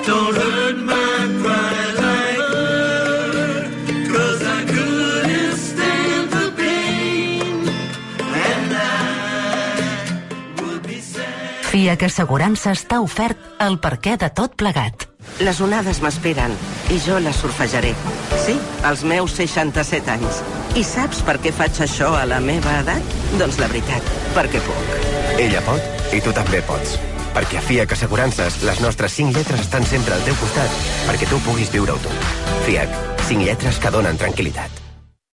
don't hurt my pride like her, 'cause I couldn't stand the pain and I would be sad. FIAC Assegurances t'ha ofert el perquè de tot plegat. Les onades m'esperen i jo les surfejaré. Sí, als meus seixanta-set anys. I saps per què faig això a la meva edat? Doncs la veritat, perquè puc. Ella pot i tu també pots. Perquè a FIAC Assegurances les nostres cinc lletres estan sempre al teu costat perquè tu puguis viure-ho tot. FIAC, cinc lletres que donen tranquil·litat.